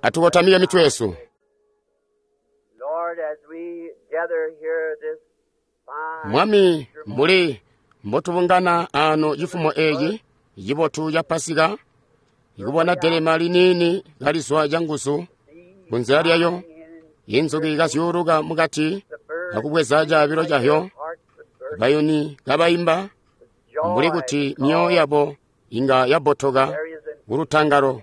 Atukotamike mitwe yesu. Lord, as we gather here this fine Mwami, mbuli mbotubungana ano cifumo eci cibotu ca Pasika, ikubona delema liniini kalizwa canguzu kunzila lyayo, inzuki kazyuuluka mukati akubweza caabilo cahyo, bayuni kabaimba mbuli kuti myoyo yabo inga yabotoka kulutangalo,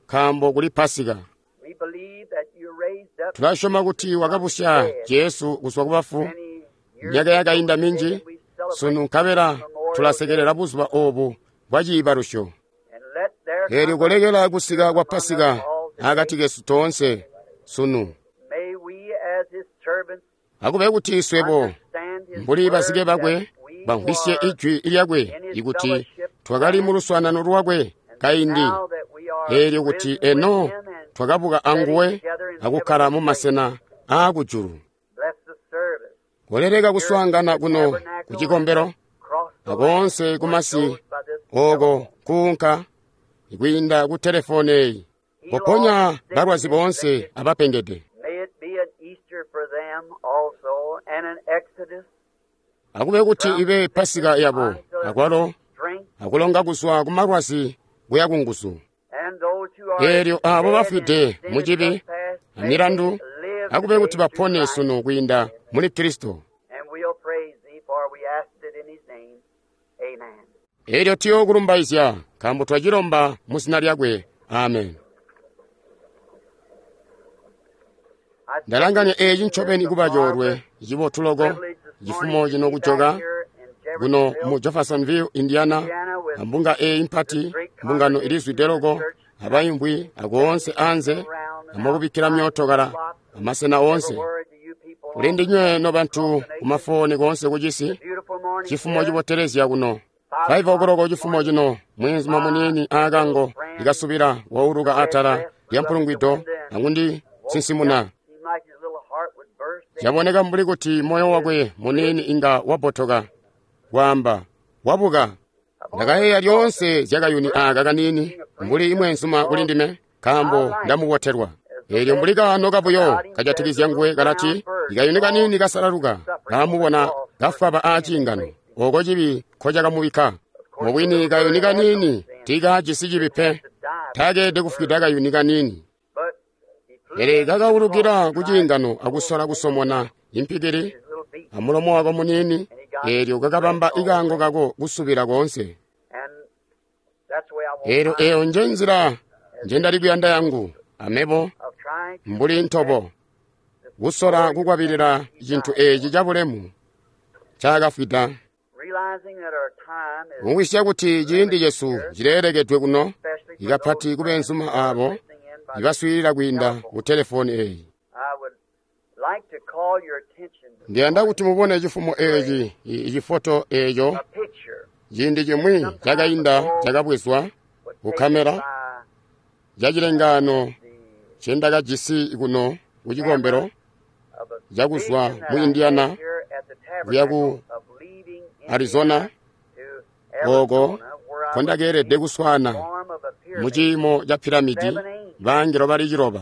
nkaambo kuli Pasika. We believe that you raised up Tulasyoma kuti wakabusya Jesu kuzwa kubafu many years myaka yakainda minji, and we celebrate sunu nkabela tulasekelela buzuba obu bwa ciibalusyo. and let there Eelyo kolekela kusika kwa Pasika akati kesu toonse sunu. may we as his servants Akube kuti swebo understand his mbuli word bazike bakwe that we bamvwisye are ijwi lyakwe ikuti twakali mu luswaanano lwakwe kaindi, now that we are eelyo kuti risen with eno him and twakabuka anguwe akukkala mu masena aakujulu. bless the service Koleleka kuswaangana kuno ku cikombelo cross the akoonse kumasi land by this oko kuunka kwiinda ku telefoni eyi poponya balwazi boonse abapengede. May it be an Easter for them also and an Exodus Akube kuti ibe Pasika yabo akwalo strength akulonga kuzwa ku malwazi kuya ku nguzu. and those who are Eelyo abo dead bafwide in sin mu and cibi trespass, may amilandu they live akube kuti today through bapone Christ. sunu kwiinda muli Kristo. And we'll praise thee, for we asked it in his name. Amen. Eelyo tuyokulumbaizya nkaambo twacilomba mu zina lyakwe. Amen. I Ndalanganya eeci ncobeni kuba coolwe cibotu loko cifumo cino kujoka kuno mu Jeffersonville, Indiana, ambunga eyi mpati, mbungano ilizwide loko abayimbwi akoonse anze amakubikkila myootokala amasena oonse. Kuli ndinywe nobantu kumafoni koonse kucisi, cifumo cibotelezya kuno. 5 o'clock cifumo cino, mwenzuma muniini aakango likasubila wauluka atala lya mpulungwido akundisinsimuna. Caboneka mbuli kuti moyo wakwe muniini inga wabotoka, kwaamba, wabuka. Ndakayeeya lyoonse zyakayuni aaka kaniini mbuli imweenzuma kuli ndime, nkaambo ndamubotelwa. Eelyo mbuli kaano kabuyo kajatikizya nguwe kalati, ikayuni kaniini kasalaluka, kaamubona kafwaba aaciingano, oko cibi nkocakamubikka. Mubwini kayuni kaniini tiikaajisi cibi pe, taakeelede kufwida kayuni kaniini. Pele kakaulukila ku ciingano akusola kusomona impikili amulomo wako muniini, eelyo kakabamba ikaango kako kusubila koonse. Eelyo eyo nje nzila njendali kuyanda yangu, amebo mbuli ntobo, kusola kukwabilila cintu eeci cabulemu ncaakafwida. Mumvwisya kuti ciindi cesu cileelekedwe kuno, ikapati kubeenzuma aabo ibaswiilila kwiinda ku telefoni eyi. Ndiyanda kuti mubone cifumo eeci, icifoto eeco ciindi cimwi cakainda cakabwezwa ku kamera cacilengaano ncendakajisi kuno ku cikombelo cakuzwa mu Indiana kuya ku Arizona, oko nkondakeelede kuswaana mu ciimo ca piramidi bangelo bali 9.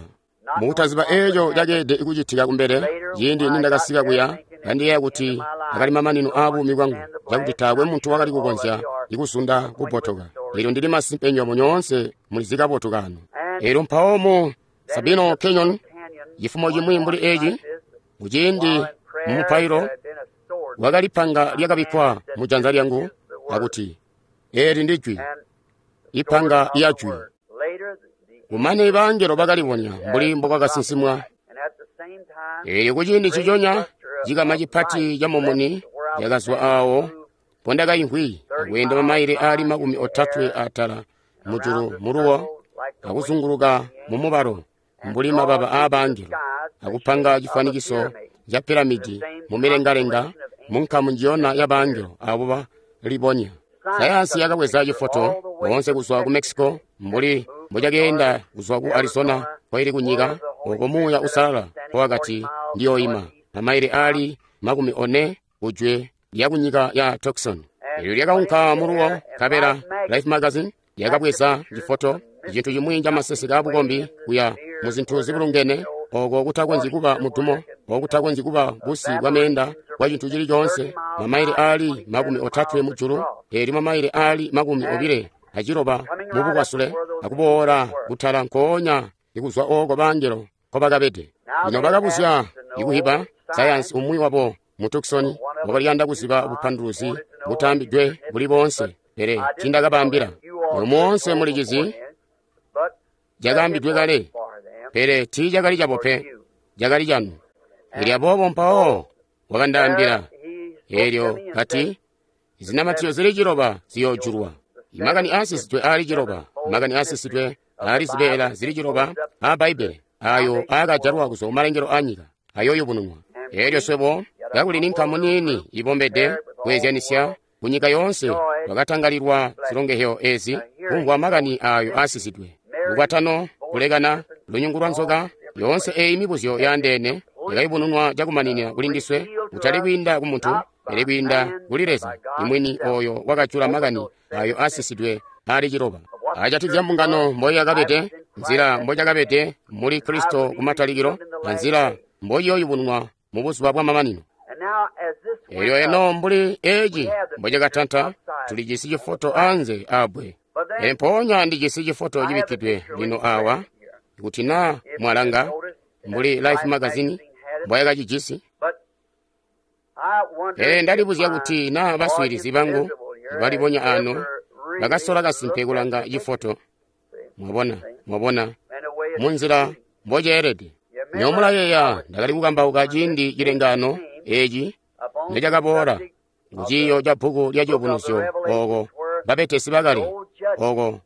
Mukutaziba eeco cakeelede kucitika kumbele, ciindi nindakasika kuya, kandiyeeya kuti akali mamanino aabuumi bwangu, cakuti taakwe muntu wakali kukonzya ikuzunda kubotoka. Eelyo ndili masimpe nywebo nyoonse mulizi kabotu kano. Eelyo mpawo mu Sabino Canyon, cifumo cimwi mbuli eeci, kuciindi mu mupailo, wakali panga lyakabikkwa mu janza lyangu akuti, eeli ndi jwi, ipanga lya jwi. Kumane bangelo bakalibonya mbuli mbokwakasinsimwa. Eelyo kuciindi nciconya, cikama cipati ca mumuni cakazwa aawo mpondakaimvwi akweenda mamaile aali 30 atala mujulu muluwo akuzunguluka mumubalo mbuli mababa aabangelo akupanga cifwanikiso ca piramidi mumilengalenga munkamu njiyona ya bangelo abo balibonya. Sayansi yakabweza cifoto boonse kuzwa ku Mexico mbuli mbocakeenda kuzwa ku Arizona koili kunyika oko Muuya Uusalala nkowakati ndiyoima mamaile aali 40 kujwe lya kunyika ya Tucson. Eelyo lyakaunka muluwo nkabela Life Magazine yakabweza cifoto, cintu cimwi ca maseseke aabukombi kuya mu zintu zibulungene, oko kutakonzyi kuba mudumo, oko kutakonzyi kuba busi bwa meenda bwa cintu cili coonse, mamaile aali 30 mujulu, elyo mamaile aali 26 mu bukwasule, akuboola kutala nkoonya ikuzwa oko bangelo nkobakabede. Lino bakabuzya ikuhiba sayansi umwi wabo mu Tucson wakaliyanda kuziba bupanduluzi butambidwe buli boonse, pele tiindakabaambila. Moonse mulicizi cakaambidwe kale, pele tiicakali cabo pe, cakali canu. Elyo aboobo mpawo wakandaambila, elyo kati, zinamatizyo zili 7 ziyoojulwa. Imakani aasisidwe aali 7, makani aasisidwe aali zibeela zili 7 aa Bbaibbele, ayo aakajalwa kuzwa kumalengelo aanyika, ayooyubununwa. Elyo swebo kakuli ni nkamu niini ibombede kweezyanisya kunyika yoonse, twakatangalilwa zilongehyo ezi kumvwa makani ayo aasisidwe. Lukwatano, kulekana, lunyungu lwa nzoka, yoonse eyi mibuzyo yaandeene yakayubununwa cakumaninina kuli ndiswe, kutali kwiinda ku muntu, pele kwiinda kuli Leza imwini oyo wakajula makani ayo aasisidwe aali 7. Ajatikizya mbungano mboyakabede, nzila mbocakabede muli Kristo kumatalikilo, na nzila mboiyooyubununwa mu buzuba bwamamanino. Elyo eno mbuli eci mbocakatanta, tulijisi cifoto anze abbwe. Pele mpoonya ndijisi cifoto cibikkidwe lino awa, kuti naa mwalanga mbuli Life magazine mboyakacijisi. Pele ndalibuzya kuti naa baswiilizi bangu balibonya ano bakasola kasimpe kulanga cifoto. Mwabona, mwabona munzila mboceelede. Nyo mulayeeya ndakali kukambauka ciindi cilengano eci necakaboola kuciiyo ca bbuku lya Ciyubunuzyo, oko babetesi bakale, oko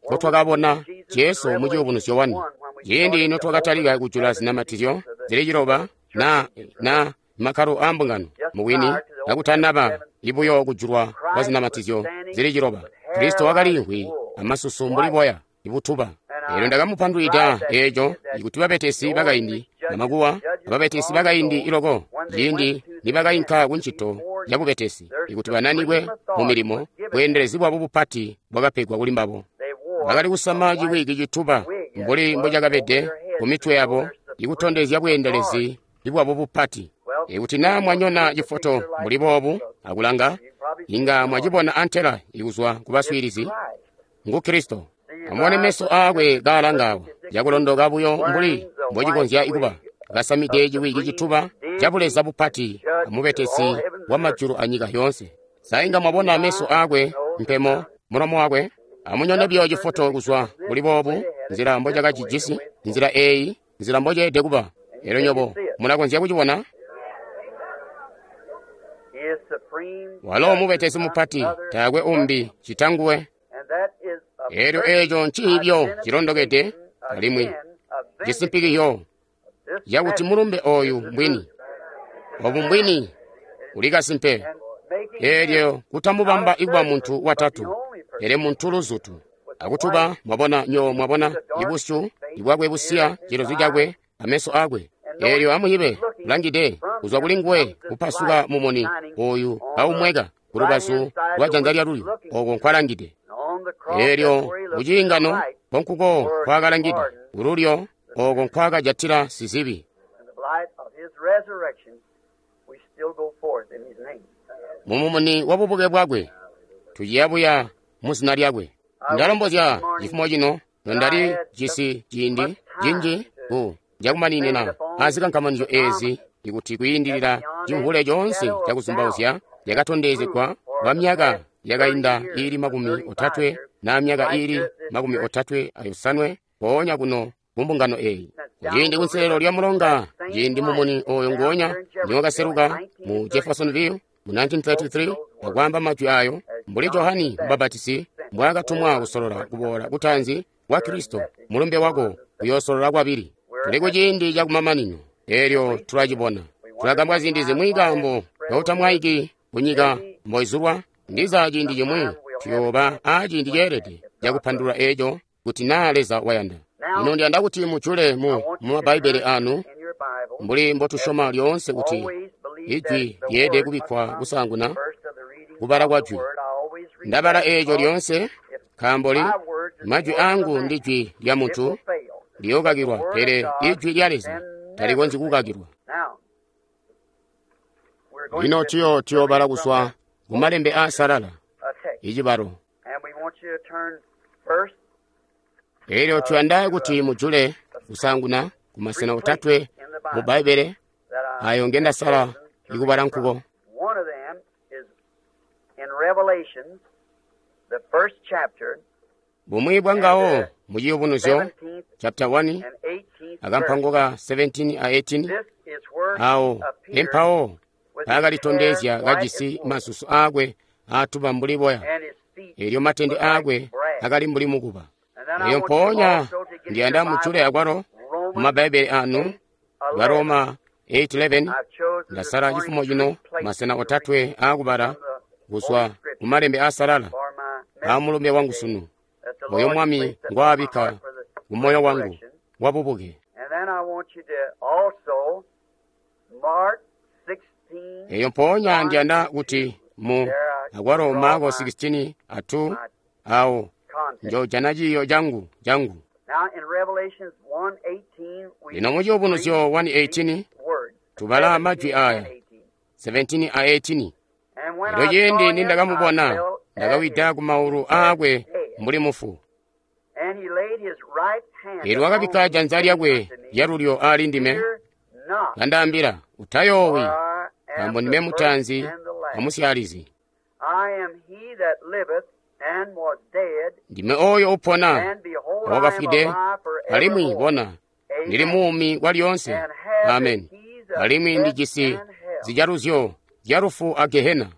nkotwakabona Jesu mu Ciyubunuzyo 1. Ciindi notwakatalika kujula zinamatizyo zili 7 na makkalo aa mbungano, mubwini kakutanaba ibuyo kujulwa kwa zinamatizyo zili 7, Kristo wakaliimvwi amasusu mbuli boya ibutuba. Elyo ndakamupandulwida eco ikuti babetesi bakaindi bamakuwa ababetesi bakaindi iloko, ciindi nibakainka ku ncito ya bubetesi, ikuti bananikwe mu milimo, bweendelezi bwabo bupati bwakapegwa kuli mbabo. Bakali kusama ciwiki cituba mbuli mbocakabede ku mitwe yabo, ikutondezya bweendelezi bwabo bupati. Ikuti naa mwanyona cifoto mbuli boobu akulanga, inga mwacibona antela ikuzwa ku baswiilizi. Ngu Kristo. Amubone meso aakwe kaalanga awa, cakulondoka buyo mbuli mbocikonzya kuba, kasamide ciwiki cituba ca buleza bupati amubetesi wa majulu anyika yoonse. Sa inga mwabona meso aakwe, mpemo, mulomo wakwe? Amunyone biyo cifoto kuzwa kuli boobu, nzila mbocakacijisi, nzila eeyi, nzila mboceelede kuba. Elyo nyobo mulakonzya kucibona. Walo mubetesi mupati, taakwe umbi cita nguwe. Elyo eeco nciibyo cilondokede alimwi cisimpikizyo cakuti mulumbe oyu mbwini. Obu mbwini uli kasimpe. Elyo kutamubamba ikuba muntu watatu, pele muntu luzutu. Akutuba, mwabona, nyo mwabona ibusyu ibwakwe busiya, cilozu cakwe, ameso akwe. Elyo amuyibe kulangide kuzwa kuli nguwe kupasuka mumuni oyu aumweka kulubazu lwa janza lyalulyo, oko nkwalangide. Elyo kuciingano nkonkuko nkwakalangide, kululyo oko nkwakajatila sizibi. Mumumuni wa bubuke bwakwe tuciyabuya muzina lyakwe. Ndalombozya cifumo cino nondali jisi ciindi cinji ku cakumaninina azikankamanizyo ezi, ikuti kwiindilila cimvule coonse cakuzumbauzya yakatondezegwa kwa myaka yakainda iili 30 na myaka iili 35 mpoonya kuno kumbungano eyi. Ciindi kunselelo lya mulonga, ciindi mumuni oyo nguonya niwakaseluka mu Jeffersonville mu 1933 akwaamba majwi ayo, mbuli Johani Mubapatisi mbwaakatumwa kusolola kuboola kutaanzi kwa Kristo, mulumbe wako uyoosolola kwabili. Tuli kuciindi cakumamanino, elyo tulacibona. Tulagambwa ziindi zimwi kaambo kautamwaiki kunyika mboizulwa. Ndiza ciindi cimwi tuyooba aaciindi ceelede cakupandulula eco kuti naa Leza wayanda. Lino ndiyanda kuti mujule mu Mabbaibele anu, mbuli mbotusyoma lyoonse kuti ijwi lyeelede kubikkwa kusaanguna kubala kwa jwi. Ndabala eeco lyoonse, nkaambo majwi angu ndi jwi lya muntu, liyookakilwa, pele Ijwi lya Leza talikonzyi kukakilwa. Lino tuyoobala kuzwa ku malembe aasalala, icibalo. Elyo tuyanda kuti mujule kusaanguna kumasena otatwe mu Bbaibbele ayo ngendasala ikubala nkuko. Bumwi bwangawo mu Ciyubunuzyo chapter 1 akampango ka 17 a 18, awo empawo paakalitondezya kajisi masusu aakwe aatuba mbuli boya, elyo matende aakwe akali mbuli mukuba. Elyo mpoonya ndiyanda mujule akwalo mu Mabaibbele anu, Baroma 8:11. Ndasala cifumo cino masena otatwe aakubala kuzwa mu malembe aasalala aamulumbe wangu sunu, oyo Mwami ngwaabikka ku moyo wangu wabubuke. Eyo mpoonya ndiyanda kuti mu akwalo Marko 16:2 awo njojana ciiyo changu. Lino mu Ciyubunuzyo 1:18 tubala majwi aya 17 a 18. Elyo ciindi nindakamubona, ndakawida ku maulu aakwe mbuli mufu. Elyo wakabikka janza lyakwe lyalulyo ali ndime, kandaambila, utayoowi, nkaambo ndime mutaanzi amusyaalizi. Ndime oyo upona, wakafwide, alimwi bona, ndili muumi kwalyoonse. Amen. Alimwi ndijisi zijaluzyo zya lufu a Gehena.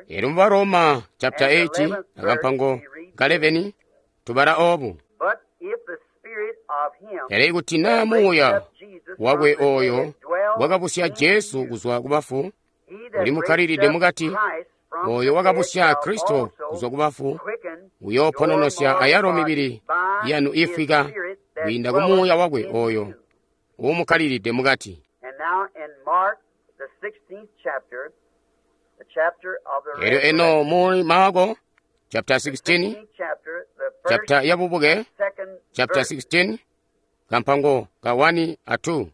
Elyo mu Baroma chapter 8 akampango ka 11 tubala obu. Pele kuti naa muuya wakwe oyo wakabusya Jesu kuzwa kubafu ulimukkalilide mukati, oyo wakabusya Kristo kuzwa kubafu uyoopononosya ayalo mibili yanu ifwika kwiinda ku muuya wakwe oyo uumukkalilide mukati. Elyo eno mu Marko chapter 16, chapter ya bubuke, chapter 16 kampango ka 1 a 2.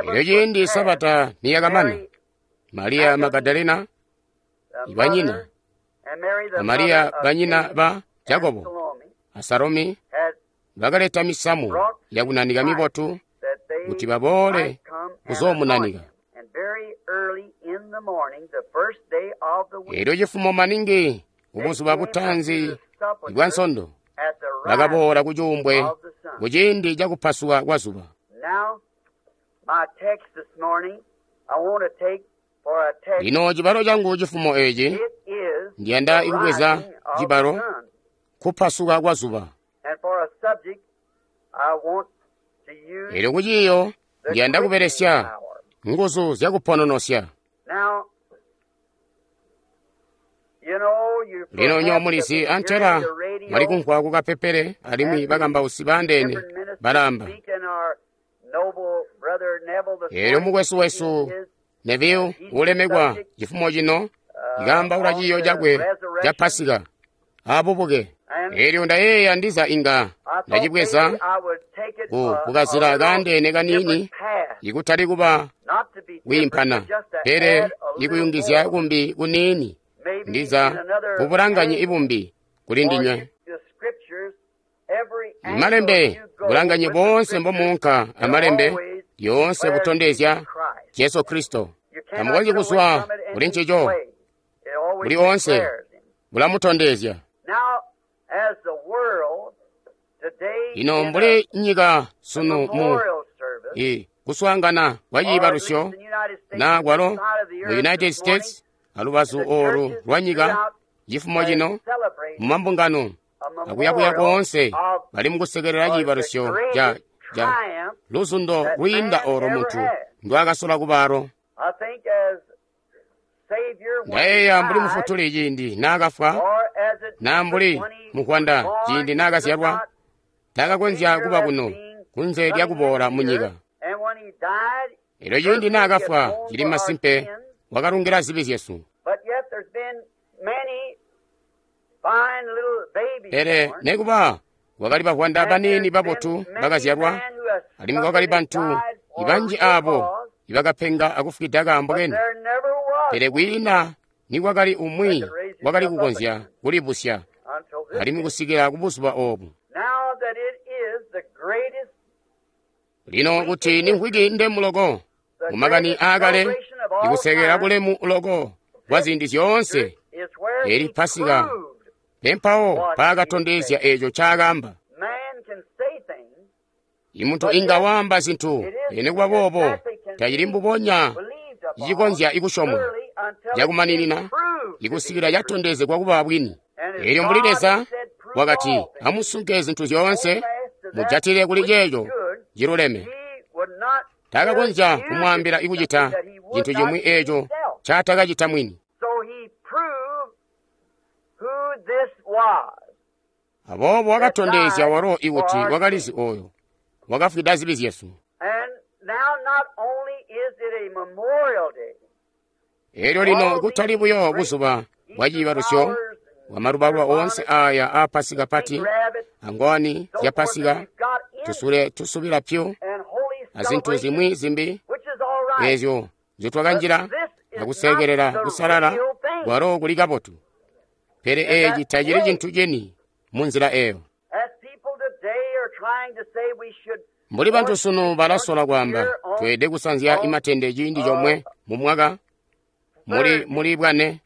Elyo ciindi Sabata niyakamana, Mariya Magadalena banyina a Mariya banyina ba Jakobo a Salomi bakaleta misamu yakunanika mibotu kuti baboole kuzoomunanika. Elyo cifumo maningi kubuzuba butaanzi bwa Nsondo bakaboola ku cuumbwe kuciindi cakupasuka kwa zuba. Lino cibalo changu cifumo eci ndiyanda ikubweza cibalo kupasuka kwa zuba. Elyo kuciiyo ndiyanda kubelesya nguzu zyakupononosya. Lino nyo mulizi antela mwali kumvwa kukapepele alimwi bakambausi baandeene balamba. Elyo mukwesu wesu Neville ulemekwa cifumo cino ikaambaula ciiyo cakwe ca Pasika abubuke. Elyo ndayeeya ndiza inga ndacibweza ku kukazila kaandeene kaniini, ikutali kuba kwiimpana, pele ikuyungizya kumbi kuniini, ndiza kubulanganye ibumbi kuli ndinywe. Malembe bulanganye boonse mbomuunka amalembe yoonse butondezya Jesu Kristo. Tamukonzyi kuzwa kuli ncico, buli onse bulamutondezya. Lino mbuli nyika sunu mu kuswaangana kwa ciibalusyo na kwalo mu United States alubazu olu lwa nyika cifumo cino mu mambungano akuyakuya koonse bali mukusekelela ciibalusyo ca luzundo lwiinda olo muntu ndwakasola kubalo. Ndayeeya mbuli mufutuli ciindi naakafwa, na mbuli mukwanda ciindi naakazyalwa, taakakonzya kuba kuno kunze lyakuboola munyika. Elyo ciindi naakafwa cili masimpe wakalungila zibi zyesu. Pele nekuba Kwakali bavwanda baniini babotu bakazyalwa, alimwi kwakali bantu ibanji aabo ibakapenga akufwida kaambo keni. Pele kwiina nikwakali umwi wakali kukonzya kulibusya alimwi kusikila kubuzuba oobu. Lino kuti ni mvwiki ndemu loko mumakani aakale, ikusekela kulemu loko kwa ziindi zyoonse, eli Pasika pempawo paakatondezya eeco ncaakaamba. Imuntu inga waamba zintu, pele nikuba boobo tacili mbubonya icikonzya ikusyomwa cakumaninina ikusikila catondezegwa kuba bwini. Eelyo mbuli Leza wakati, amusunke zintu zyoonse, mujatile kuli ceeco ciluleme. Taakakonzya kumwaambila ikucita cintu cimwi eeco ncatakacita mwini. Aboobo wakatondezya walo ikuti wakalizi ooyo wakafwida zibi zyesu. Eelyo lino kutali buyo buzuba bwa ciibalusyo bwamalubaluba oonse aaya aa Pasika pati, angowani zya Pasika, tusule tusubila pyu, azintu zimwi zimbi eezyo nzyotwakanjila akusekelela kusalala kwalo kuli kabotu. Pele eeci tacili cintu cini munzila eeyo. Mbuli bantu sunu balasola kwaamba, tweelede kusanzya imatende ciindi comwe mumwaka, muli bwane,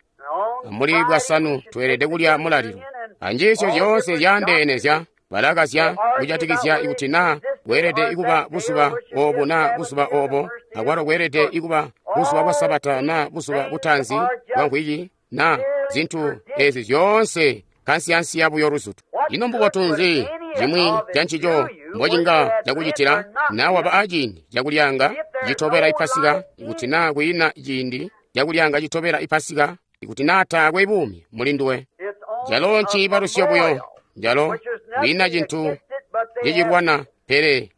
muli bwasanu tweelede kulya mulalilo. Anjiisyo zyoonse zyaandeene zya balakazya kujatikizya ikuti naa kweelede ikuba buzuba oobu naa buzuba oobo, akwalo kweelede ikuba buzuba bwa Sabata naa buzuba butaanzi bwa mvwiki, naa zintu eezi zyoonse kansiyansiya buyo luzutu. Ino mbubotu nzi cimwi cancico mbocinga cakucitila naa waba aciindi cakulyanga citobela ipasika, ikuti naa kwiina ciindi cakulyanga citobela ipasika, ikuti naa taakwe buumi muli nduwe? Calo nciibalusyo buyo, calo kwiina cintu cicilwana, pele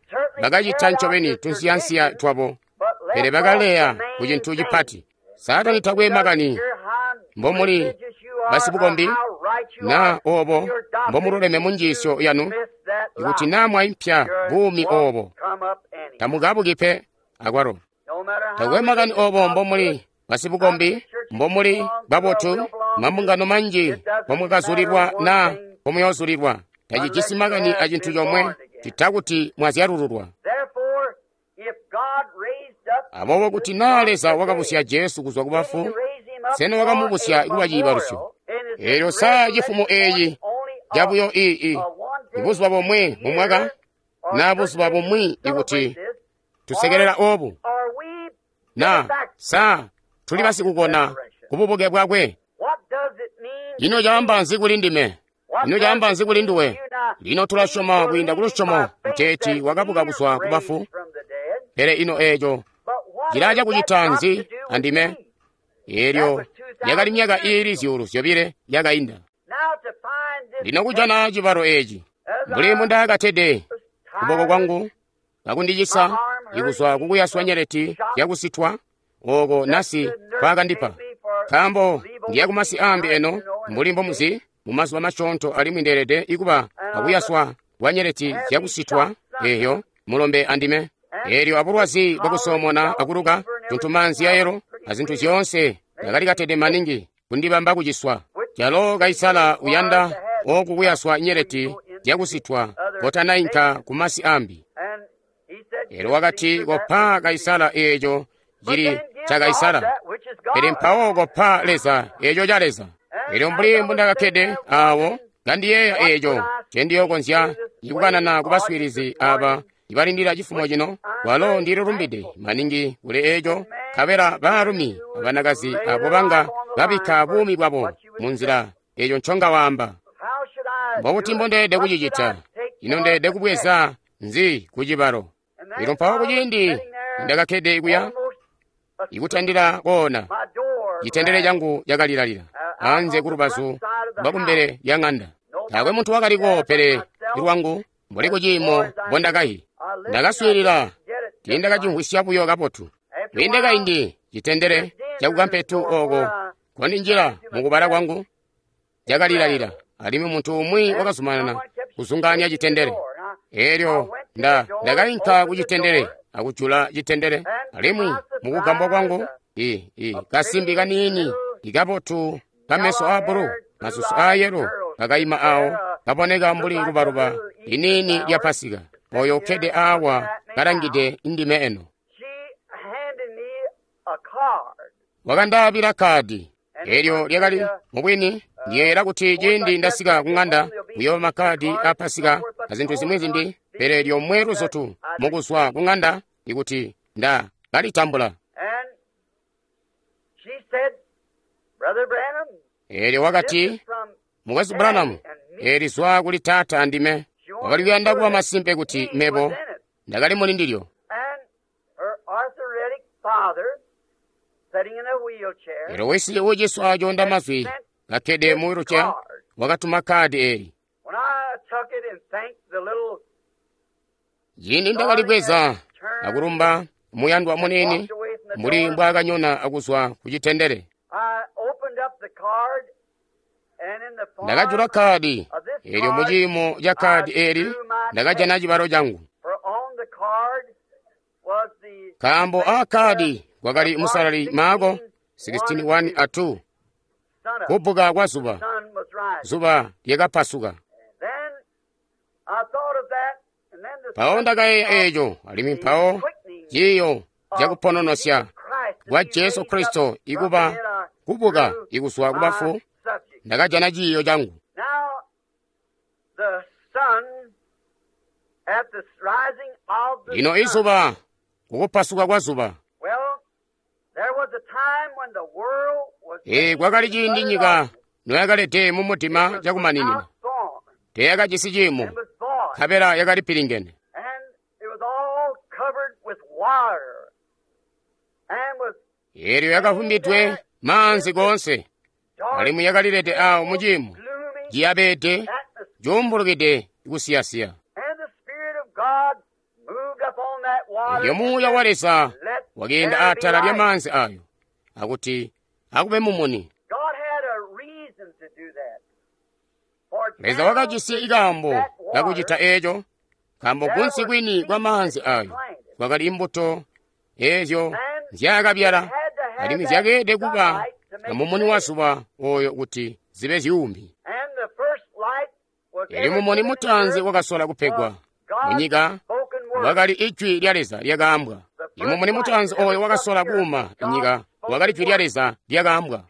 bakacita ncobeni tunsiyansiya twabo, pele bakaleya ku cintu cipati. Saatani takwe makani mbomuli basibukombi naa oobo mbomululeme mu njiisyo yanu, ikuti naa mwaimpya buumi oobo, tamukabuki pe akwalo. Takwe makani oobo mbomuli basibukombi, mbomuli babotu, mambungano manji mbomwakazulilwa naa mbomuyoozulilwa, tacijisi makani acintu comwe cita kuti mwazyalululwa. Aboobo kuti naa Leza wakabusya Jesu kuzwa kubafu, sena wakamubusya kuba ciibalusyo? Eelyo saa cifumo eeci cabuyo ibuzuba bomwe mumwaka, naa buzuba bumwi ikuti tusekelela oobu, naa saa tuli basikukona kububuke bwakwe? Ino caamba nzi kuli ndime? Ino caamba nzi kuli nduwe? Lino tulasyoma kwiinda kulusyomo kuteeti wakabuka kuzwa kubafu, pele ino eeco cilaa cakucita nzi andime? Eelyo yakali myaka iili 2,000 yakainda. Lino kujana cibalo eeci, mbuli mbundakatede kuboko kwangu kakundicisa ikuzwa kukuyaswa nyeleti yakusitwa ooko nasi kwaakandipa, nkaambo ndiya kumasi aambi eno mbuli mbomuzi mumazuba masyoonto, alimwi ndeelede ikuba akuyaswa kwa nyeleti zyakusitwa eeyo mulombe andime. Eelyo abulwazi bwakusoomona akuluka, tuntumaanzi yayelo azintu zyoonse ndakali katede maningi kundibamba kuciswa. Calo Kaisala uyanda ooku kuyaswa nyeleti zyakusitwa kotanainka kumasi ambi. Eelyo wakati, kopa Kaisala eeco cili ca Kaisala, pele mpawo kopa Leza eeco ca Leza. Eelyo mbuli mbundakakkede aawo kandiyeeya eeco ncendiyookonzya ikukanana kubaswiilizi aaba ibalindila cifumo cino, kwalo ndililumbide maningi kuli eeco, nkabela baalumi abanakazi abo banga babikka buumi bwabo munzila eeco nconga waamba. Mbobuti mbondeelede kucicita? Ino ndeelede kubweza nzi kucibalo? Eelyo mpawo kuciindi ndakakkede kuya ikutandila koona, citendele changu cakalilalila anze kulubazu lwakumbele lya ŋanda. Taakwe muntu wakaliko pele lwangu mbuli kuciimo mbondakayi. Ndakaswiilila, tiindakacimvwisya buyo kabotu. Kwiinde kaindi citendele cakukampetu ooko kondinjila mukubala kwangu cakalilalila. Alimwi muntu umwi wakazumanana kuzungaanya citendele. Elyo ndakainka ku citendele akujula citendele, alimwi mukugambwa kwangu kasimbi kaniini ikabotu kameso a bulu, masusu a yelo kakaima awo, kaboneka mbuli lubaluba liniini lya Pasika. Oyo ukkede awa kalangide ndime eno. Wakandaabila kadi. Elyo lyakali mubwini ndiyeeyela kuti ciindi ndasika ku ng'anda kuyooba makkadi a Pasika azintu zimwi zimbi, pele lyomwe luzutu mukuzwa ku ng'anda ikuti nda kalitambula. Elyo wakati, Mukwesu Branham, eli zwa kuli taata andime. Wakali kuyanda kuba masimpe kuti mebo ndakali muli ndilyo. Elyo wisi uciswa coonda mazwi kakkede mu wheelchair wakatuma kadi eli. Ciindi ndakalibweza akulumba muyandwa muniini mbuli mbwaakanyona akuzwa ku citendele. Ndakajula kadi elyo muciimo ca kadi eli ndakajana cibalo cangu. Nkaambo a kadi kwakali musalali Maako 16:1 a 2, kubbuka kwa zuba, zuba lyakapasuka. Mpawo ndakayeeya eeco, alimwi mpawo ciiyo cakupononosya kwa Jesu Kristo ikuba kubuka ikuzwa kubafu, ndakajana ciiyo cangu. Lino izuba, kukupasuka kwa zuba. Kwakali ciindi nyika noyakalede mu mudima cakumaninina, teyakajisi ciimo, nkabela yakali pilingene. Elyo yakavumbidwe maanzi koonse, alimwi yakalilede awo mu ciimo ciyabede cuumbulukide kusiyasiya. Elyo Muuya wa Leza wakeenda atala lya maanzi ayo, akuti akube mumuni. Leza wakajisi ikaambo kakucita eeco, nkaambo kunsi kwini kwa maanzi ayo kwakali imbuto eezyo nzyaakabyala, alimwi zyakeelede kuba amumuni wa zuba oyo kuti zibe zyuumi. Elyo mumuni mutaanzi wakasola kupegwa munyika wakali ijwi lya Leza lyakaambwa. Imumuni mutaanzi oyo wakasola kuuma nyika wakali jwi lya Leza lyakaambwa.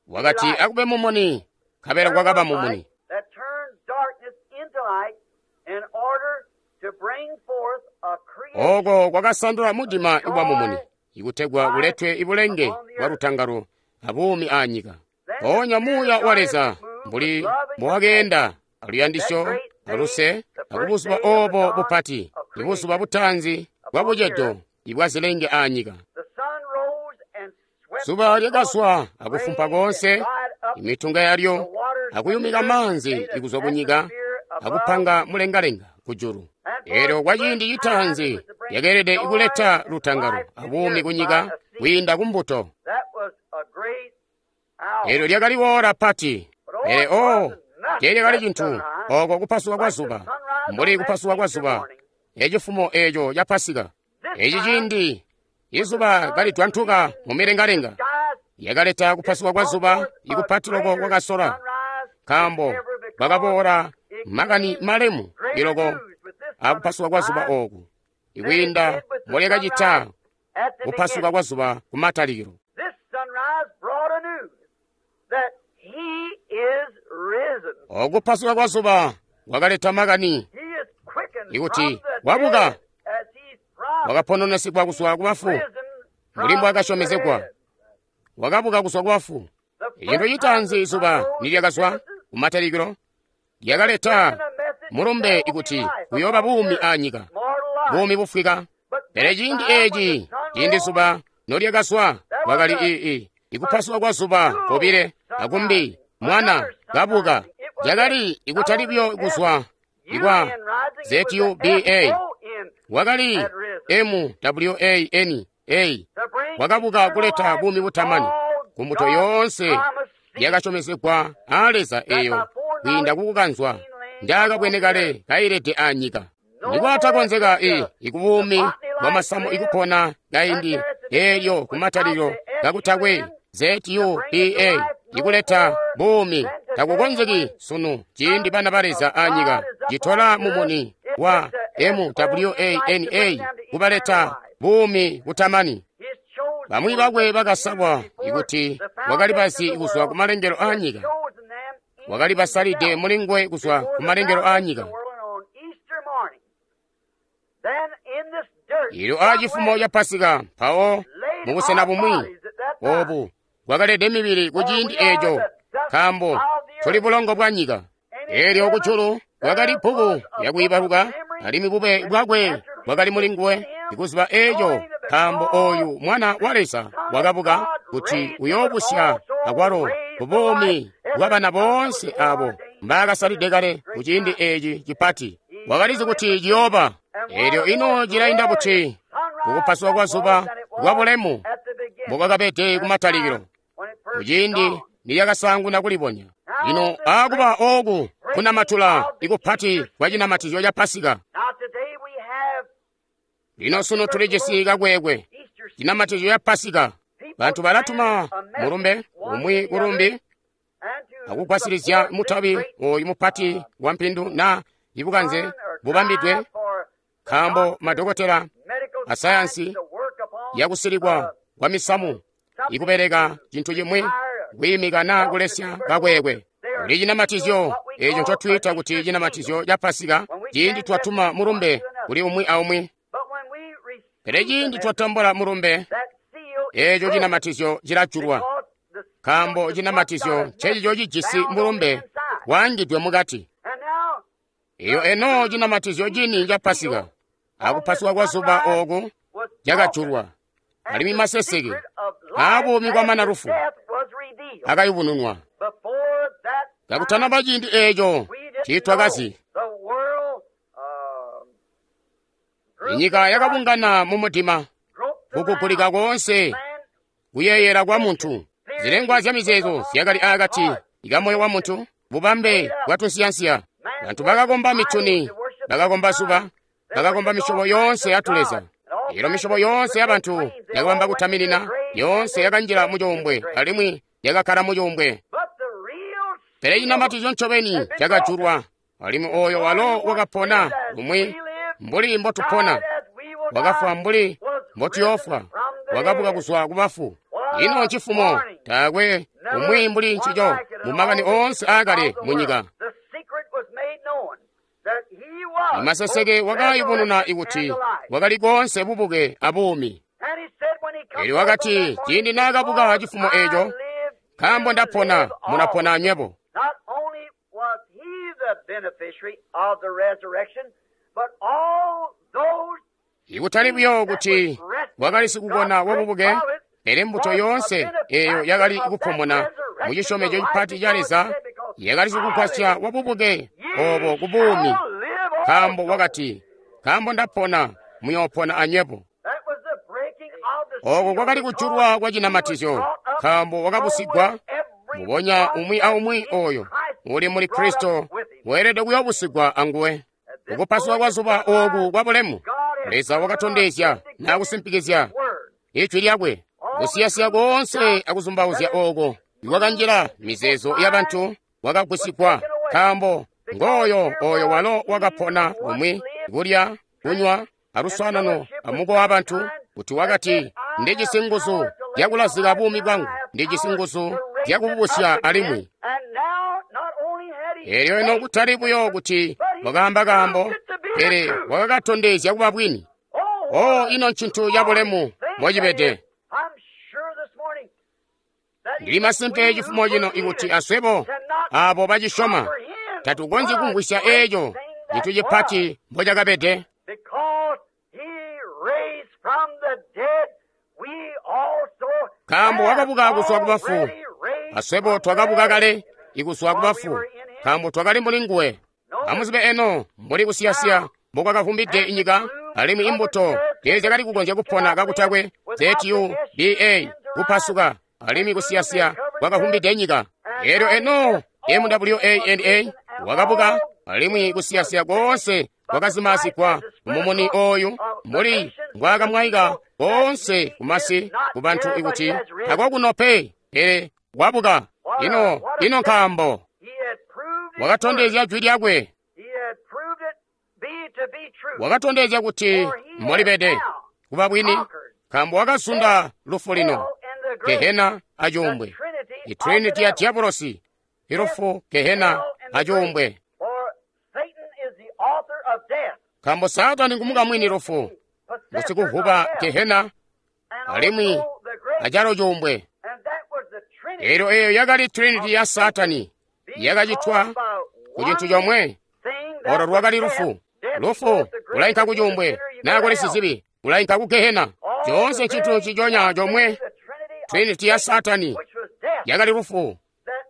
Wakati akube mumuni, nkabela kwakaba mumuni. Oko kwakasandula mudima wa mumuni ikutegwa kuletwe ibulenge bwa lutangalo abuumi anyika. Mpoonya Muuya wa Leza mbuli mbowakeenda aluyandisyo aluse akubuzuba obo bupati, ibuzuba butaanzi bwa bucedo ibwa zilenge anyika. Zuba lyakazwa akufumpa koonse imitunga yalyo, akuyumika maanzi ikuzwa kunyika, akupanga mulengalenga kujulu. Elyo kwa ciindi citaanzi lyakeelede kuleta lutangalo abuumi kunyika kwiinda kumbuto. Elyo lyakali woola pati, pele o teelyakali cintu oko kupasuka kwa zuba, mbuli kupasuka kwa zuba ecifumo eeco ca Pasika. Eci ciindi izuba kalitwantuka mu milengalenga, lyakaleta kupasuka kwa zuba ikupati loko kwakasola, nkaambo kwakaboola makani malemu iloko akupasuka kwa zuba oku ikwiinda mbolyakacita kupasuka kwa zuba kumatalikilo. Okupasuka kwa zuba kwakaleta makani ikuti wabuka, wakapononesigwa kuzwa kubafu mbuli mbwaakasyomezegwa, wakabuka kuzwa kubafu. Icintu citaanzi izuba nilyakazwa kumatalikilo lyakaleta mulumbe ikuti kuyooba buumi anyika, buumi bufwika. Pele ciindi eeci, ciindi zuba nolyakazwa, kwakali ikupasuka kwa zuba kobile akumbi mwana kabuka. Cakali ikutali buyo kuzwa ikwa ZUBA, wakali MWANA, wakabuka kuleta buumi butamani kumbuto yoonse yakasyomezegwa aa Leza eyo kwiinda kukukanzwa njaakabwene kale kailede anyika. Nikwatakonzeka ikubuumi bwa masamu ikupona kaindi eelyo kumatalikilo kakutakwe ZUPA ikuleta buumi takukonzeki sunu ciindi bana ba Leza anyika citola mumuni wa MWANA kubaleta buumi butamani. Bamwi bakwe bakasalwa ikuti wakali bazi kuzwa kumalengelo aanyika, wakali basalide mulinguwe kuzwa kumalengelo aanyika. Ilyo aacifumo ca Pasika mpawo mubusena bumwi obu bwakalede mibili ku ciindi eeco, nkaambo tuli bulongo bwa nyika. Eelyo kujulu kwakali bbuku lyakwiibaluka, alimwi bube bwakwe bwakali mulinguwe ikuziba eeco, nkaambo ooyu Mwana wa Leza wakabuka kuti uyoobusya akwalo kubuumi bwa bana boonse abo mbaakasalide kale ku ciindi eeci cipati. Wakalizi kuti ciyooba. Eelyo ino cilainda buti kukupasuka kwa zuba kwa bulemu mbokwakabede kumatalikilo, kuciindi nilyakasaanguna kulibonya. Lino aakuba ooku kunamatula ikupati kwa cinamatizyo ca Pasika. Lino sunu tulijisi kakwekwe cinamatizyo ca Pasika. Bantu balatuma mulumbe umwi kulumbi akugwasilizya mutabi ooyu mupati wa mpindu na ibukanze bubambidwe, nkaambo madokotela asayansi yakusilikwa kwa misamu ikubeleka cintu cimwi kwiimika naa kulesya kakwekwe. Kuli cinamatizyo eeco ncotwiita kuti cinamatizyo ca Pasika ciindi twatuma mulumbe kuli umwi aumwi. Pele ciindi twatambula mulumbe, eeco cinamatizyo cilajulwa, nkaambo cinamatizyo ncecico cijisi mulumbe waangidwe mukati. Iyo eno cinamatizyo cini ca Pasika akupasuka kwa zuba ooku cakajulwa, alimwi maseseke aabuumi kwamana lufu akayubununwa. Kakutanaba ciindi eeco tiitwakazi, inyika yakabungana mumudima, kukugulika koonse kuyeeyela kwa muntu. Zilengwa zya mizeezo zyakali aakati kamoyo wa muntu, bubambe bwa tunsiyansiya. Bantu bakakomba mituni, bakakomba zuba, bakakomba misyobo yoonse ya tuleza. Elo misyobo yoonse yabantu yakabamba kutaminina, yoonse yakanjila mucuumbwe alimwi yakakkala mucuumbwe. Pele cinamatizyo ncobeni cakajulwa, alimwi ooyo walo wakapona lumwi mbuli mbotupona, wakafwa mbuli mbotuyoofwa, wakabuka kuzwa kubafu. Ino ncifumo taakwe umwi mbuli ncico mumakani oonse aakale munyika. Maseseke wakayubununa ikuti wakali koonse bubuke abuumi. Eelyo wakati ciindi naakabuka cifumo eeco, nkaambo ndapona, munapona anywebo. Ikutali buyo kuti wakali sikukona wabubuke, pele mbuto yoonse eeyo yakali kupomona mucisyomezyo cipati ca Leza yakali sikugwasya wabubuke oobo kubuumi, nkaambo wakati, nkaambo ndapona, muyoopona anywebo. Ooko kwakali kujulwa kwa cinamatizyo, nkaambo wakabusigwa mubonya umwi aumwi ooyo uli muli Kristo weelede kuyoobusigwa anguwe. Kukupasuka kwa zuba ooku kwa bulemu, Leza wakatondezya nakusimpikizya ijwi lyakwe. Kusiyasiya koonse akuzumbauzya ooko ikwakanjila mizeezo yabantu kwakagwisigwa, nkaambo ngooyo ooyo walo wakapona umwi kulya, kunywa aluswaanano amukowa wabantu, kuti wakati, ndijisi nguzu zyakulazika buumi bwangu, ndijisi nguzu zyakububusya alimwi. Eelyo ino kutali buyo kuti wakaamba kaambo, pele wakakatondezya kuba bwini. Oh, ino ncintu cabulemu mbocibede. Ndili masimpe cifumo cino ikuti aswebo aabo bacisyoma tatukonzyi kumvwisya eeco cintu cipati mbocakabede. Nkaambo wakabuka kuzwa kubafu, aswebo twakabuka kale ikuzwa kubafu, nkaambo twakali mbuli nguwe. Amuzibe eno mbuli kusiyasiya mbokwakavumbide inyika, alimwi imbuto teezyakali kukonzya kupona kakutakwe ZUBA kupasuka, alimwi kusiyasiya kwakavumbide nyika. Elyo eno MWANA wakabuka, alimwi kusiyasiya koonse kwakazimaazigwa mumuni oyu mbuli mbwakamwaika koonse kumasi ku bantu ikuti tako kuno pe, pele wabuka. Ino ino nkaambo wakatondezya jwi lyakwe, wakatondezya kuti mbolibede kuba bwini, nkaambo wakazunda lufu lino, gehena acuumbwe, itrinity ya diabolosi, ilufu, gehena acuumbwe. Nkaambo Saatani ngumukamwini lufu, ngusikuvuba gehena alimwi acalo cuumbwe. Elyo eyo yakali trinity ya Saatani yakacitwa ku cintu comwe, olo lwakali lufu. Lufu ulainka ku cuumbwe, naa kuli sizibi ulainka ku gehena. Coonse cintu ciconya comwe, trinity ya Saatani yakali lufu.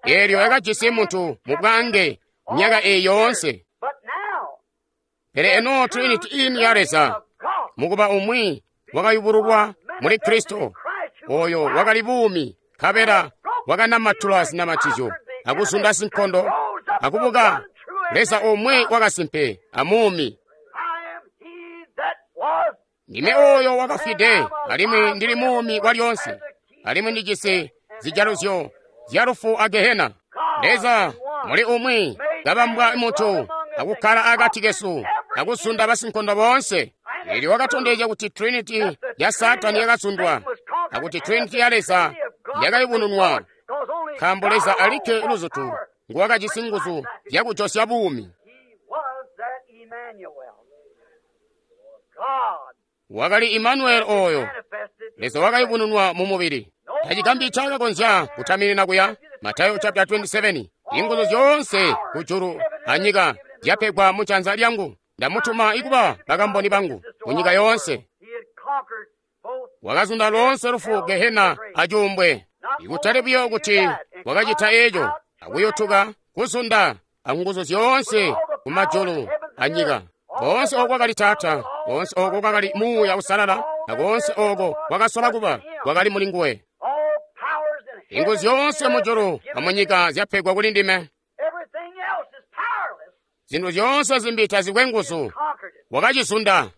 Elyo yakajisi muntu mu bwange myaka eyi yoonse. Pele eno trinity ini ya Leza mukuba umwi wakayubululwa muli Kristo, oyo wakali buumi, nkabela wakanamatula zinamatizyo akuzunda sinkondo akubuka, Leza omwe wakasimpe amuumi. Ndime oyo wakafwide, alimwi ndili muumi kwalyoonse, alimwi ndijisi zijaluzyo zya lufu a gehena. Leza muli umwi kabambwa muntu akukkala akati kesu akuzunda basinkondo boonse. Elyo wakatondezya kuti trinity ya Saatani yakazundwa akuti trinity ya Leza yakayubununwa, nkaambo Leza alikke luzutu nguwakajisi nguzu zyakujosya buumi. Wakali Imanueli oyo Leza wakayubununwa mu mubili. Tacigambi cakakonzya kutaminina kuya. Matayo chapter 27. Inguzu zyoonse kujulu anyika zyapegwa mu janza lyangu. Ndamutuma ikuba bakamboni bangu mu nyika yoonse. Wakazunda loonse lufu, gehena acuumbwe. Ikutali buyo kuti wakacita eco, akuyotuka kuzunda anguzu zyoonse kumajulu anyika. Koonse oko kwakali Taata, koonse oko kwakali Muuya Usalala, na koonse oko kwakasola kuba kwakali muli nguwe. Inguzu zyoonse mujulu amunyika zyapegwa kuli ndime. Zintu zyoonse zimbi tazikwe nguzu. Wakacizunda.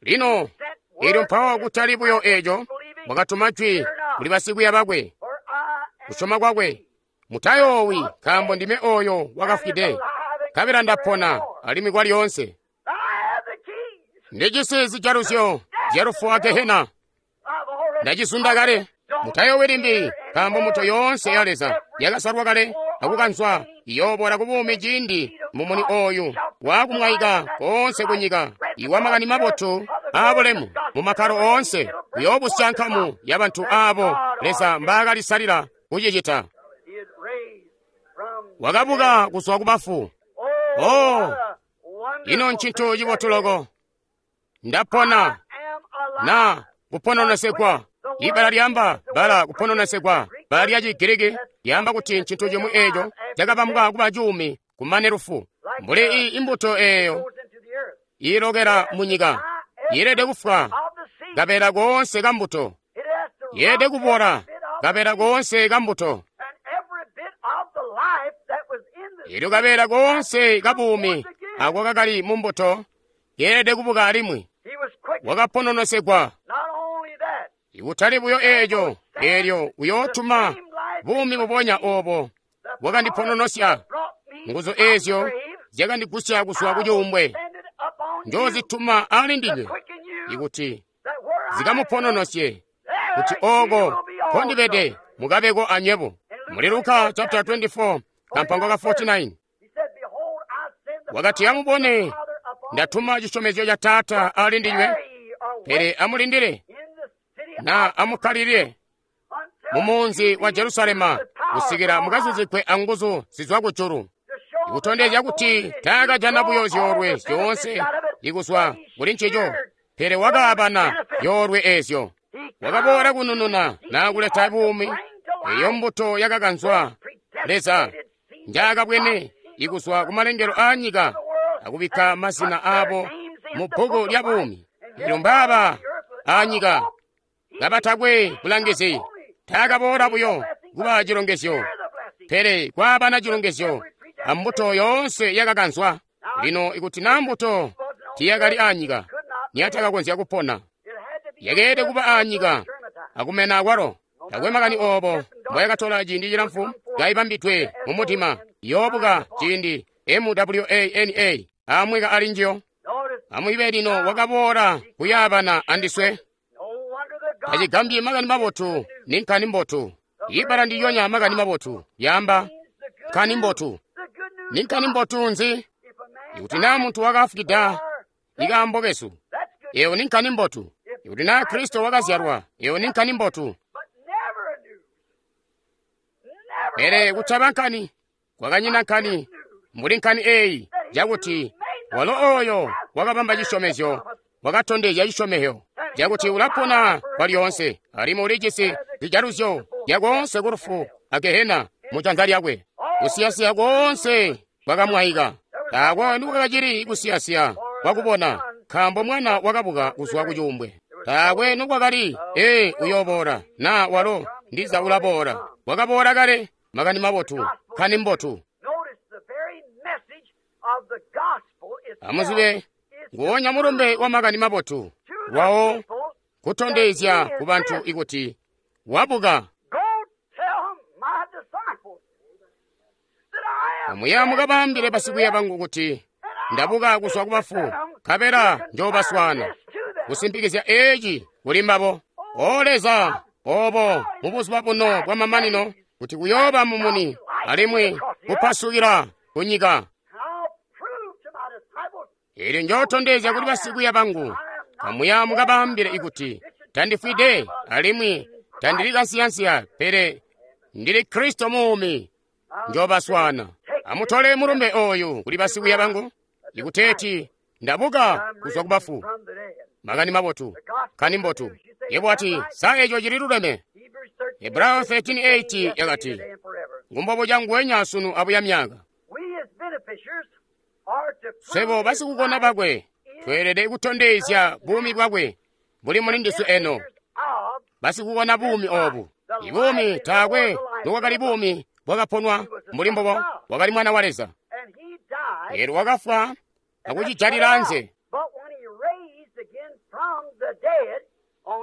Lino, elyo mpawo kutali buyo eco, wakatuma jwi kuli basikwiiya bakwe, kusyoma kwakwe. Mutayoowi, nkaambo ndime oyo wakafwide, nkabela ndapona alimwi kwalyoonse. Ndijisi zijaluzyo zya lufu a gehena. Ndacizunda kale. Mutayoowi limbi, nkaambo mbuto yoonse ya Leza yakasalwa kale akukanzwa iyoobola ku buumi ciindi mumuni oyu waakumwaika koonse kunyika iwa makani mabotu aabulemu mu makkalo oonse uyoobusya nkamu ya bantu aabo Leza mbaakalisalila kucicita. Wakabuka kuzwa ku bafu. Oh, ino ncintu cibotu loko. Ndapona na kupononesegwa. Ibbala lyamba bala kupononesegwa, bbala lya Chigiriki lyamba kuti ncintu chimwi eco cakabambwa kuba cuumi kumane lufu. Mbuli iyi imbuto eyo iilokela munyika yeelede kufwa kabeela koonse kambuto, yeelede kubola kabeela koonse kambuto. Elyo kabeela koonse kabuumi ako kakali mumbuto yeelede kubuka alimwi. Wakapononesegwa. Ikutali buyo eco, elyo uyootuma buumi bubonya obo bwakandipononosya. Nguzu ezyo zyakandigusya kuzwa ku cuumbwe, njoozituma ali ndinywe ikuti zikamupononosye, kuti oko nkondibede mukabeko anywebo. Muli Luka chapter 24 kampango ka 49 wakati, amubone, ndatuma cisyomezyo ca Taata ali ndinywe, pele amulindile na amukkalilile mumunzi wa Jerusalema kusikila mukazuzikwe anguzu zizwa kujulu. Ikutondezya kuti taakajana buyo zyoolwe zyoonse ikuzwa kuli ncico, pele wakaabana zyoolwe eezyo. Wakaboola kunununa naa kuleta buumi eyo mbuto yakakanzwa Leza njaakabwene ikuzwa kumalengelo aanyika akubikka mazina aabo mu bbuku lya buumi. Elyo mbaaba aanyika kabatakwe bulangizi, Taakaboola buyo kuba cilongezyo, pele kwaabana cilongezyo ambuto yoonse yakakanzwa. Lino ikuti naa mbuto tiyakali aanyika, niyatakakonzya kupona. Yakeelede kuba aanyika akumena akwalo. Takwe makani oobo mboyakatola ciindi cilamfu kaibambidwe mumutima, yoobuka ciindi MWANA amweka ali njiyo. Amwibe lino wakaboola kuyaabana andiswe. Tacigambyi makani mabotu ni nkani mbotu. Ibbala ndilyonya makani mabotu yaamba nkani mbotu. Ni nkani mbotu nzi? Ikuti naa muntu wakafwida ikaambo kesu, eyo ni nkani mbotu. Ikuti naa Kristo wakazyalwa, eyo ni nkani mbotu. Pele kutaba nkani, kwakanyina nkani mbuli nkani eeyi cakuti walo ooyo wakabamba cisyomezyo wakatondezya cisyomezyo cakuti ulapona kwalyoonse alimwi ulijisi zijaluzyo zyakoonse ku lufu a gehena mu janza lyakwe. Kusiyasiya koonse kwakamwaika. Taakwe nikwakacili kusiyasiya kwakubona, nkaambo mwana wakabuka kuzwa ku cuumbwe. Taakwe nikwakali ee uyooboola naa walo ndiza ulaboola. Wakaboola kale. Makani mabotu, nkani mbotu. Amuzibe nguonya mulumbe wa makani mabotu lwawo kutondezya ku bantu ikuti wabuka. Amuya mukabaambile basikwiiya bangu kuti ndabuka kuzwa ku bafu, nkabela njoobaswaana. Kusimpikizya eeci kuli mbabo. O Leza, obo mubuzuba buno bwamamanino kuti kuyooba mumuni alimwi kupasukila ku nyika. Eelyo njootondezya kuli basikwiiya bangu, kamuya mukabaambile ikuti tandifwide alimwi tandili kansiyansiya, pele ndili Kristo muumi, njoobaswaana. Amutole mulumbe ooyu kuli basikwiiya bangu, ikuteeti ndabuka kuzwa ku bafu. Makani mabotu, nkani mbotu. Yebo wati, sa eco cili luleme? Hebrayo 13:8 yakati, ngumbobo nguwenya sunu abuya myaka. Swebo basikukona bakwe tweelede kutondezya buumi bwakwe buli muli ndiswe eno. Basikukona buumi oobu. Ibuumi taakwe nobwakali buumi bwakaponwa mbuli mbubo, wakali mwana wa Leza. Eelyo wakafwa akucijalila anze.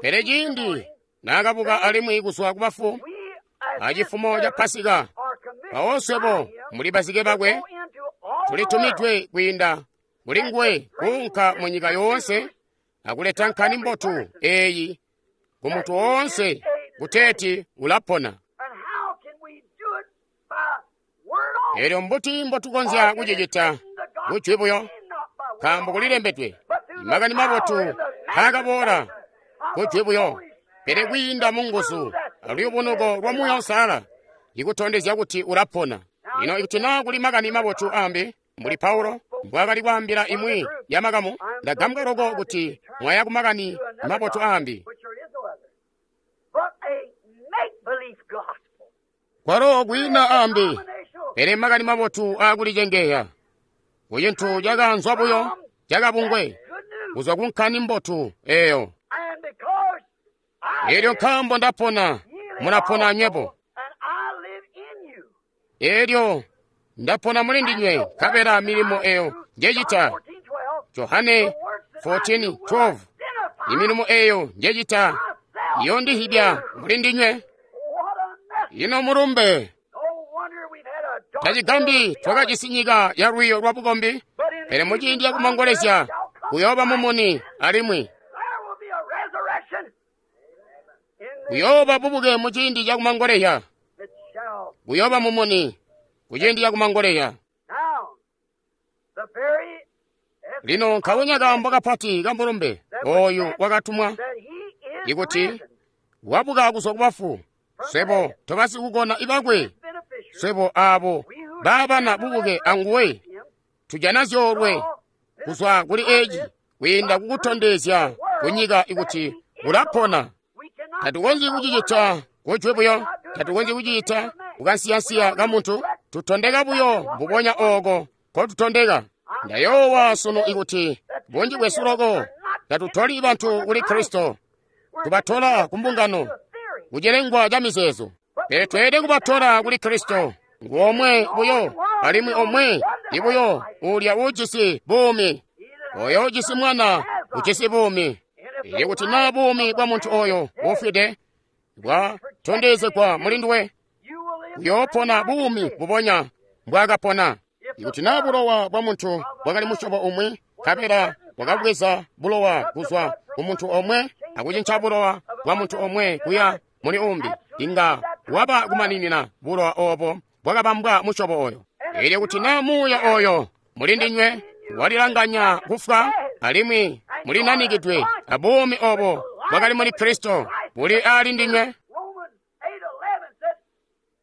Pele ciindi naakabuka alimwi kuzwa ku bafu acifumo ca Pasika, mpawo swebo muli bazike bakwe tulitumidwe kwiinda kuli nguwe kuunka mu nyika yoonse akuleta nkani mbotu eeyi ku muntu woonse kuteeti ulapona. Eelyo mbuti mbotukonzya kucicita kujwi buyo? Nkaambo kulilembedwe, makani mabotu taakaboola kujwi buyo, pele kwiinda mu nguzu aluyubunuko lwa Muuya Uusalala ikutondezya kuti ulapona. Lino ikuti naa kuli makani mabotu ambi mbuli Paulo mbwaakali kwaambila imwi ya makamu, ndagambwa loko kuti mwaya ku makani mabotu ambi. Kwalo kwiina ambi, pele makani mabotu aakulicengeya ku cintu cakaanzwa buyo cakabungwe kuzwa ku nkani mbotu eeyo. Eelyo nkaambo ndapona, mulapona anywebo. Eelyo ndapona muli ndinywe, nkabela milimo eyo njecita. Johane 14:12. Imilimo eyo njecita iyondihibya muli ndinywe. Ino mulumbe. Tacigambi twakajisi nyika ya lwiiyo lwa bukombi, pele muciindi cakumangolezya kuyooba mumuni alimwi kuyooba bubuke muciindi cakumangolezya. Kuyooba mumuni kuciindi cakumangolezya. Lino nkabonya kaambo kapati kamulumbe ooyu wakatumwa ikuti wabuka kuzwa ku bafu, swebo tobasikukona ibakwe, swebo aabo baabana bubuke anguwe, tujana zyoolwe kuzwa kuli eeci kwiinda kukutondezya kunyika ikuti ulapona. Tatukonzyi kucicita kujwi buyo, tatukonzyi kucicita kukansiyansiya kamuntu, tutondeka buyo mbubonya ooko nkotutondeka. Ndayoowa sunu ikuti bunji bwesu loko tatutoli bantu kuli Kristo, tubatola ku mbungano, kucilengwa ca mizeezo. Pele tweelede kubatola kuli Kristo. Ngu omwe buyo, alimwi omwe ibuyo uulya uujisi buumi. Oyo ujisi Mwana ujisi buumi. Elyo kuti naa buumi bwa muntu oyo uufwide bwatondezegwa muli nduwe, uyoopona buumi bubonya mbwaakapona. Ikuti naa bulowa bwa muntu bwakali musyobo umwi, nkabela bwakabweza bulowa kuzwa ku muntu omwe akucinca bulowa bwa muntu omwe kuya muli umbi, inga waba kumaninina bulowa obo bwakabambwa musyobo oyo. Elyo kuti naa muuya oyo muli ndinywe walilanganya kufwa, alimwi mulinanikidwe abuumi obo bwakali muli Kristo buli ali ndinywe.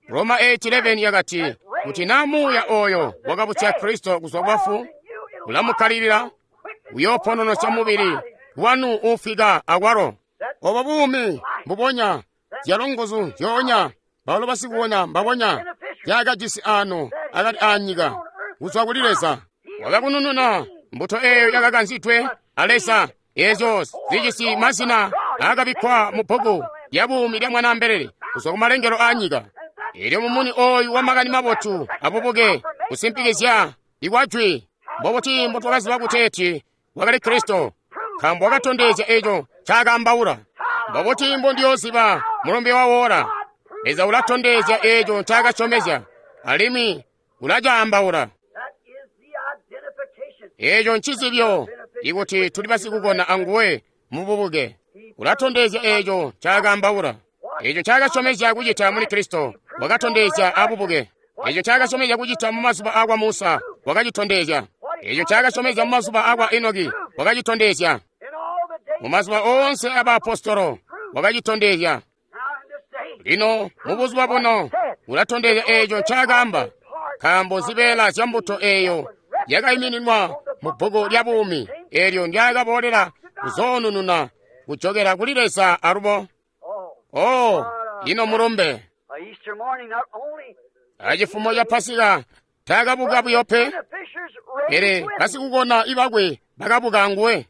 Roma 8:11 yakati, kuti naa muuya oyo wakabusya Kristo kuzwa bafu ulamukkalilila, uyoopononosya mubili wanu uufwika akwalo. Obo buumi mbubonya, zyalo nguzu nzyoonya, balo basikuona mbabonya zyakajisi ano akati aanyika kuzwa kuli Leza. Wakakunununa mbuto eeyo yakakanzidwe a Leza, eezyo zijisi mazina aakabikkwa mu bbuku lya buumi lya Mwanaambelele kuzwa ku malengelo aanyika. Elyo mumuni oyu wa makani mabotu abubuke kusimpikizya ikwajwi. Mbobuti mbotwakaziba kuteeti wakali Kristo? Nkaambo wakatondezya eco ncaakaambaula. Mbobuti mbondiyooziba mulumbe wa woola? Leza ulatondezya eco ncaakasyomezya, alimwi ulacaambaula. Eco ncizibyo ikuti tuli basikukona anguwe mububuke. Ulatondezya eco ncaakaambaula. Eco ncaakasyomezya kucita muli Kristo, wakatondezya abubuke. Eco ncaakasyomezya kucita mu mazuba akwa Musa, wakacitondezya. Eco ncaakasyomezya mu mazuba akwa Enoki, wakacitondezya. Mu mazuba oonse abaapostolo, wakacitondezya. Lino mubuzuba buno ulatondezya eco ncaakaamba, nkaambo zibeela zya mbuto eeyo yakaimininwa mu bbuku lya buumi eelyo ndyaakaboolela kuzoonununa kujokela kuli Leza alubo. Oh, ino mulumbe! Acifumo ca Pasika taakabuka buyo pe, pele basikukona ibakwe bakabuka anguwe.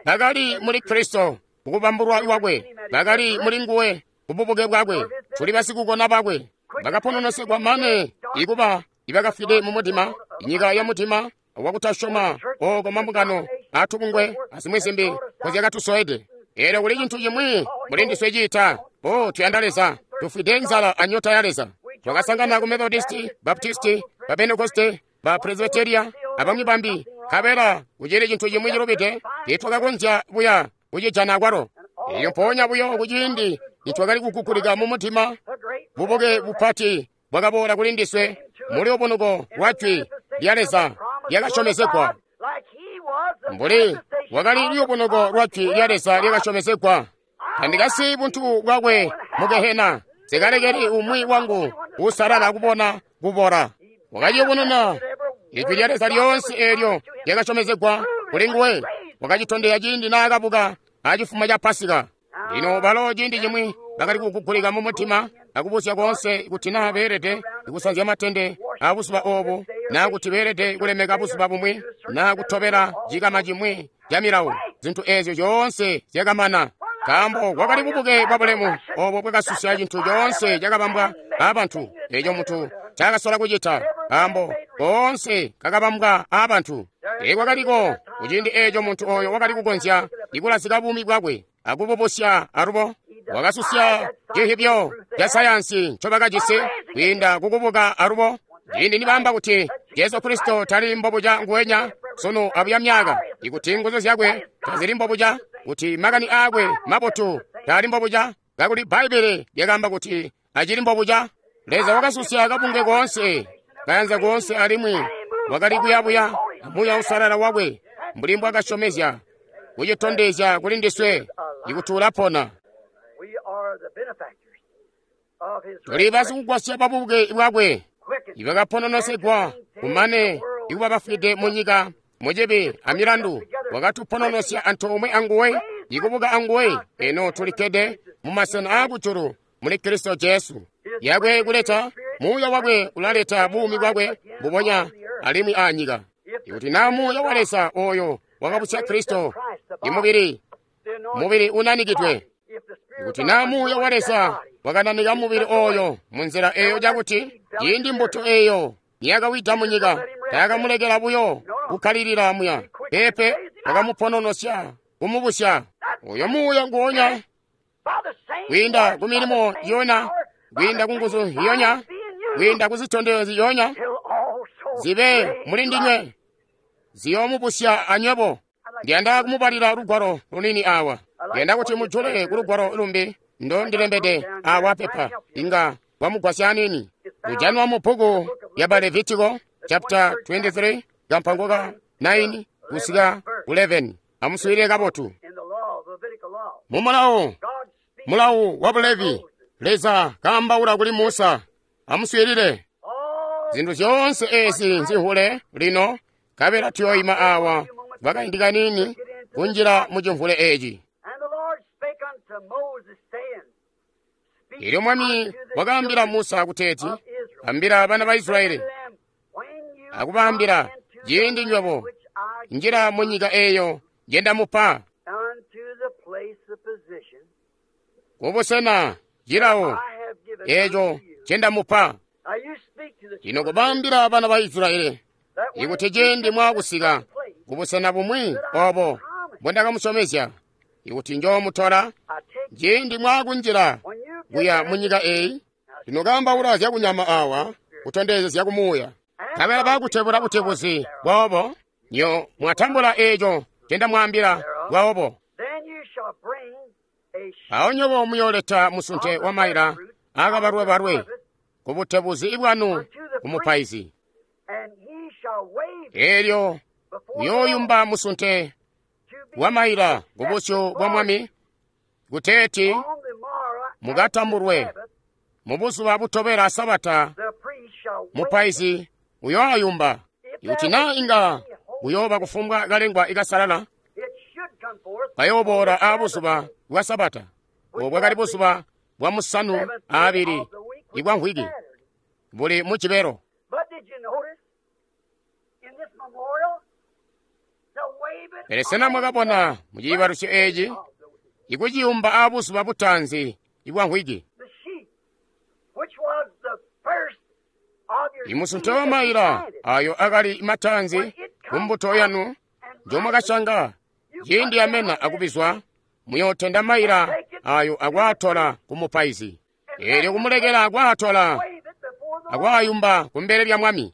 Bakali muli Kristo kukubambulwa kwakwe, bakali muli nguwe kububuke bwakwe. Tuli basikukona bakwe, bakapononosegwa mane ikuba ibakafwide mu mudima, inyika ya mudima wakutasyoma ooko mambungano atubungwe azimwi zimbi nkozyakatusoede. Eelyo kuli cintu cimwi muli ndiswe ciita, o tuyanda Leza, tufwide nzala anyota ya Leza. Twakasangana ku Methodisti, Baptisti, ba Pentekoste, ba Presbyteria abamwi bambi, nkabela kucili cintu cimwi cilubide tiitwakakonzya buya kucijana akwalo. Elyo mpoonya buyo kuciindi nitwakali kukukulika mu mudima, bubuke bupati bwakaboola kuli ndiswe muli ubunuko lwa jwi lya Leza lyakasyomezegwa. Mbuli wakali luyubunuko lwa jwi lya Leza lyakasyomezegwa. Tandikasiyi buntu bwakwe mu gehena, nsikalekeli umwi wangu uusalala kubona kubora. Wakaciyubununa ijwi lya Leza lyoonse eelyo lyakasyomezegwa kuli nguwe, wakacitondezya ciindi naakabuka acifumo ca Pasika. Lino balo ciindi cimwi bakali kukugulika mu mutima akubuzya koonse kuti naa beelede kusanzya matende abuzuba oobu, naa kuti beelede kulemeka buzuba bumwi, naa kutobela cikama cimwi ca milawo. Zintu eezyo zyoonse zyakamana, nkaambo kwakali bubuke bwabulemu oobo bwakasusya cintu coonse cakabambwa aabantu, eeco muntu ncaakasola kucita, nkaambo koonse kakabambwa aabantu. Teekwakaliko kuciindi eeco muntu ooyo wakali kukonzya ikulazika buumi bwakwe akububusya alubo. Wakasusya cihibyo ca sayansi ncobakajisi kwiinda kukubuka alubo. Ciindi nibaamba kuti Jesu Kristo tali mbobuca nguwenya sunu abuya myaka, ikuti nguzu zyakwe tazili mbobuca, kuti makani aakwe mabotu taali mbobuca, kakuli Bbaibbele lyakaamba kuti acili mbobuca. Leza wakasusya kabungwe koonse, kayanza koonse, alimwi wakali kuyabuya Muuya Uusalala wakwe mbuli mbwakasyomezya kucitondezya kuli ndiswe ikuti ulapona. Tuli basikugwasya babubuke bwakwe ibakapononosegwa kumane ikuba bafwide munyika mucibi amilandu. Wakatupononosya antoomwe anguwe, ikubuka anguwe. Eno tulikkede mumasena aakujulu muli Kristo Jesu. Yakwe kuleta muuya wakwe ulaleta buumi bwakwe mbubonya alimwi aanyika. Ikuti naa muuya wa Leza ooyo wakabusya Kristo, imubili mubili unanikidwe. Ikuti naa Muuya wa Leza wakananika mubili oyo munzila eyo cakuti ciindi mbuto eyo niyakawida munyika, tayakamulekela buyo kukkalilila muya. Peepe, wakamupononosya, kumubusya. Oyo Muuya nguonya, kwiinda ku milimo yona, kwiinda ku nguzu yonya, kwiinda ku zitondezyo ziyonya, zibe muli ndinywe, ziyoomubusya anywebo. Ndiyanda kumubalila lugwalo lunini awa. Ndiyanda kuti mujule ku lugwalo lumbi ndo ndilembede awa pepa, inga wamugwasya anini. Lujanwa mu bbuku lya ba Levitiko chapter 23 kampango ka 9 kusika 11. Amuswiilile kabotu. Mu mulawo, mulawo wa Bulevi, Leza kaambaula kuli Musa. Amuswiilile. Zintu zyoonse ezi nzihule lino, kabela tuyoima awa kwakaindi kanini kunjila mu cimvule eci. Elyo Mwami wakaambila Musa kuteeti, ambila bana ba Israyeli, akubaambila, ciindi nywebo njila mu nyika eyo njendamupa, kubusena cilawo eco ncendamupa. Lino kubaambila bana ba Israyeli, ikuti ciindi mwakusika kubusena bumwi obo mbondakamusyomezya, ikuti njoomutola, ciindi mwakunjila kuya mu nyika eyi. Lino kaambaula zyakunyama awa, kutondezya zyakumuuya. Nkabela bakutebula butebuzi boobo, nyo mwatambula eco ncendamwaambila bwaobo. Awo nywebo muyooleta musunte wa maila aakabalwebalwe ku butebuzi bwanu ku mupaizi. Elyo uyooyumba musunte wa maila ku busyu bwa Mwami, kuteeti mukatambulwe mu buzuba butobela Sabata. Mupaizi uyooyumba. Ikuti naa inga kuyooba kufumbwa kalengwa ikasalala, kayooboola aabuzuba bwa Sabata, obo bwakali buzuba bwa musanu aabili ibwa mvwiki, buli mu cibelo. Pele sena mwakabona mu ciibalusyo eci ikuciyumba aabuzuba butaanzi ibwa mvwiki? Imusunte wa maila ayo akali mataanzi ku mbuto yanu njomwakasyanga, ciindi amena akubizwa, muyootenda maila ayo akwaatola ku mupaizi. Eelyo kumulekela akwaatola akwaayumba kumbele lya Mwami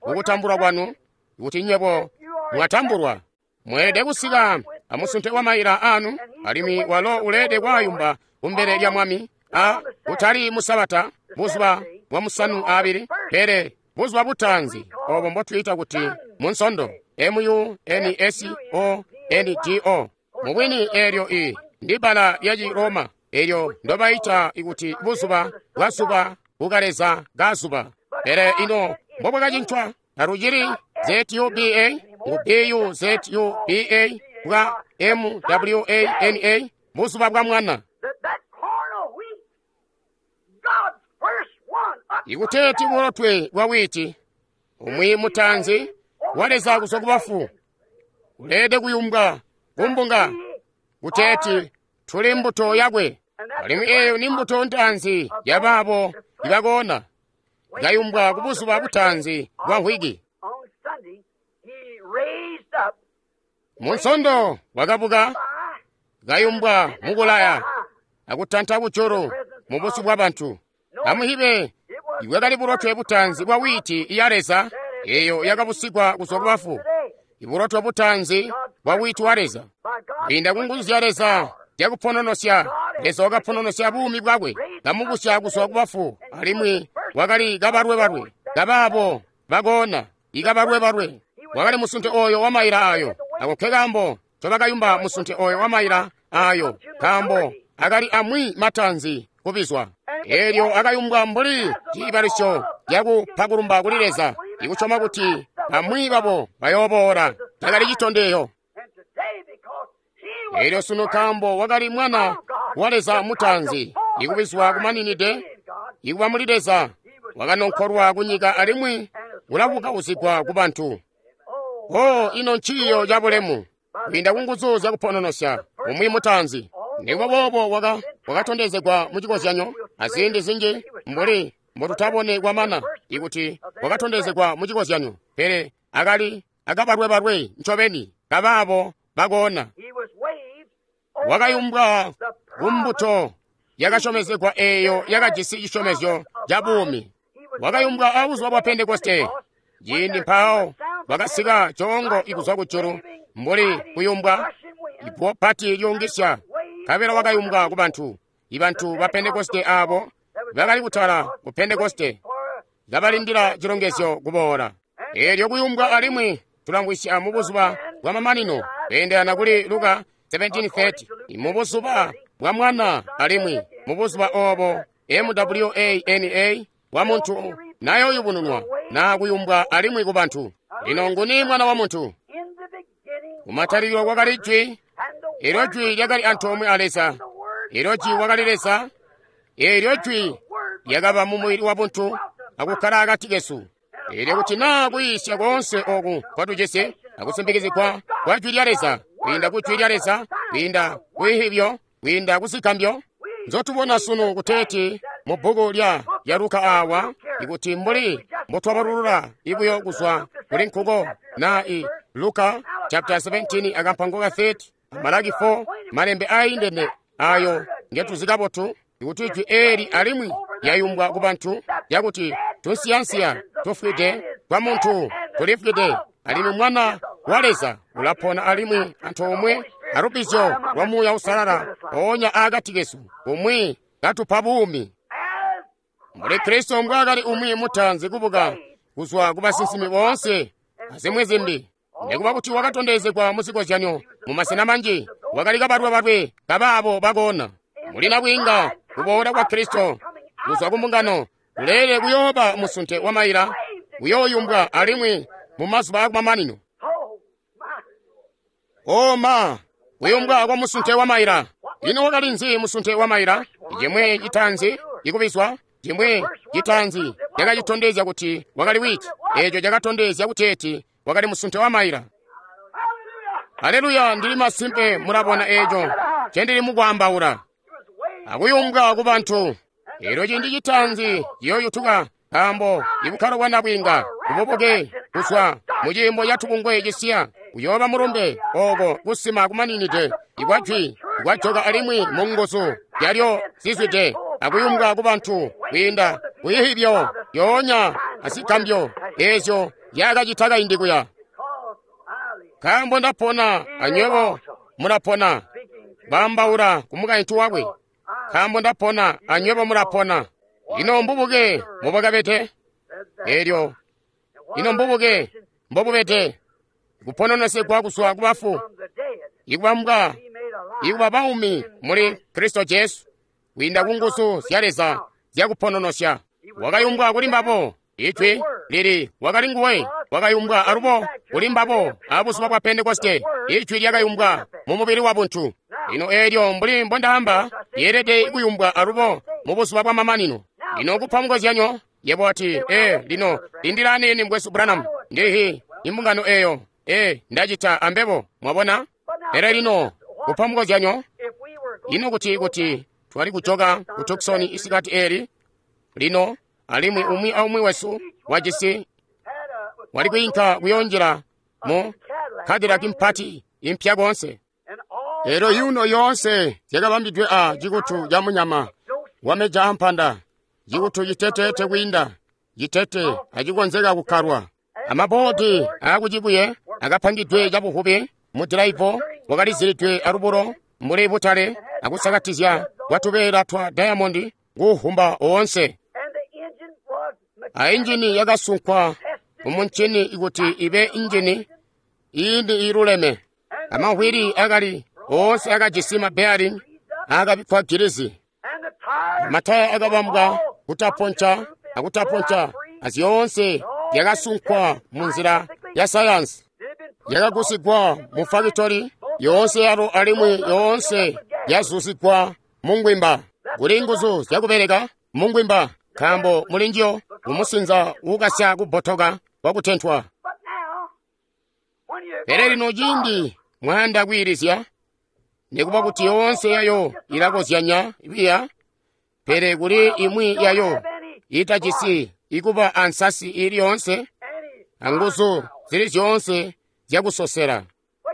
mukutambulwa kwanu, kuti nywebo mwatambulwa. Mweelede kusika amusunte wa maila anu, alimwi walo uleelede kwaayumba kumbele lya Mwami, a kutali mu Sabata, buzuba bwa musanu aabili, pele buzuba butaanzi obo mbotwiita kuti Munsondo, M-U-N-S-O-N-D-O. Mubwini eelyo i ndi bbala lya ci Roma eelyo ndobayita kuti buzuba bwa zuba kukaleza ka zuba. Pele ino mbobwakacincwa, talucili Z-U-B-A, ngu B-U-Z-U-B-A bwa M-W-A-N-A, buzuba bwa mwana. Ikuteeti bulotwe bwa witi, umwi mutaanzi wa Leza kuzwa ku bafu, uleelede kuyumbwa kumbunga kuteeti tuli mbuto yakwe. Alimwi eeyo ni mbuto ntaanzi yabaabo ibakoona, ikayumbwa ku buzuba butaanzi bwa mvwiki. Munsondo wakabuka, kayumbwa mukulaya akutanta kujulu mu busyu bwa bantu. Amuhibe, ibwakali bulotwe butaanzi bwa witi ya Leza eyo yakabusigwa kuzwa ku bafu, ibulotwe butaanzi bwa witi wa Leza. Kwiinda ku nguzu zya Leza zyakupononosya, Leza wakapononosya buumi bwakwe, kamubusya kuzwa ku bafu, alimwi wakali kabalwebalwe kabaabo bakoona, ikabalwebalwe. Wakali musunte oyo wa maila ayo. Ako nke kaambo ncobakayumba musunte oyo wa maila ayo, nkaambo akali amwi mataanzi kubizwa. Elyo akayumbwa mbuli ciibalusyo cakupakulumba kuli Leza, ikusyoma kuti bamwi babo bayooboola. Cakali citondezyo. Elyo sunu nkaambo wakali mwana wa Leza mutaanzi, ikubizwa kumaninide, ikuba muli Leza, wakanonkolwa kunyika alimwi ulabukauzigwa ku bantu. Oh, ino nciiyo cabulemu! Kwiinda ku nguzu zyakupononosya, umwi mutaanzi. Nikuba boobo wakatondezegwa mu cikozyanyo, aziindi zinji mbuli mbotutabone kwamana ikuti wakatondezegwa mu cikozyanyo, pele akali akabalwebalwe ncobeni kabaabo bakoona. Wakayumbwa kumbuto yakasyomezegwa eeyo yakajisi cisyomezyo ca buumi. Wakayumbwa abuzuba bwa Pentekoste, ciindi mpawo bakasika coongo ikuzwa kujulu mbuli kuyumbwa iguwo pati lyuungisya, nkabela wakayumbwa ku bantu. Ibantu ba Pentekoste aabo bakali kutala ku Pentekoste kabalindila cilongezyo kuboola. Eelyo kuyumbwa alimwi tulamvwisya mu buzuba bwa mamanino kweendelana kuli Luka 17:30, mu buzuba bwa mwana alimwi mu buzuba oobo MWANA wa muntu nayoyubununwa na kuyumbwa alimwi ku bantu. Lino nguni mwana wa muntu? Kumatalikilo kwakali Jwi, eelyo Jwi lyakali antoomwe a Leza, eelyo Jwi wakali Leza, eelyo Jwi lyakaba mu mubili wa buntu akukkala akati kesu. Eelyo kuti naa kuyiisya koonse ooku kwatujisi akusimpikizigwa kwa Jwi lya Leza, kwiinda ku Jwi lya Leza, kwiinda ku ihibyo, kwiinda ku zigambyo nzotubona sunu kuteeti mu bbuku lya Luka aawa, ikuti mbuli mbotwabalulula ibuyo kuzwa kuli nkuko na i Luka chapter 17 akampango ka 30, Malaki 4, malembe aayindene ayo ngetuzi kabotu, ikuti jwi eeli alimwi lyayumbwa ku bantu lyakuti tunsiyansiya tufwide twa muntu tulifwide, alimwi mwana wa Leza ulapona alimwi antoomwe alubbizyo lwa Muuya Uusalala oonya aakati kesu, umwi katupa buumi. Mbuli Kristo mbwaakali umwi mutaanzi kubuka kuzwa ku basinsimi boonse azimwi zimbi, nikuba kuti wakatondezegwa mu zikozyanyo mu masena manji, wakali kabalwebalwe kabaabo bakoona. Muli nabwiinga kuboola kwa Kristo kuzwa ku mbungano kuleele kuyooba musunte wa maila kuyooyumbwa alimwi mu mazuba akumamanino. O ma, kuyumbwa kwa musunte wa maila. Ino wakali nzi musunte wa maila? Cimwi citaanzi ikubizwa, cimwi citaanzi cakacitondezya kuti wakali witi, eeco cakatondezya kuteeti wakali musunte wa maila. Aleluya, ndili masimpe mulabona eeco ncendili mukwaambaula. Akuyumbwa ku bantu. Eelyo ciindi citaanzi ciyooyutuka, nkaambo ibukkalo bwa nabwiinga bubuke kuzwa mu ciimbo ca tubungwe cisiya kuyooba mulumbe ooko kusima kumaninide ikwa jwi kwajoka alimwi mu nguzu zyalyo zizwide akuyumbwa ku bantu kwiinda kuyihibyo yoonya azigambyo eezyo zyakacita kaindi kuya. Nkaambo ndapona anywebo mulapona, baambaula ku mukaintu wakwe. Nkaambo ndapona anywebo mulapona. Ino mbubuke mbobwakabede? Eelyo ino mbubuke mbobubede? Kupononesegwa kuzwa ku bafu, ikubambwa ikuba baumi muli Kristo Jesu, kwiinda ku nguzu zya Leza zyakupononosya. Wakayumbwa kuli mbabo, ijwi lili wakali nguwe, wakayumbwa alubo kuli mbabo abuzuba bwa Pentekoste, ijwi lyakayumbwa mu mubili wa buntu. Lino eelyo mbuli mbondaamba lyeelede kuyumbwa alubo mu buzuba bwa mamanino. Lino kupa mukozyanyo, yebo wati, lino lindila aniini mukwesu Branham, ndihi imbungano eeyo, ndacita ambebo, mwabona? Pele lino kupa mukozyanyo, ino kuti twali kujoka ku Tucson isikati eeli, lino alimwi umwi aumwi wesu wajisi wali kwiinka kuyoonjila mu Cadillac mpati impya koonse. Eelyo yuno yoonse zyakabambidwe a cikutu ca munyama wameja ampanda, cikutu citeteete kwiinda citete acikonzeka kukkalwa. Amaboodi aakucibuye akapangidwe cabuvubi mu dilaivo wakalizilidwe alubulo mbuli butale akusakatizya kwa tubeela twa dayamondi kuuhumba oonse. A injini yakasunkwa mumuncini kuti ibe injini iini iiluleme. Amahwili akali oonse akajisi mabearing aakabikkwa gilizi. Mataya akabambwa kutaponca akutaponca azyoonse zyakasunkwa munzila ya sayansi. Yakagusigwa mu fakitori yoonse yalo alimwi yoonse yazuzigwa mungwimba. Kuli nguzu zyakubeleka mungwimba nkaambo muli njiyo mumusinza uukasya kubbotoka kwakutentwa. Pele lino ciindi mwayanda kwiilizya, Nikuba kuti yoonse yayo ilakozyanya biya, pele kuli imwi yayo itajisi ikuba ansasi ili yoonse anguzu zili zyoonse zyakusosela.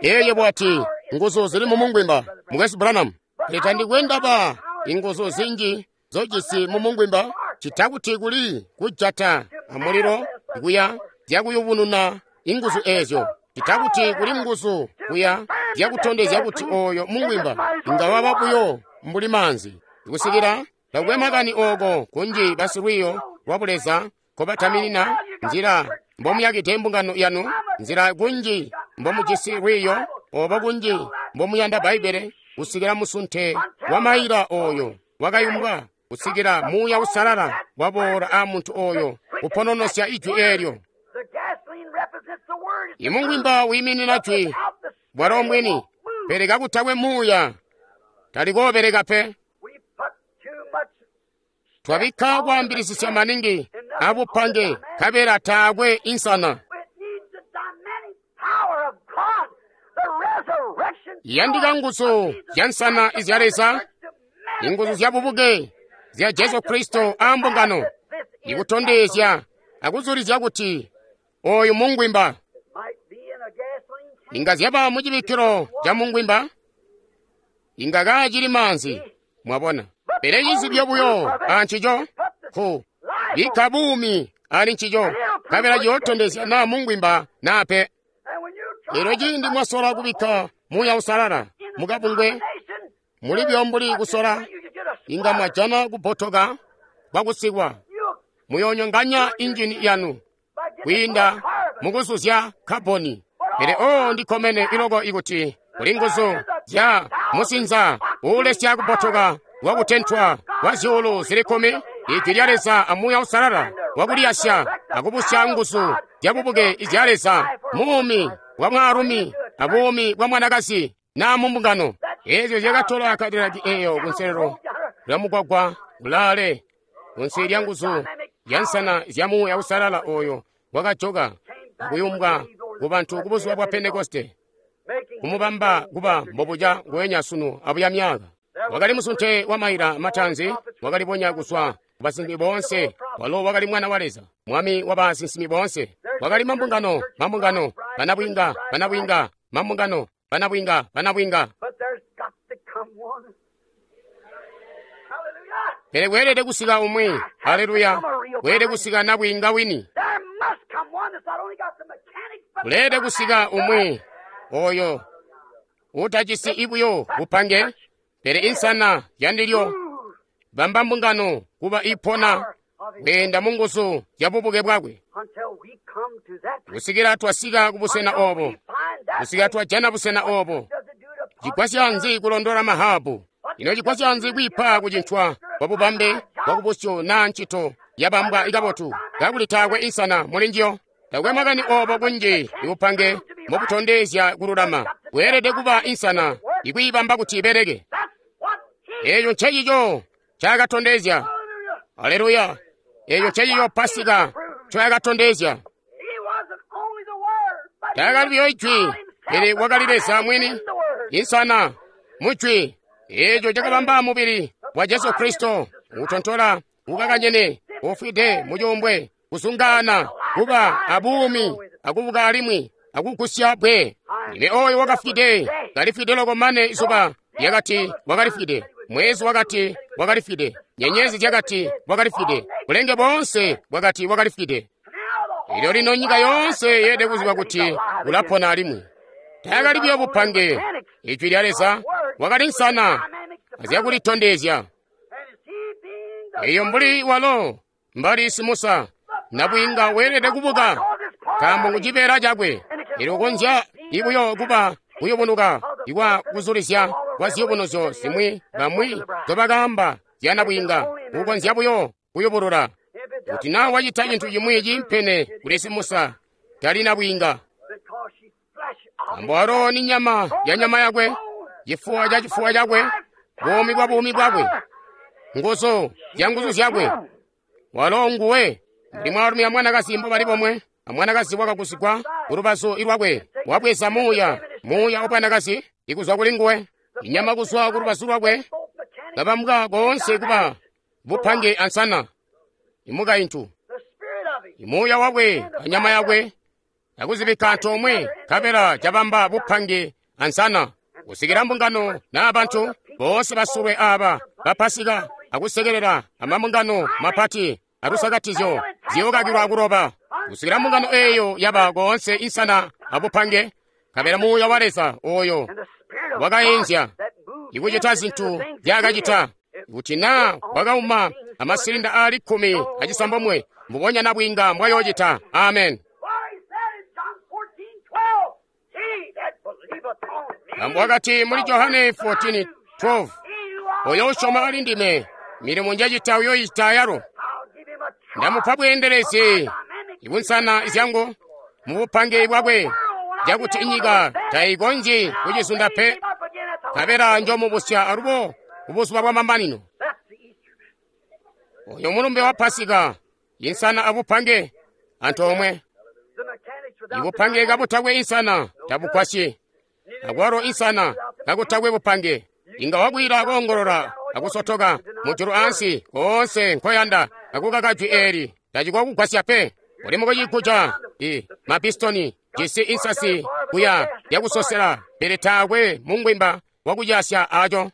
Eye bwati nguzu zili mu mungwimba, Mukwesu Branham. Pele tandikwendaba inguzu zinji zojisi mu mungwimba, cita kuti kuli kujata amulilo kuya zyakuyubununa inguzu ezyo, cita kuti kuli nguzu kuya zyakutondezya kuti oyo mungwimba inga waba buyo mbuli maanzi. Kusikila takwe makani oko kunji basilwiiyo lwa buleza nkobataminina nzila mbomuyakide mbungano yanu, nzila kunji mbomujisi lwiiyo, obo kunji mbomuyanda Bbaibbele, kusikila musunte wa maila oyo wakayumbwa, kusikila Muuya Uusalala waboola a muntu oyo kupononosya ijwi eelyo. Imungwimba wiiminina jwi bwalo mwini, pele kakutakwe Muuya talikoobereka pe. Twabikka kwaambilisisya maningi abupange kabela taakwe insana. Iyandika nguzu zya nsana izya Leza, inguzu zya bubuke zya Jesu Kristo a mbungano, ikutondezya akuzulizya kuti oyu mungwimba. Inga zyaba mu cibikkilo ca mungwimba, inga kaacili maanzi, mwabona. Pele cizibyo buyo ancico ku bikka buumi ali ncico, kabela ciyootondezya naa mungwimba naa pe. Elyo ciindi mwasola kubikka Muuya Uusalala mukabungwe, mulibyo mbuli kusola, inga mwajana kubotoka kwakusikwa. Muyoonyonganya injini yanu kwiinda mukuzuzya kaboni. Pele oo ndikkomene iloko ikuti kuli nguzu zya musinza uulesya kubotoka kwakutentwa kwa zyuulu zili 10, Ijwi lya Leza a Muuya Uusalala wakuliyasya akubusya nguzu zya bubuke izya Leza, muumi bwa mwaalumi a buumi bwa mwanakazi naa mu mbungano. Eezyo zyakatola Kadilaki eeyo kunselelo lya mugwagwa kulaale kunsi lya nguzu zya nsana zya Muuya Uusalala oyo wakajoka akuyumbwa ku bantu ku buzuba bwa Pentekoste, kumubamba kuba mbobuca nguwenya sunu abuya myaka. Wakali musunte wa maila mataanzi, wakalibonya kuzwa ku basinsimi boonse. Walo wakali mwana wa Leza, mwami wa basinsimi boonse. Wakali mambungano, mambungano, banabwinga, banabwinga, mambungano, banabwinga, banabwinga. Pele kweelede kusika umwi, haleluya, kweelede kusika nabwinga wini. Kuleelede kusika umwi oyo utajisi ibuyo bupange, pele insana yandilyo bamba mbungano kuba ipona kweenda mu nguzu zya bubuke bwakwe. Kusikila twasika ku busena obo, kusikila twajana busena obo, cigwasya nzi kulondola mahabu? Ino cigwasya nzi kwiipa kucincwa kwa bubambe bwa kubusyu naa ncito yabambwa ikabotu, kakuli taakwe insana muli njiyo? Takwe makani obo kunji ibupange mubutondezya kululama, kweelede kuba insana ikwiibamba kuti ibeleke. Eeyo ncecico ncaakatondezya. Aleluya! Eeyo ncecico Pasika ncoyakatondezya. Taakali buyo ijwi, pele wakali Leza mwini, insana mujwi. Eeco cakabamba mubili wa Jesu Kristo, utontola, ukakanyene, ufwide mucuumbwe, kuzungaana, kuba abuumi, akubuka alimwi, akugusya bwe. Ine oyo wakafwide, kalifwide loko mane izuba lyakati wakalifwide, mwezi wakati wakalifwide, nyenyezi zyakati wakalifwide, bulenge boonse bwakati wakalifwide. Elyo lino nyika yoonse yeelede kuziba kuti ulapona alimwi. Taakali buyo bupange, ijwi lya Leza wakali nsana azyakulitondezya. Eyo mbuli walo mbali simusa nabwinga weelede kubuka, nkaambo ngu cibeela cakwe. Elyo konzya ibuyo kuba kuyubunuka ikwa kuzulizya kwa ziyubunuzyo zimwi bamwi nzobakaamba zya nabwinga, kukonzya buyo kuyubulula. Kuti naa wacita cintu cimwi ciimpene kuli simusa, tali nabwinga. Nkaambo walo ni nyama ya nyama yakwe, cifuwa ca cifuwa cakwe, buumi bwa buumi bwakwe, nguzu zya nguzu zyakwe. Walo nguwe. Mbuli mwaalumi amwanakazi mbobali bomwe, amwanakazi wakagusigwa kulubazu lwakwe, wabweza muuya, muuya wa bwanakazi ikuzwa kuli nguwe. Inyama kuzwa ku lubazu lwakwe, kabambwa koonse kuba bupange ansana. Imukaintu, imuuya wakwe anyama yakwe, akuzibikka antoomwe, nkabela cabamba bupange ansana. Kusikila mbungano naa bantu boonse basulwe aaba bapasika akusekelela amambungano mapati alusakatizyo ziyookakilwa kuloba. Kusikila mbungano eeyo yaba koonse insana abupange, nkabela muuya wa Leza ooyo wakaenzya ikucita zintu nzyaakacita. Kuti naa wakauma amasilinda aali 16, mbubonya nabwiinga mbwayoocita. Amen. Nkaambo wakati muli Johane 14:12, oyo usyoma ali ndime, milimo njacita uyoicita ayalo. Ndamupa bweendelezi ibunsana zyangu mubupange bwakwe, cakuti inyika tayikonzyi kucizunda pe, nkabela njomubusya alubo kubuzuba bwamamanino. Oyo mulumbe wa Pasika, insana abupange antoomwe. Ibupange kabutakwe insana tabugwasyi, akwalo insana kakutakwe bupange. Inga wakwila koongolola akusotoka mujulu ansi koonse nkoyanda, akukaka jwi eeli tacikokugwasya pe. Uli mukucikuca i mapistoni jisi insasi kuya yakusosela, pele taakwe mungwimba wakudyasya aco.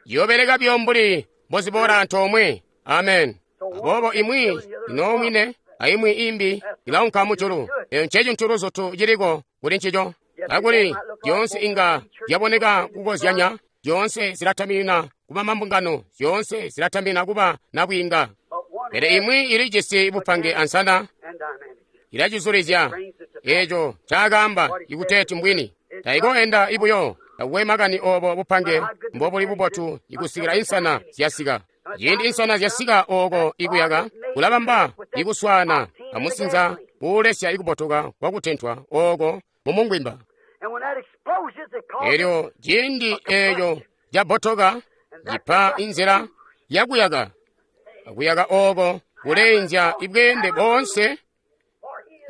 Yoobeleka buyo mbuli mboziboola antoomwe. Amen. Aboobo imwi inoomwine aimwi imbi ilaunka mujulu. Eyo ncecintu luzutu ciliko kuli ncico. Kakuli zyoonse inga zyaboneka kukozyanya, zyoonse zilatamina kuba mambungano, zyoonse zilatamina kuba nabwiinga. Pele imwi ilijisi bupange ansana, ilacizulizya eeco ncaakaamba ikuteeti mbwini. Taikoenda ibuyo, takukwe makani oobo bupange mbobuli bubotu ikusikila insana zyasika. Ciindi insana zyasika ooko ikuyaka, kulabamba ikuswaana amusinza kuulesya ikubotoka kwakutentwa ooko mumungwimba. Elyo ciindi eeco cabotoka, cipa inzila yakuyaka. Akuyaka ooko kuleenzya ibweende boonse,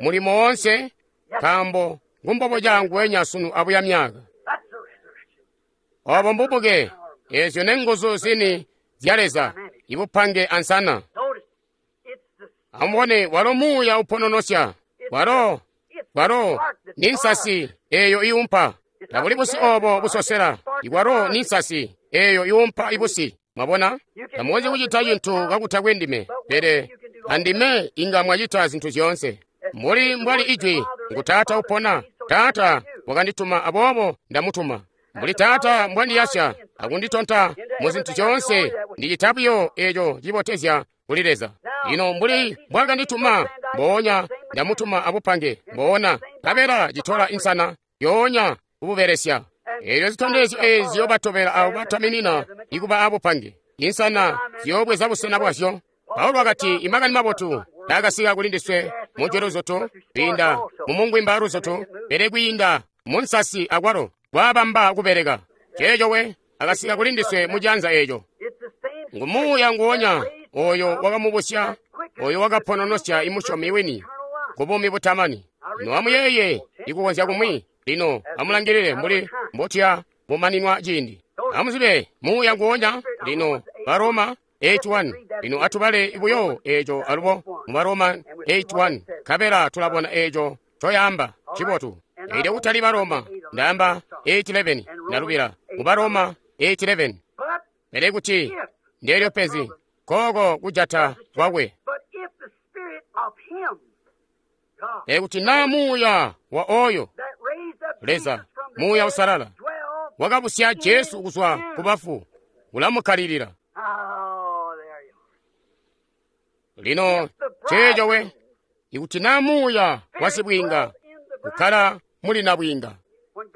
mulimo woonse, nkaambo ngumbobo canguwenya sunu abuya myaka. Obo mbubuke, eezyo nenguzu zini zya Leza, ibupange ansana. Amubone, walo muuya upononosya, walo ni nsasi eeyo iumpa. Tabuli busi oobo busosela, iwalo ni nsasi eeyo iumpa ibusi. Mwabona, tamukonzyi kucita cintu kakutakwe ndime, pele andime inga mwacita zintu zyoonse. Mbuli mbwali ijwi, ngu Taata upona. Taata wakandituma, aboobo ndamutuma. Mbuli Taata mbwandiyasya akunditonta muzintu zyoonse, ndicita buyo eeco cibotezya kuli Leza. Lino mbuli mbwaakandituma, mboonya ndamutuma abupange, mboona nkabela citola insana yoonya kububelesya. Eelyo zitondezyo eezi ziyoobatobela abo bataminina ikuba abupange. Insana ziyoobweza busena bwazyo. Paulo wakati, imakani mabotu taakasika kuli ndiswe mujwi luzutu, kwiinda mumungwimba luzutu, pele kwiinda munsasi akwalo kwaabamba kubeleka. Ceeco we akasika kuli ndiswe mujanza eeco. Ngu muuya nguwonya oyo wakamubusya, oyo wakapononosya imusyomi wini kubuumi butamani. Lino amuyeeye ikukonzya kumwi. Lino amulangilile mbuli mbotuya bumaninwa ciindi. Amuzibe muuya nguwonya. Lino Baroma 8:1. Lino atubale buyo eeco alubo mu Baroma 8:1, nkabela tulabona eeco coyaamba cibotu. Elyo kutali Baroma, ndaamba 8:11, ndalubila mu Baroma 8:11. Pele kuti ndeelyo penzi kooko kujata kwakwe. Pele kuti naa muuya wa oyo Leza, muuya usalala, wakabusya Jesu kuzwa ku bafu, ulamukkalilila. Lino ceeco we, ikuti naa muuya wa sibwiinga ukkala muli nabwiinga.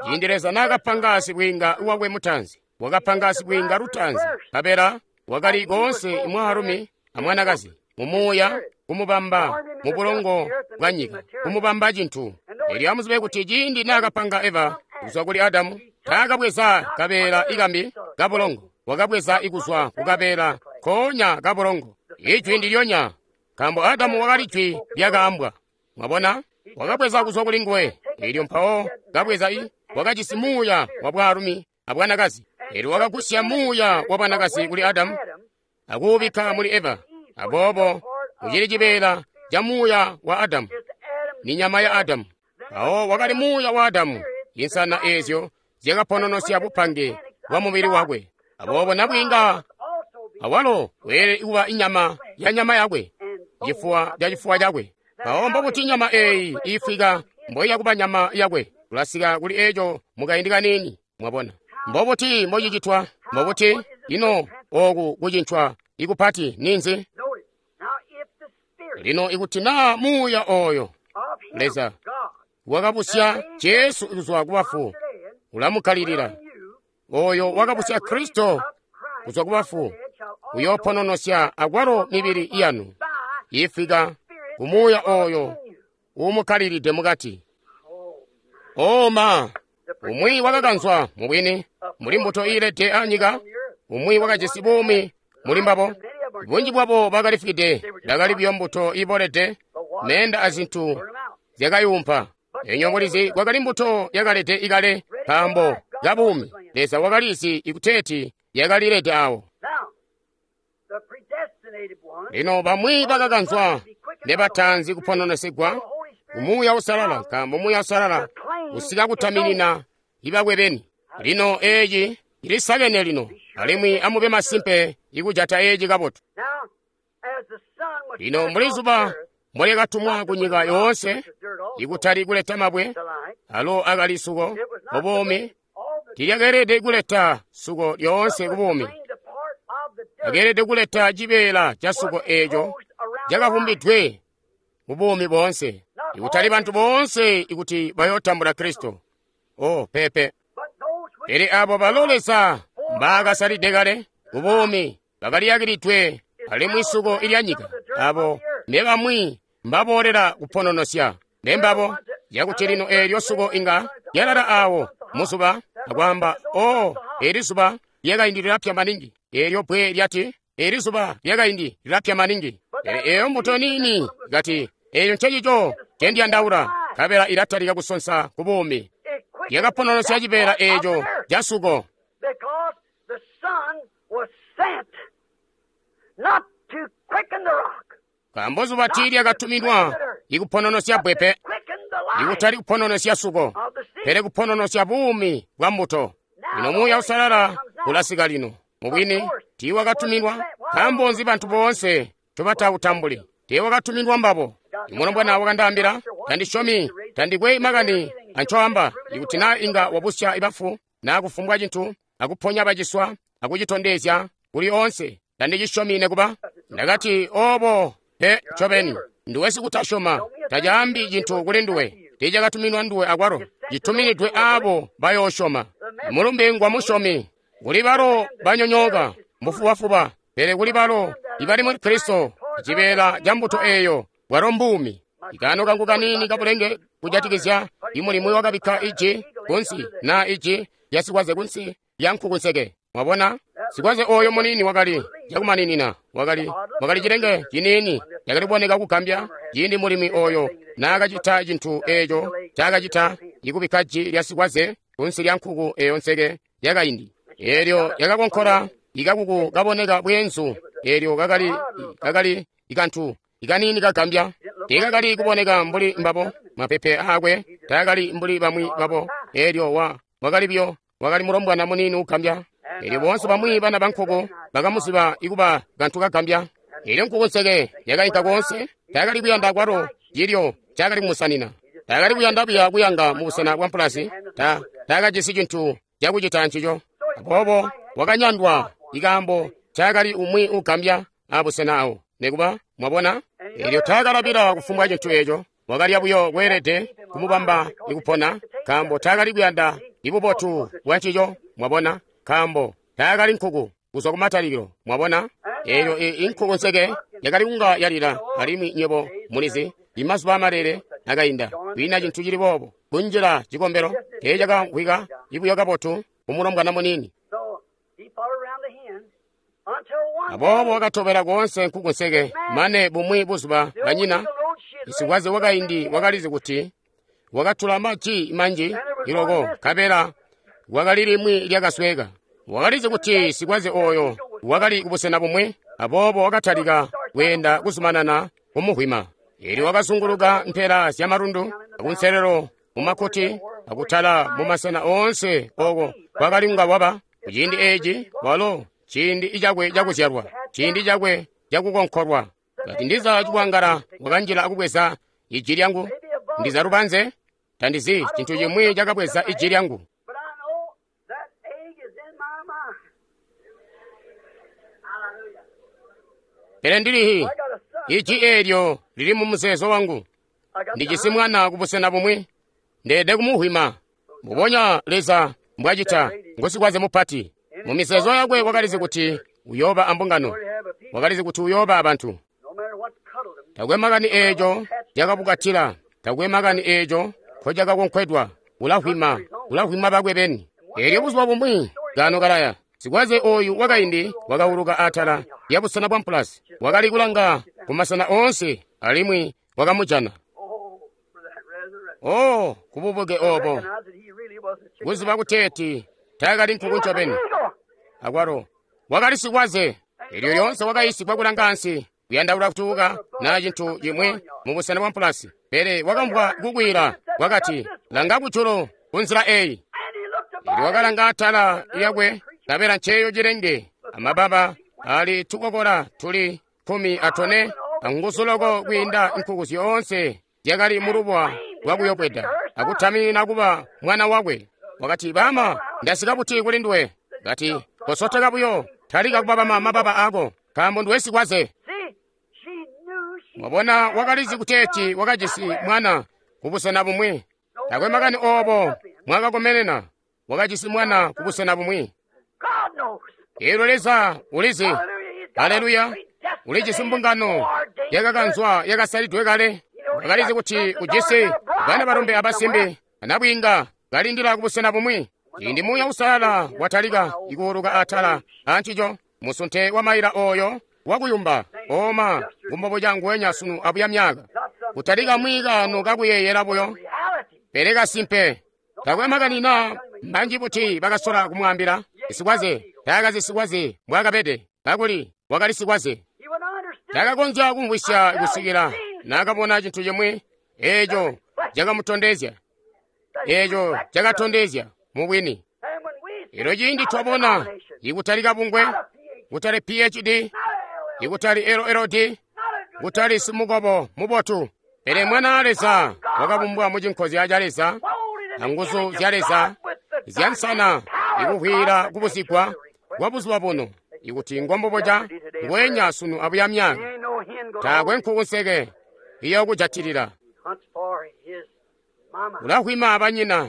Ciindi Leza naakapanga sibwiinga wakwe mutaanzi, wakapanga sibwiinga lutaanzi, nkabela wakali koonse mwaalumi amwanakazi mumuuya kumubamba mubulongo bwa nyika, kumubamba cintu. Elyo amuzibe kuti ciindi naakapanga Eva kuzwa kuli Adamu, taakabweza kabeela ikambi kabulongo, wakabweza ikuzwa kukabeela koonya kabulongo. Ijwi ndilyonya, nkaambo Adamu wakali jwi lyakaambwa. Mwabona, wakabweza kuzwa kuli nguwe. Elyo mpawo kabweza wakajisi muuya wa bwaalumi abwanakazi. Elyo wakagusya muuya wa bwanakazi kuli Adamu akuubikka muli Eva. Aboobo ucili cibeela ca muuya wa Adamu, ni nyama ya Adamu. Mpawo wakali muuya wa Adamu, insana eezyo zyakapononosya bupange bwa mubili wakwe. Aboobo nabwiinga awalo weelede kuba inyama ya nyama yakwe, cifuwa ca cifuwa cakwe. Mpawo mbobuti nyama eeyi iifwika mboiya kuba nyama yakwe? Tulasika kuli eco mukaindi kaniini, mwabona. Mbobuti mbocicitwa? Mbobuti ino oku kucincwa ikupati ninzi? Lino ikuti naa muuya oyo Leza wakabusya Jesu kuzwa kubafu ulamukkalilila, oyo wakabusya Kristo kuzwa kubafu uyoopononosya akwalo mibili yanu ifika kumuuya oyo uumukkalilide mukati. Oma umwi wakakanzwa mubwini muli mbuto iilede anyika, umwi wakajisi buumi muli mbabo. Bunji bwabo bakalifwide, bakali buyo mbuto iibolede, meenda azintu zyakayumpa. Enyo mulizi kwakali mbuto yakalede ikale nkaambo kabuumi. Leza wakalizi ikuteeti yakalilede awo. Lino bamwi bakakanzwa nebataanzi kupononesigwa Umuuya Uusalala, nkaambo Muuya Uusalala usika kutaminina ibakwe beni. Lino eeci cilisakene lino, alimwi amube masimpe ikujata eeci kabotu. Lino mbuli zuba mbolyakatumwa kunyika yoonse, ikutali kuleta mabwe, alo akali suko kubuumi, tilyakeelede kuleta suko lyoonse kubuumi. Akeelede kuleta cibeela ca suko eeco cakavumbidwe mu buumi boonse, ikutali bantu boonse ikuti bayootambula Kristo. Oh, pepe. Pele abo balo Leza mbaakasalide kale kubuumi bakaliyakilidwe alimwi suko ilyanyika, abo nebamwi mbaboolela kupononosya nembabo, yakuti lino eelyo suko inga lyalala awo muzuba akwaamba, oh, eli zuba lyakaindi lilapya maningi. Eelyo bbwe lyati, eli zuba lyakaindi lilapya maningi. Pele eyo mbuto niini kati, eyo ncecico ncendiyandaula, nkabela ilatalika kusonsa ku buumi. Yakapononosya cibeela eeco ca suko. Nkaambo zuba tiilyakatuminwa ikupononosya bbwe pe, ikutali kupononosya suko, pele kupononosya buumi bwa mbuto. Lino Muuya Uusalala ulasika lino. Mubwini tiiwakatuminwa. Nkaambo nzi bantu boonse ncobatawutambuli? Tiiwakatuminwa mbabo. Imulombwana wakandaambila, tandisyomi, tandikwe makani ancoamba, ikuti naa inga wabusya ibafu, naa kufumbwa cintu, akuponya baciswa, akucitondezya kuli oonse, tandicisyomi nekuba. Ndakati, obo pe ncobeni, nduwe sikutasyoma, tacaambi cintu kuli nduwe, tiicakatuminwa nduwe akwalo, cituminidwe aabo bayoosyoma. Mulumbe ngwa musyomi, kuli balo banyonyooka mbufubafuba, pele kuli balo ibali muli Kristo, cibeela ca mbuto eeyo bwalo mbuumi. Ikaano kangu kaniini kabulenge kujatikizya imulimu wakabikka iji kunsi naa iji lya sikwaze kunsi lya nkukunseke. Mwabona, sikwaze oyo muniini wakali cakumaninina, wakali cilenge ciniini cakali kuboneka kugambya ciindi mulimi oyo naakacita cintu eeco ncaakacita, ikubikka ji lya sikwaze kunsi lya nkuku eyo nseke yakaindi. Eelyo yakakonkola ikakuku kaboneka bweenzu, eelyo kakali ikantu ikaniini kagambya. Tiikakali kuboneka mbuli mbabo, mapepe aakwe taakali mbuli bamwi babo. Eelyo wakali buyo, wakali mulombwana muniini ugambya. Eelyo boonse bamwi bana bankuku bakamuziba ikuba kantu kagambya. Eelyo nkuku nseke yakainka koonse, taakali kuyanda kwalo cilyo ncaakali kumusanina. Taakali kuyanda buya kuyanga mubusena bwa mpulasi, taakajisi cintu cakucita ncico. Aboobo wakanyandwa ikaambo ncaakali umwi ugambya abusena awo. Nekuba, mwabona, eelyo taakalabila kufumbwa cintu eeco, wakalya buyo kweelede kumubamba ikupona, nkaambo taakali kuyanda ibubotu bwa ncico, mwabona, nkaambo taakali nkuku kuzwa kumatalikilo, mwabona. Eelyo inkuku nseke yakali kunga yalila, alimwi nywebo mulizi, imazuba amalele akainda, kwiina cintu cili boobo kunjila cikombelo teecakamvwika ibuyo kabotu kumulombwana muniini. Aboobo wakatobela koonse nkuku nseke, mane bumwi buzuba banyina, isikwaze wakaindi wakalizi kuti wakatula maji manji. loko, nkabela kwakali limwi lyakasweka. Wakalizi kuti sikwaze oyo wakali kubusena bumwi, aboobo wakatalika kweenda kuzumanana kumuhwima. Elyo wakazunguluka mpela zya malundu, akunselelo mumakkuti, akutala mumasena oonse oko kwakali kunga waba. Kuciindi eeci walo ciindi cakwe cakuzyalwa, ciindi cakwe cakukonkolwa. Kati ndiza cikwangala wakanjila akubweza iji lyangu, ndiza lubanze, tandizi cintu cimwi cakabweza iji lyangu. But I know that egg is in my mind. Hallelujah. Pele ndilihi I got a son. iji eelyo lili mu muzeezo wangu. I got Ndijisi the mwana kubusena bumwi, ndeede kumuhwima. Mbubonya Leza mbwacita, ngusikwaze mupati. Mu mizeezo yakwe wakalizi kuti uyooba ambungano, Lord have a people. wakalizi kuti uyooba abantu. No matter what cuddled them. Takwe makani eeco cakabukatila, takwe makani eeco nkocakakonkwedwa, ulahwima, ulahwima bakwe beni. Eelyo buzuba bumwi, kaano kalaya, sikwaze oyu wakaindi wakauluka atala lya busena bwa mpulasi, wakali kulanga ku masena oonse alimwi wakamujana. Oh, for that resurrection. Oh, kububuke obo, Recognize that he really was a chicken. kuziba kuteeti taakali nkuku ncobeni. Eagle. Akwalo wakali sikwaze, elyo lyoonse wakayisigwa kulanga ansi, kuyandaula kutuuka naa cintu cimwi mu busena bwa mpulasi. Pele wakamvwa kukwiila, wakati, langa kujulu kunzila eyi. And he looked Elyo above. wakalanga atala lyakwe, nkabela nceeyo cilenge, amababa ali tukokola tuli 14, anguzu loko kwiinda nkuku zyoonse zyakali mulubuwa lwakuyobweda, akutaminina kuba mwana wakwe. Wakati, bama, ndasika buti kuli nduwe? Kati, kosoteka buyo, talika kubabama mababa ako, nkaambo nduwe sikwaze. See, she knew she Mwabona, wakalizi kuteeti wakajisi mwana kubusena bumwi. Takwe makani obo mwakakomenena, wakajisi mwana kubusena bumwi. God knows. Eelyo Leza ulizi, Hallelujah. He's got a haleluya, ulijisi mbungano yakakanzwa yakasalidwe kale. Wakalizi kuti ujisi bana balombe abasimbi anabwiinga kalindila kubusena bumwi. Ciindi Muuya Uusalala watalika ikuuluka atala ancico, musunte wa maila oyo wakuyumba oma kumbobo canguwenya sunu abuya myaka. Kutalika mwikano kakuyeeyela buyo, reality. pele kasimpe. Takwe makani na manji buti bakasola kumwambila sikwaze, taakazi sikwaze mbwaakabede, kakuli wakali sikwaze. He would understood. Takakonzya kumvwisya kusikila naakabona cintu cimwi eeco cakamutondezya, eeco cakatondezya mubwini. And when we Elo ciindi twabona ikutali kabungwe, kutali PhD, not a LL, ikutali LLD, not a good kutali simukobo mubotu, pele mwana wa Leza wakabumbwa mu cinkozya ca Leza, molded in the anguzu image zya of Leza God with the zyansana dynamic power of ikuhwila God kubusigwa kwa buzuba buno, ikuti ngomboboca ngwenya sunu abuya myaka. There ain't no hen gonna Taakwe hold him. nkuku nseke iyokujatilila. Hunts for his mama. Ulahwima abanyina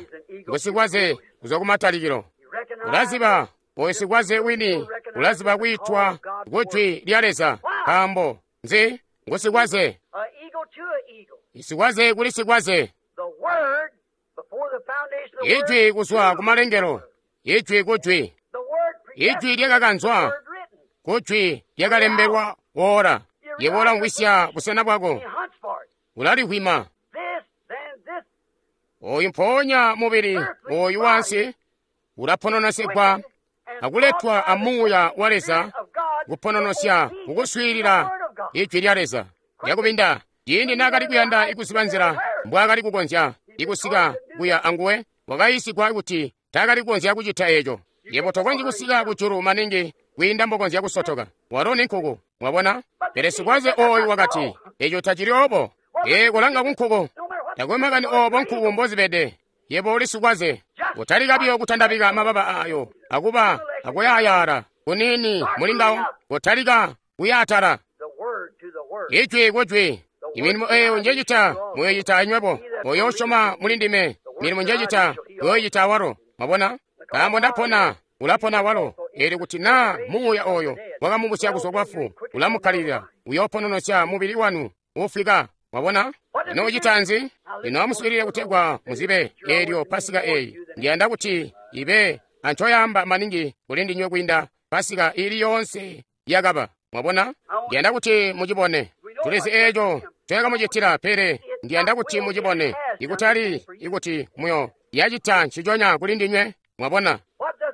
ngusikwaze kuzwa kumatalikilo. He recognized Ulaziba oyo sikwaze wini, ulaziba kwiitwa kujwi lya Leza, nkaambo nzi ngusikwaze, a eagle to a eagle. isikwaze kuli sikwaze. The word before the foundation of the world. Ijwi kuzwa kumalengelo, ijwi kujwi, The word ijwi lyakakanzwa word written. kujwi lyakalembelwa ora. Yebo ulamvwisya busena bwako, He hunts for it. ulalihwima. This, then this Oyu mpoonya mubili oyu wansi ulapononosyegwa and akuletwa a Muuya wa Leza of God kupononosya kukuswiilila ijwi lya Leza. Lyakubinda ciindi naakali kuyanda ikuziba nzila mbwaakali kukonzya ikusika kuya anguwe, wakayiisigwa kuti taakali kukonzya kucita eeco. Yebo tokonzyi kusika kujulu maningi kwiinda mbokonzya kusotoka. Walo ni nkuku, mwabona? Pele sikwaze oyu wakati, eeco tacili obo. Ee, kolanga ku nkuku. no matter what Takwe makani obo nkuku mbozibede. Yebo uli sikwaze. Kutalika biyo kutandabika mababa ayo, akuba akuyayaala kunini mulingawo, kutalika kuyaatala. the word to the word. Ijwi kujwi. Imilimo eyo njecita muyoyita anywebo. Oyo usyoma muli ndime, milimo njecita muyoyita awalo. Mwabona? Nkaambo ndapona, ulapona awalo. Eelyo kuti naa Muuya oyo wakamubusya kuzwa kwafu, ulamukkalilila, uyoopononosya mubili wanu uufwika. Mwabona? Ino ucita nzi? Ino amuswiilile kutegwa muzibe eelyo Pasika eyi. Ndiyanda kuti ibe ancoyamba maningi kuli ndinywe kwiinda Pasika ili yoonse yakaba. Mwabona? Ndiyanda kuti mucibone. Tulizi eeco ncoyakamucitila, pele ndiyanda kuti mucibone. Ikutali ikuti muyo Yacita nciconya kuli ndinywe. Mwabona?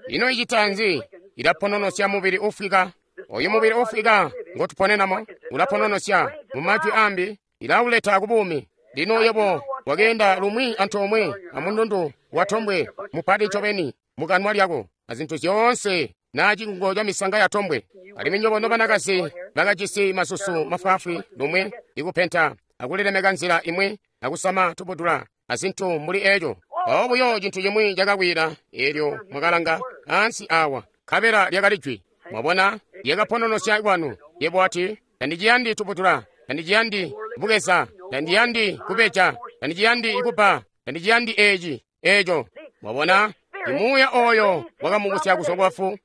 Ino icita nzi? Ilapononosya mubili ufwika. Oyu mubili ufwika ngotuponenamo ulapononosya. Mu majwi ambi, ilauleta ku buumi. Lino yebo wakeenda lumwi antoomwe amundundu watombwe mupati ncobeni mukanwa lyako azintu zyoonse na cikungo ca misanga ya tombwe. Alimwi nyobo nobanakazi bakajisi masusu mafwaafwi lumwi ikupenta akulilemeka nzila imwi akusama tubudula azintu mbuli eco. Mpawo buyo cintu cimwi cakakwila eelyo mwakalanga ansi awa, nkabela lyakali jwi. Mwabona, lyakapononosya kwanu. Yebo wati, tandiciyandi tubudula, tandiciyandi bukeza, tandiyandi kubeja, tandiciyandi kubba, tandiciyandi eci, eco. Mwabona, imuuya oyo wakamubusya kuzwa kwafu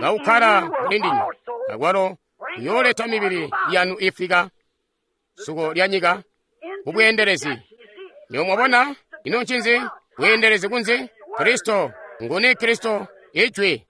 kaukkala muli ndinywe, akwalo uyooleta mibili yanu ifwika suko lya nyika kubweendelezi. Nyo mwabona, ino ncinzi? Bweendelezi kunzi? Kristo. Nguni Kristo? Ijwi.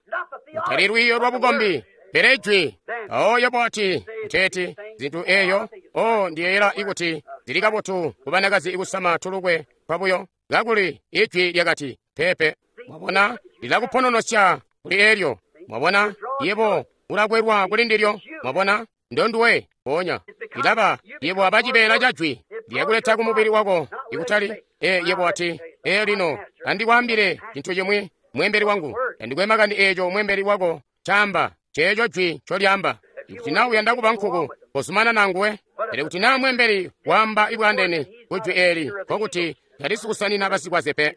Kutali lwiiyo lwa bukombi, pele Ijwi. Mpawo yebo wati, kuteeti, zintu eyo, o ndiyeeyela ikuti zili kabotu ku banakazi ikusama tulukwe twabuyo, kakuli Ijwi lyakati, peepe. Mwabona, lilakupononosya kuli eelyo. Mwabona, yebo ulakwelwa kuli ndilyo. Mwabona, ndonduwe ponya. Ilaba, yebo aba cibeela ca Jwi lyakuleta ku mubili wako, ikutali, yebo wati, lino, andikwaambile cintu cimwi, mwembeli wangu, andikwe makani eeco mwembeli wako caamba, ceeco Jwi ncolyaamba. Ikuti naa uyanda kuba nkuku, kozumanana anguwe. Pele kuti naa mwembeli waamba ibwaandeene ku Jwi eeli, nkokuti tali sikusanina basikwaze pe.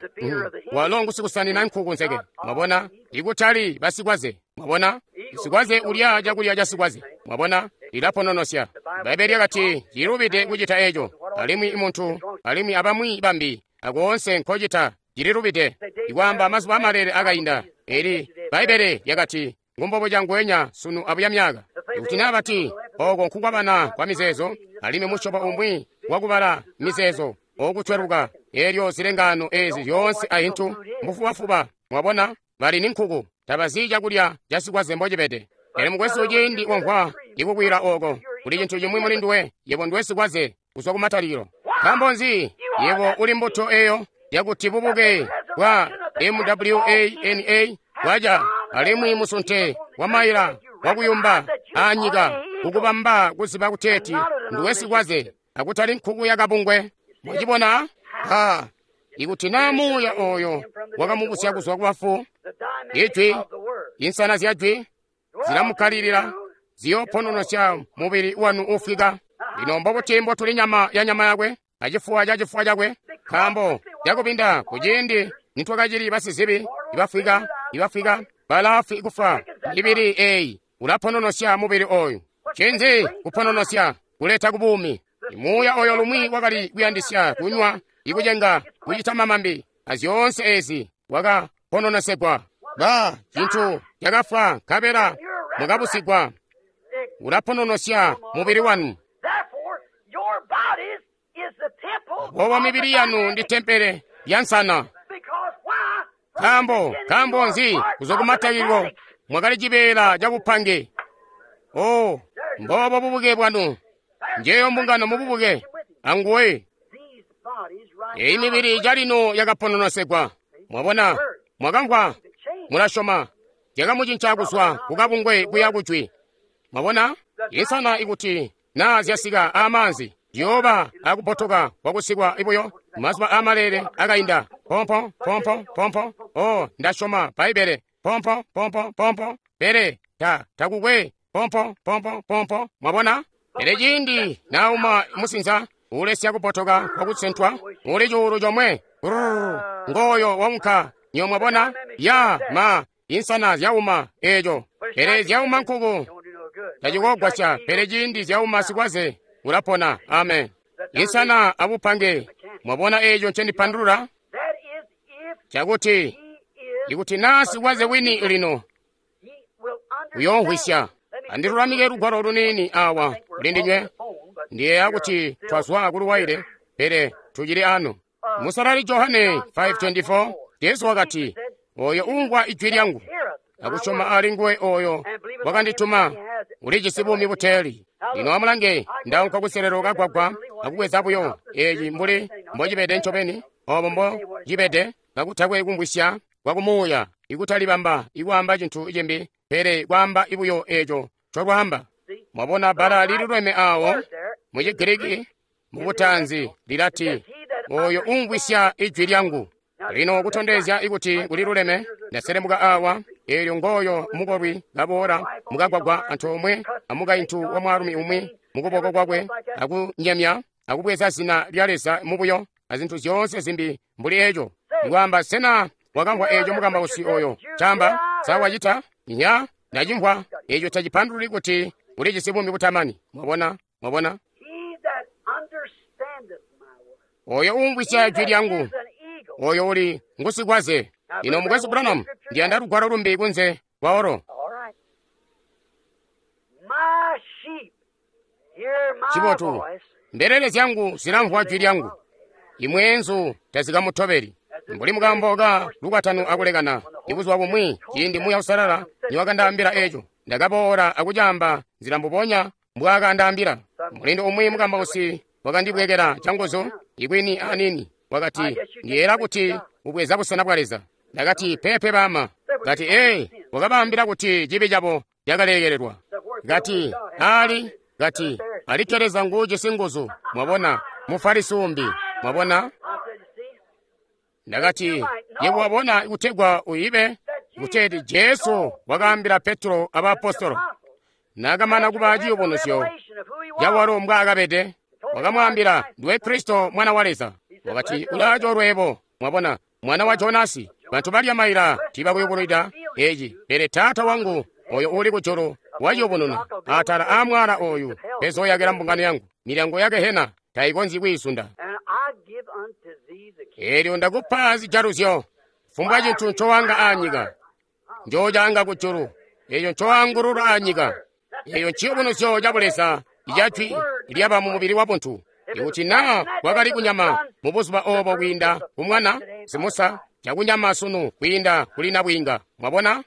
Walo ngusikusanina nkuku nzeke. Mwabona, ikutali basikwaze. Mwabona, sikwaze ulya cakulya ca sikwaze. Mwabona, lilapononosya. Bbaibbele lyakati cilubide kucita eco, alimwi muntu alimwi abamwi bambi akoonse nkocita cililubide. Ikwaamba mazuba amalele akainda, eli Bbaibbele lyakati ngumbobo cangwenya sunu abuya myaka. Ikuti naa bati oko nkukwabana kwa mizeezo, alimwi musyobo umwi wakubala mizeezo okutweluka, elyo zilengaano ezi zyoonse ahintu mbufubafuba. Mwabona, bali ni nkuku, tabazi cakulya ca sikwaze mbocibede. Pele mukwesu, ciindi wamvwa ikukwila oko, kuli cintu cimwi muli nduwe, yebo nduwe sikwaze kuzwa kumatalikilo. Nkaambo nzi? Yebo uli mbuto eyo yakuti bubuke bwa MWANA bwaca, alimwi musunte wa maila wakuyumba anyika kukubamba kuziba kuteeti nduwe sikwaze akutali nkuku yakabungwe. Mwacibona? Ha, ikuti naa muuya oyo wakamubusya kuzwa kubafu, Ijwi, insana zya Jwi zilamukkalilila, ziyoopononosya mubili wanu ufwika. Lino mbobuti mbotuli nyama ya nyama yakwe acifuwa ca cifuwa cakwe? Nkaambo cakubinda kuciindi nitwakacili basizibi ibafwika, ibafwika balaafwi kufa, mibili eyi ulapononosya mubili oyu. Ncinzi kupononosya? Kuleta ku buumi. Muuya oyo lumwi wakali kuyandisya kunywa, ikucenga, kucita mamambi, azyoonse ezi wakapononosegwa. Ba cintu cakafwa nkabela mukabusigwa. Ulapononosya mubili wanu. Aboobo mibili yanu ndi tempele ya nsana. Nkaambo, nkaambo nzi? Kuzwa kumatalikilo mwakali cibeela ca bupange. Oh, mboobo bubuke bwanu. Njeyo mbungano mububuke anguwe. Eyi mibili calino yakapononosegwa. Mwabona, mwakamvwa, mulasyoma, yakamucinca kuzwa kukabungwe kuya kujwi. Mwabona, insana ikuti naa zyasika amaanzi ziyooba akubotoka kwakusikwa ibuyo mazuba amalele akainda. Pompo pompo pompo. Oh, ndasyoma Bbaibbele. Pompo pompo pompo. Pele ta takukwe pompo pompo pompo. Mwabona? Pele ciindi nauma musinza ulesya kubotoka kwakusentwa uli cuulu comwe. Ngooyo waunka. Nyo mwabona? Ya ma insana zyauma eco. Pele zyauma nkuku tacikogwasya. Pele ciindi zyauma sikwaze ulapona. Amen. Insana abupange. Mwabona eco ncendipandulula? Chakuti ikuti naa sikwaze wini lino uyoomvwisya. Andilulamike lugwalo luniini awa kuli ndinywe. Ndiyeeya kuti twazwa kuluwaile, pele tucili ano. Musalali Johane 5:24, Jesu wakati, oyo uumvwa ijwi lyangu akusyoma ali nguwe oyo wakandituma ulijisi buumi buteeli. Lino amulange, ndaunka kuselelo kagwagwa akubweza buyo eci mbuli mbocibede ncobeni, obo mbo cibede. kakutakwe kumvwisya kwa kumuuya, ikutalibamba ikwaamba cintu cimbi, pele kwaamba buyo eco ncolwaamba. Mwabona bbala liluleme awo mu Chigiriki mu butaanzi lilati, oyo umvwisya ijwi lyangu. Lino kutondezya ikuti kuliluleme, ndaselemuka awa, eelyo ngooyo mukolwi kaboola mukagwagwa antoomwe amukaintu wa mwaalumi umwi mukuboko kwakwe, akunyemya akubweza zina lya Leza mubuyo azintu zyoonse zimbi mbuli eco. Ikwaamba, sena wakamvwa eco mukambausi oyo camba? Sa wacita? Nya, ndacimvwa. Eco tacipandululi kuti ulijisi buumi butamani. Mwabona? Mwabona? Oyo umvwisya jwi lyangu, oyo uli ngusikwaze. Lino Mukwesu Branham, ndiyanda lugwalo lumbi kunze kwa olo. Chibotu, mbelele zyangu zilamvwa jwi lyangu, imweenzu tazikamutobeli. Mbuli mukambo ka lukwatano akulekana, ibuzuba bumwi ciindi Muuya Uusalala niwakandaambila eco, ndakaboola akucaamba nzila mbubonya mbwaakandaambila. Mulindo umwi mukambausi wakandibwekela canguzu ikwini anini, wakati, ndiyeera kuti ubweza busena bwa Leza. Ndakati, pepe bama. Kati, ee, wakabaambila kuti cibi cabo cakalekelelwa. Kati, ali, kati, alikke Leza nguujisi nguzu. Mwabona, Mufarisi umbi. Mwabona? Ndakati, yebo wabona kutegwa uyibe kuteeti Jesu wakaambila Petro abaapostolo naakamana kuba ciyubunuzyo cawalo mbwaakabede, wakamwaambila, ndiwe Kristo mwana wa Leza. Wakati, ulaacoolwe mwabona, mwana wa Jonasi. Bantu balya maila tiibakuyubunwida eci, pele Taata wangu oyo uli kujulu waciyubununa atala aa mwaala oyu pezooyakila mbungano yangu, milyango ya gehena tayikonzyi kwiisunda. Eelyo ndakupa zijaluzyo, fumbwa cintu ncowanga aanyika njoocanga kujulu, eeco ncoangulula aanyika. Eeyo nciyubunuzyo ca Buleza ica jwi lyaba mu mubili wa buntu. Ikuti naa kwakali kunyama mu buzuba obo kwiinda ku mwana simusa, cakunyama sunu kwiinda kuli nabwiinga. Mwabona?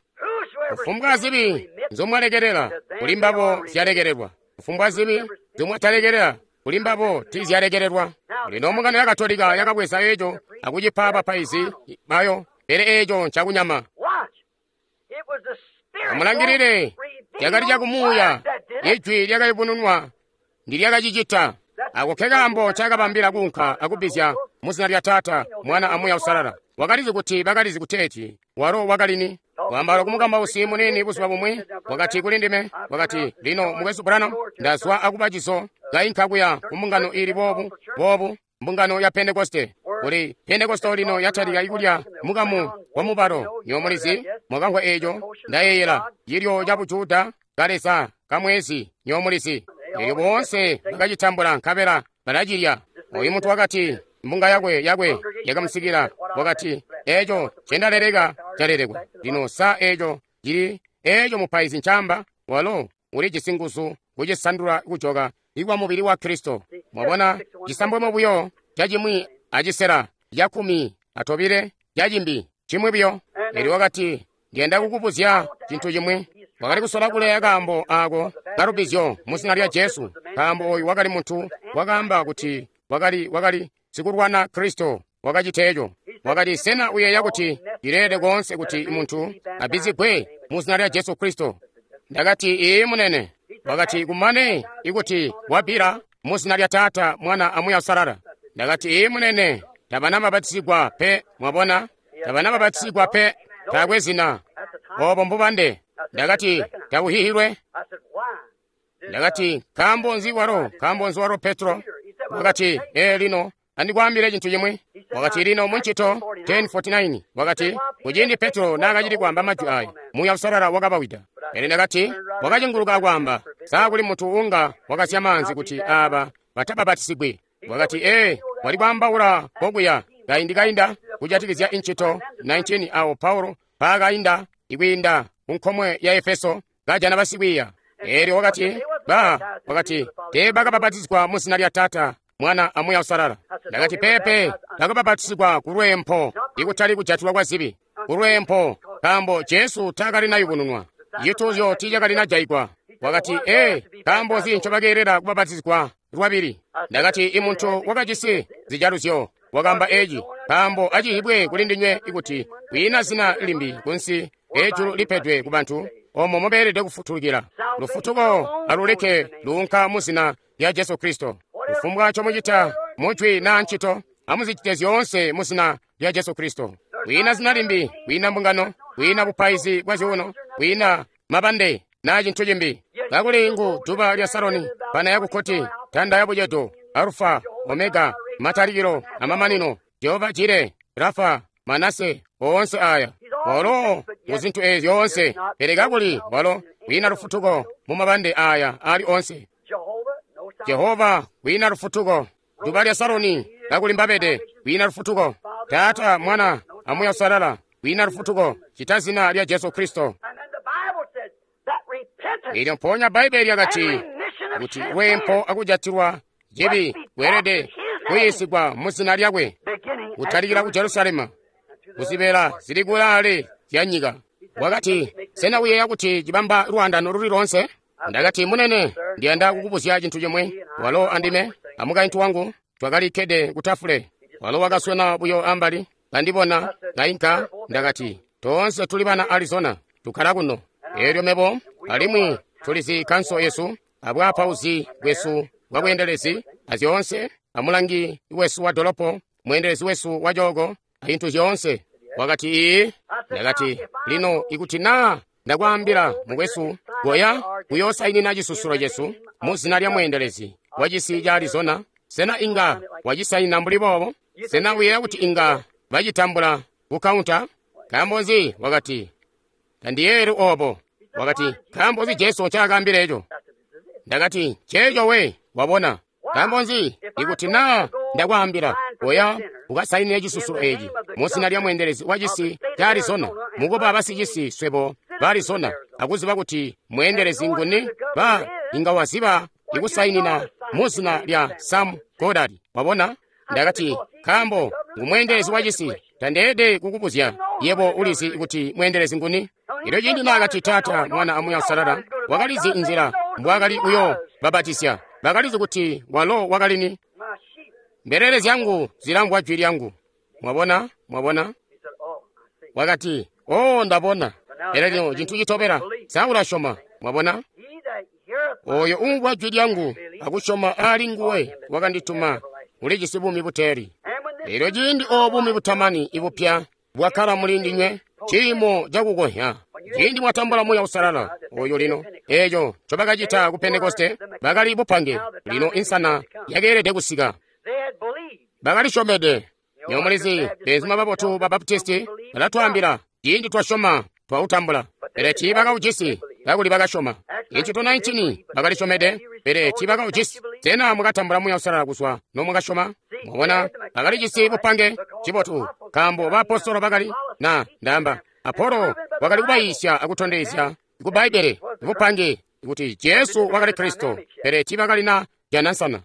Kufumbwa zibi nzomwalekelela kuli mbabo zyalekelelwa, kufumbwa zibi nzomwatalekelela kuli mbabo tiizyalekelelwa. Lino mbungano ya Katolika yakabweza eco akucipa bapaizi bayo, pele eco ncakunyama. Amulangilile, lyakali lyakumuuya, ijwi lyakayubununwa ndilyakacicita. Ako kekaambo ncakabambila kuunka akubbizya muzina lya Taata, Mwana a Muuya Uusalala. Wakalizi kuti bakalizi kuteeti walo wakalini. Wambala kumukambausi munini buzuba bumwi, wakati kuli ndime, wakati, lino Mukwesu Branham, ndazwa akuba cizo, kainka kuya ku mbungano ili boobu, boobu, mbungano ya Pentekoste. Kuli Pentekoste lino yatalika ikulya mukamu wa mubalo. Nywebo mulizi, mwakamvwa eco, ndayeeyela, cilyo ca Bujuda, kaleza, kamwezi, nywebo mulizi. Elyo boonse bakacitambula nkabela balacilya. Oyu muntu wakati, mbunga yakwe yakwe yakamusikila, wakati, eco ncendaleleka calelekwa. Lino sa eco cili eco mupaizi ncamba, walo ulijisi nguzu kucisandula kujoka ikwa mubili wa Kristo. Mwabona, cisambwemo buyo cacimwi acisela ca12 cacimbi cimwi buyo. Elyo wakati, ndiyanda kukubuzya cintu cimwi. Wakali kusola kuleya kaambo ako kalubizyo muzina lya Jesu, nkaambo oyu wakali muntu wakaamba kuti wakali sikulwana Kristo wakacita eco. Wakati, sena uyeeya kuti cileelede koonse kuti muntu abbizigwe muzina lya Jesu Kristo? Ndakati, ii munene. Wakati, kumane ikuti wabbila muzina lya Taata, Mwana a Muuya Uusalala. Ndakati, ii munene, tabana babatizigwa pe. Mwabona, tabana babatizigwa pe, taakwe zina. Obo mbubande. Ndakati, tabuhihilwe. Ndakati, nkaambo nzi walo, nkaambo nzi walo Petro? Wakati, ee lino, andikwaambile cintu cimwi. Wakati, lino muncito 10:49. Wakati, kuciindi Petro naakacili kwaamba majwi aya, Muuya Uusalala wakabawida. Pele ndakati, wakacenguluka akwaamba, saa kuli muntu unga wakasya maanzi kuti aaba batababatisigwi? Wakati, ee, wali kwaambaula kokuya kaindi kainda kujatikizya incito 19 awo Paulo paakainda ikwiinda ku nkomwe ya Efeso kajana basikwiiya. Eelyo wakati, ba, wakati, teebakabapatizigwa mu zina lya Taata, Mwana a Muuya Uusalala. Ndakati, pepe, bakabapatizigwa ku lweempo, ikutali kujatilwa kwa zibi, ku lweempo, nkaambo Jesu taakalinayubununwa, cituuzyo tiicakalinajayigwa. Wakati, ee, nkaambo nzi ncobakeelela kubapatizigwa lwabili? Ndakati, imuntu wakajisi zijaluzyo wakaamba eci, Nkaambo acihibwe kuli ndinywe kuti kwiina zina limbi kunsi ejulu lipedwe ku bantu omo mobeelede kufutulukila. Lufutuko aluleke luunka mu zina lya Jesu Kristo. Kufumbwa ncomucita mujwi naa ncito, amuzicite zyoonse mu zina lya Jesu Kristo. Kwiina zina limbi, kwiina mbungano, kwiina bupaizi bwa zyuuno, kwiina mabande naa cintu cimbi. Kakuli ngu duba lya Saroni, pana ya kukkoti, tanda ya bucedo, Alufa, Omega, matalikilo amamanino, Jehova Jire, Rafa, Manase, oonse aya. Walo mu zintu ezi zyoonse, pele kakuli walo kwiina lufutuko mu mabande aya ali onse. Jehova kwiina lufutuko. Duba lya Saroni kakuli mbabede kwiina lufutuko. Taata, Mwana, a Muuya Uusalala kwiina lufutuko cita zina lya Jesu Kristo. Elyo mpoonya Bbaibbele lyakati kuti lweempo akujatilwa cibi kweelede kuyiisigwa mu zina lyakwe, kutalikila ku Jerusalema, kuzibeela zili kulaale zya nyika. Wakati, sena uyeeya kuti cibamba lwaandano luli loonse? Ndakati, munene, ndiyanda kukubuzya cintu cimwe. Walo andime amukaintu wangu twakali kkede ku tafule. Walo wakaswena buyo ambali, kandibona kainka. Ndakati, toonse tuli bana Arizona, tukkala kuno. Elyo mebo alimwi tulizi kanso yesu abwaapauzi bwesu bwabweendelezi azyoonse, amulangi wesu wa dolopo, mweendelezi wesu wa cooko, azintu zyoonse. Wakati, ii. Ndakati, lino ikuti naa ndakwaambila mukwesu, goya kuyoosainina cisusulo cesu mu zina lya mweendelezi wa cisi ca Arizona, sena inga wacisainina mbuli boobo? Sena uyeeya kuti inga bacitambula ku kaunta? Nkaambo nzi? Wakati, tandiyeeri obo. Wakati, nkaambo nzi Jesu ncaakaambila eco? Ndakati, nceeco we, wabona. Nkaambo nzi? Ikuti naa ndakwaambila, oya ukasainine cisusulo eci mu zina lya mweendelezi wa cisi ca Arizona, mukuba basicisi swebo ba Arizona, akuziba kuti mweendelezi nguni, ba inga waziba ikusainina mu zina lya Sam Goddard. Wabona? Ndakati, nkaambo ngu mweendelezi wa cisi, tandeelede kukubuzya yebo ulizi kuti mweendelezi nguni. Elyo ciindi naakati Taata, Mwana a Muuya Uusalala, wakalizi nzila mbwaakali kuyo babatisya. Bakalizi kuti walo wakali ni. Mbelele zyangu zilamvwa jwi lyangu. Mwabona? Mwabona? Wakati, oh, ndabona. Pele lino cintu citobela, sa ulasyoma? Mwabona? Oyo umvwa jwi lyangu akusyoma ali nguwe wakandituma ulijisi buumi buteeli. Elyo ciindi obo buumi butamani ibupya bwakkala muli ndinywe, ciimo cakukohya. Ciindi mwatambula Muuya Uusalala oyo lino, eco ncobakacita ku Pentekoste, bakali bupange. Lino insana yakeelede kusika. Bakalisyomede. Nywebo mulizi, beenzuma babotu ba Baptisti balatwaambila, ciindi twasyoma twautambula. Pele tiibakaujisi, kakuli bakasyoma. Incito 19 bakalisyomede, pele tiibakaujisi. Sena mwakatambula Muuya Uusalala kuzwa nomwakasyoma? Mwabona, bakalijisi bupange cibotu, nkaambo baapostolo bakali na ndaamba Apolo wakali kubayiisya akutondezya ku Bbaibbele bupange kuti Jesu wakali Kristo, pele tiibakali na jana nsana.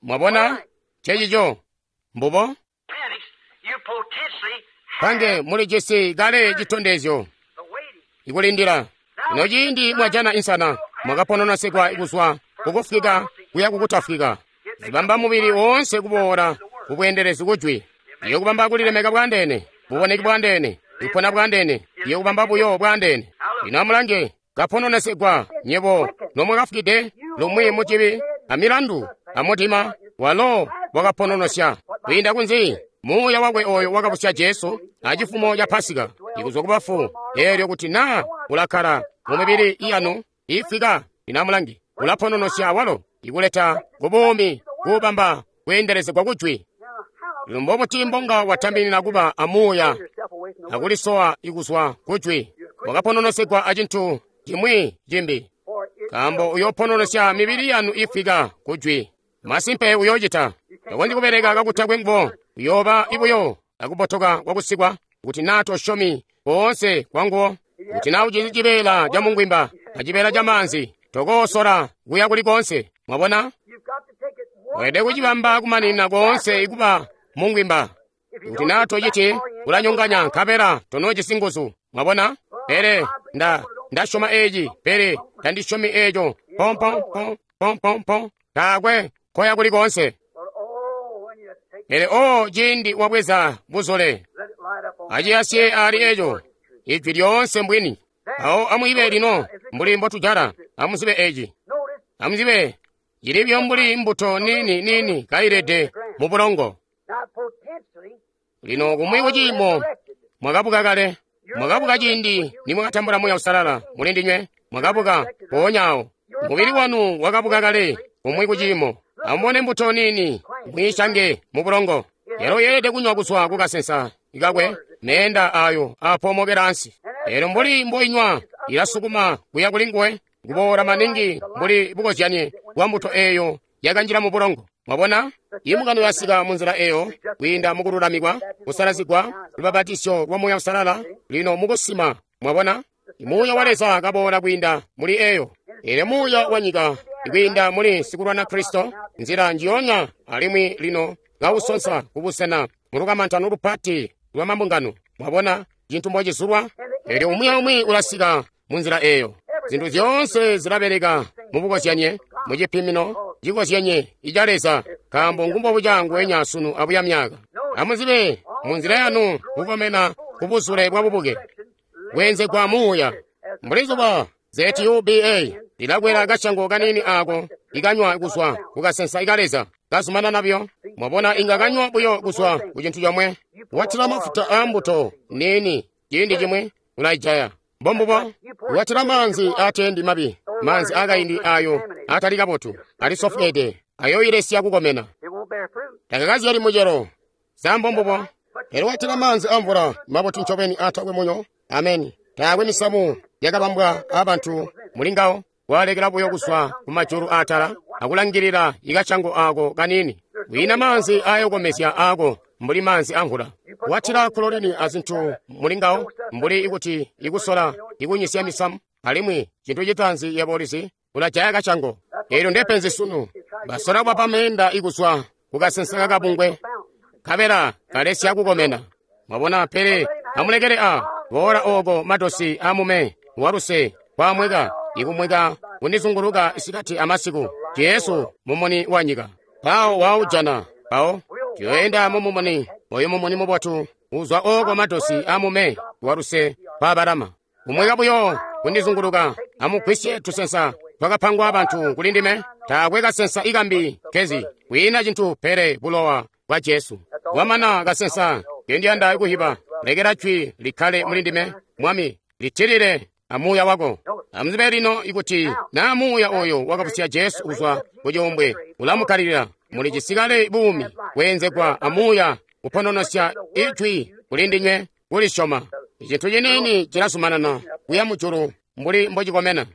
Mwabona, ncecico mbubo. Pange mulijisi kale citondezyo ikulindila. Ino ciindi mwajana insana, mwakapononosekwa kuzwa kukufwika kuya kukutafwika. Zibamba mubili woonse kuboola kubweendelezi kujwi. Iyo kubamba kulilemeka bwandeene, buboneki bwandeene, kupona bwandeene, iyo kubamba buyo bwandeene. Lino amulange, kapononesekwa nyebo nomwakafwide lumwi mucibi amilandu amudima, walo wakapononosya kwiinda kunzi Muuya wakwe oyo wakabusya Jesu acifumo ca Pasika ikuzwa kubafu. Elyo kuti naa ulakkala mu mibili yanu ifwika, lino amulange, ulapononosya awalo ikuleta kubuumi kubamba kweendelezegwa kujwi. Lino mbobuti mbonga watambilila kuba amuuya akulisowa ikuzwa kujwi? Wakapononosegwa acintu cimwi cimbi, nkaambo uyopononosya mibili yanu ifwika kujwi. Masimpe uyoocita. Takonzyi kubeleka kakutakwe nguwo. Uyooba ibuyo akubotoka kwakusikwa kuti naa tosyomi koonse kwanguwo. Kuti naa ujisi cibeela ca mungwimba acibeela ca maanzi, tokoosola kuya kuli koonse. Mwabona? Weelede kucibamba kumaninina koonse ikuba mungwimba. Kuti naa tociti, ulanyonganya nkabela tonoojisi nguzu. Mwabona? Pele ndasyoma eeci, pele tandisyomi eeco. Pompo, po, pompo, po. Taakwe koya kuli koonse. Pele o ciindi wabweza buzole, aciyasye ali eco, Ijwi lyoonse mbwini. Awo amwiibe lino mbuli mbotujala, amuzibe eci. Amuzibe, cilibyo mbuli mbuto nini nini kailede mu bulongo. Lino kumwi kuciimo mwakabuka kale, mwakabuka ciindi nimwakatambula Muuya Uusalala muli ndinywe, mwakabuka mpoonya awo. Mubili wanu wakabuka kale kumwi kuciimo. Amubone mbuto nini mwiishange mu bulongo. Yalo yeelede kunywa kuzwa kukasensa ikakwe meenda ayo apoomokela ansi. Elo mbuli mboinywa ilasukuma kuya kuli nguwe, kuboola maningi mbuli bukozyanye bwa mbuto eyo yakanjila mu bulongo. Mwabona? Imbungano yasika mu nzila eyo kwiinda mukululamikwa, kusalazigwa, lubabatisyo lwa Muuya Uusalala, lino mukusima. Mwabona? Muuya wa Leza kaboola kwiinda muli eyo. Elyo muuya wa nyika kwiinda muli sikulwana Kristo, nzila njiyonya, alimwi lino kausonsa kubusena mulukamantano lupati lwa mambungano. Mwabona cintu mbocizulwa? Elyo umwi aumwi ulasika mu nzila eyo. Zintu zyoonse zilabeleka mubukozyanye, mucipimino cikozyenye ica Leza, nkaambo ngumbobuca nguwenya sunu abuya myaka. Amuzibe munzila yanu kukomena kubuzule bwa bubuke, bweenzegwa muuya. Mbuli zuba ZUBA lilakwela kashango kanini ako ikanywa kuzwa kukasensa ika Leza kazumanana buyo. Mwabona inga kanywa buyo kuzwa ku cintu comwe. Watila mafuta a mbuto nini ciindi cimwe ulaijaya. Mbombubo watila maanzi atendi mabi, maanzi akaindi ayo atali kabotu, ali sofweede, ayoilesya kukomena. Takakazyali mucelo. Sa mbombubo. Pele watila maanzi amvula mabotu ncobeni atakwe munyo. Ameni. Taakwe misamu yakabambwa abantu mulingawo, walekela buyo kuzwa kumajulu atala akulangilila ikashango ako kanini. Kwiina maanzi ayokomezya ako mbuli maanzi amvula. Watila kuloleni azintu mulingawo mbuli ikuti ikusola ikunyisya misamu, alimwi cintu citaanzi yebo ulizi ulajaya kashango. Eelyo ndepenzi sunu. Basola kubapa meenda ikuzwa kukasensa kakabungwe, kabela kalesya kukomena. Mwabona, pele amulekele a boola oko matosi amume waluse kwamweka ikumweka kundizunguluka isikati amasiku. Jesu mumuni wa nyika. Pawo waujana pawo tuyoenda mumumuni oyo mumuni mubotu uzwa oko matosi amume waluse kwabalama. Kumweka buyo kundizunguluka amugwisye tusensa twakapangwa abantu kuli ndime. Taakwe kasensa ikambi kezi kwiina cintu pele bulowa bwa Jesu. Wamana kasensa kendiyanda kuhiba, lekela jwi likkale muli ndime, Mwami, litilile amuuya wako. Amuzibe lino ikuti naa muuya oyo wakabusya Jesu kuzwa kucuumbwe ulamukkalilila, muli cisikale buumi bweenzegwa amuuya kupononosya ijwi kuli ndinywe kulisyoma. Icintu ciniini cilazumanana kuya mujulu mbuli mbocikomena.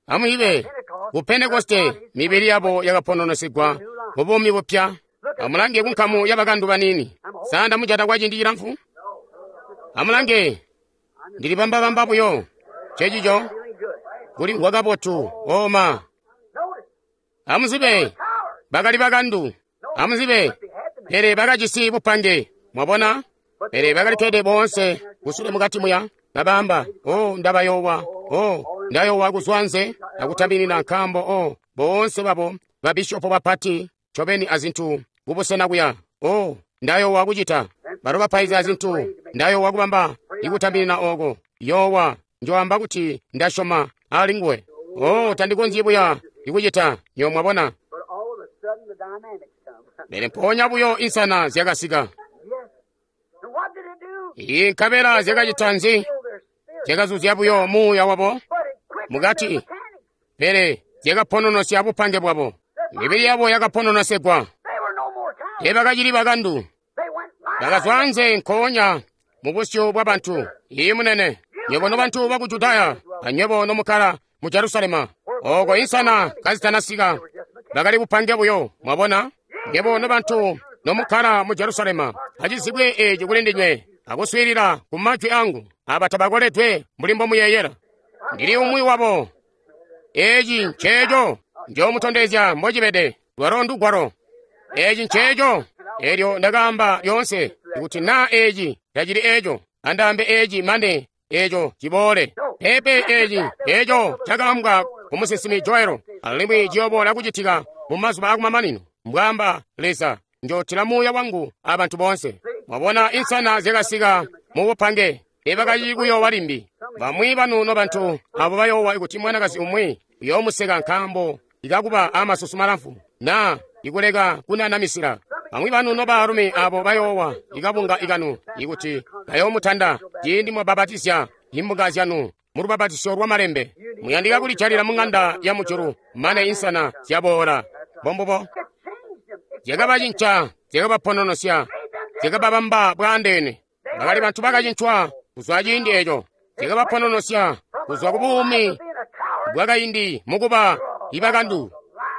Amuibe ku Pentekoste mibili yabo yakapononosigwa mu buumi bupya. Amulange kunkamu yabakandu banini. Sa ndamujata kwa ciindi cilamfu? Amulange, ndili bambabamba buyo. Cecico kuli ngwakabotu oma. Amuzibe, bakali bakandu. Amuzibe, pele bakajisi bupange. Mwabona? Pele bakali kkede boonse kusule mukati muya, kabamba, o ndabayowa, o ndayowa kuzwa nze akutabilila nkaambo o boonse babo babishopo bapati ncobeni azintu kubusena kuya. O ndayowa kucita balo bapaizi azintu, ndayowa kubamba ikutabilila oko. Yowa njoamba kuti ndasyoma ali nguwe. O tandikonzyi buya ikucita nyo mwabona. Pele mpoonya buyo insana zyakasika. Iyi nkabela zyakacita nzi? Zyakazuzya buyo muuya wabo mukati, pele zyakapononosya bupange bwabo. Mibili yabo yakapononosegwa. Teebakacili bakandu. Bakazwa anze nkoonya mu busyu bwa bantu. Iyi munene, nywebo nobantu baku Judaya, anywebo nomukkala mu Jerusalema, oko insana kazitanasika, bakali bupange buyo. Mwabona? Nywebo nobantu nomukkala mu Jerusalema, acizibwe eci kuli ndinywe, akuswiilila ku majwi angu. Aba tabakoledwe mbuli mbomuyeeyela. Ndili umwi wabo. Eci nceeco njoomutondezya mbocibede. Lwalo ndugwalo. Eci nceeco. Elyo ndakaamba lyoonse kuti naa eci tacili eco, andaambe eci mane eco ciboole. Pepe eci eco cakaambwa ku musinsimi Joelo, alimwi ciyoboola kucitika mu mazuba akumamanino, mbwaamba Leza. Njootila Muuya wangu a bantu boonse. Mwabona, insana zyakasika mu bupange, teebakacili kuyoowa limbi. Bamwi banu nobantu abo bayoowa kuti mwanakazi umwi uyoomuseka nkaambo ikakuba amasusu malamfu na ikuleka kunanamisila. Bamwi banu nobaalumi abo bayoowa ikabunga ikanu ikuti kayoomutanda ciindi mwabapatizya imbunga zyanu mu lubapatisyo lwa malembe. Muyandika kulijalila mu ng'anda ya mujulu mane insana zyaboola. Mbombubo. Zyakabacinca, zyakabapononosya, zyakababamba bwaandeene. Bakali bantu bakacincwa kuzwa ciindi eco. Zyakabapononosya kuzwa ku buumi bwakaindi mukuba ibakandu,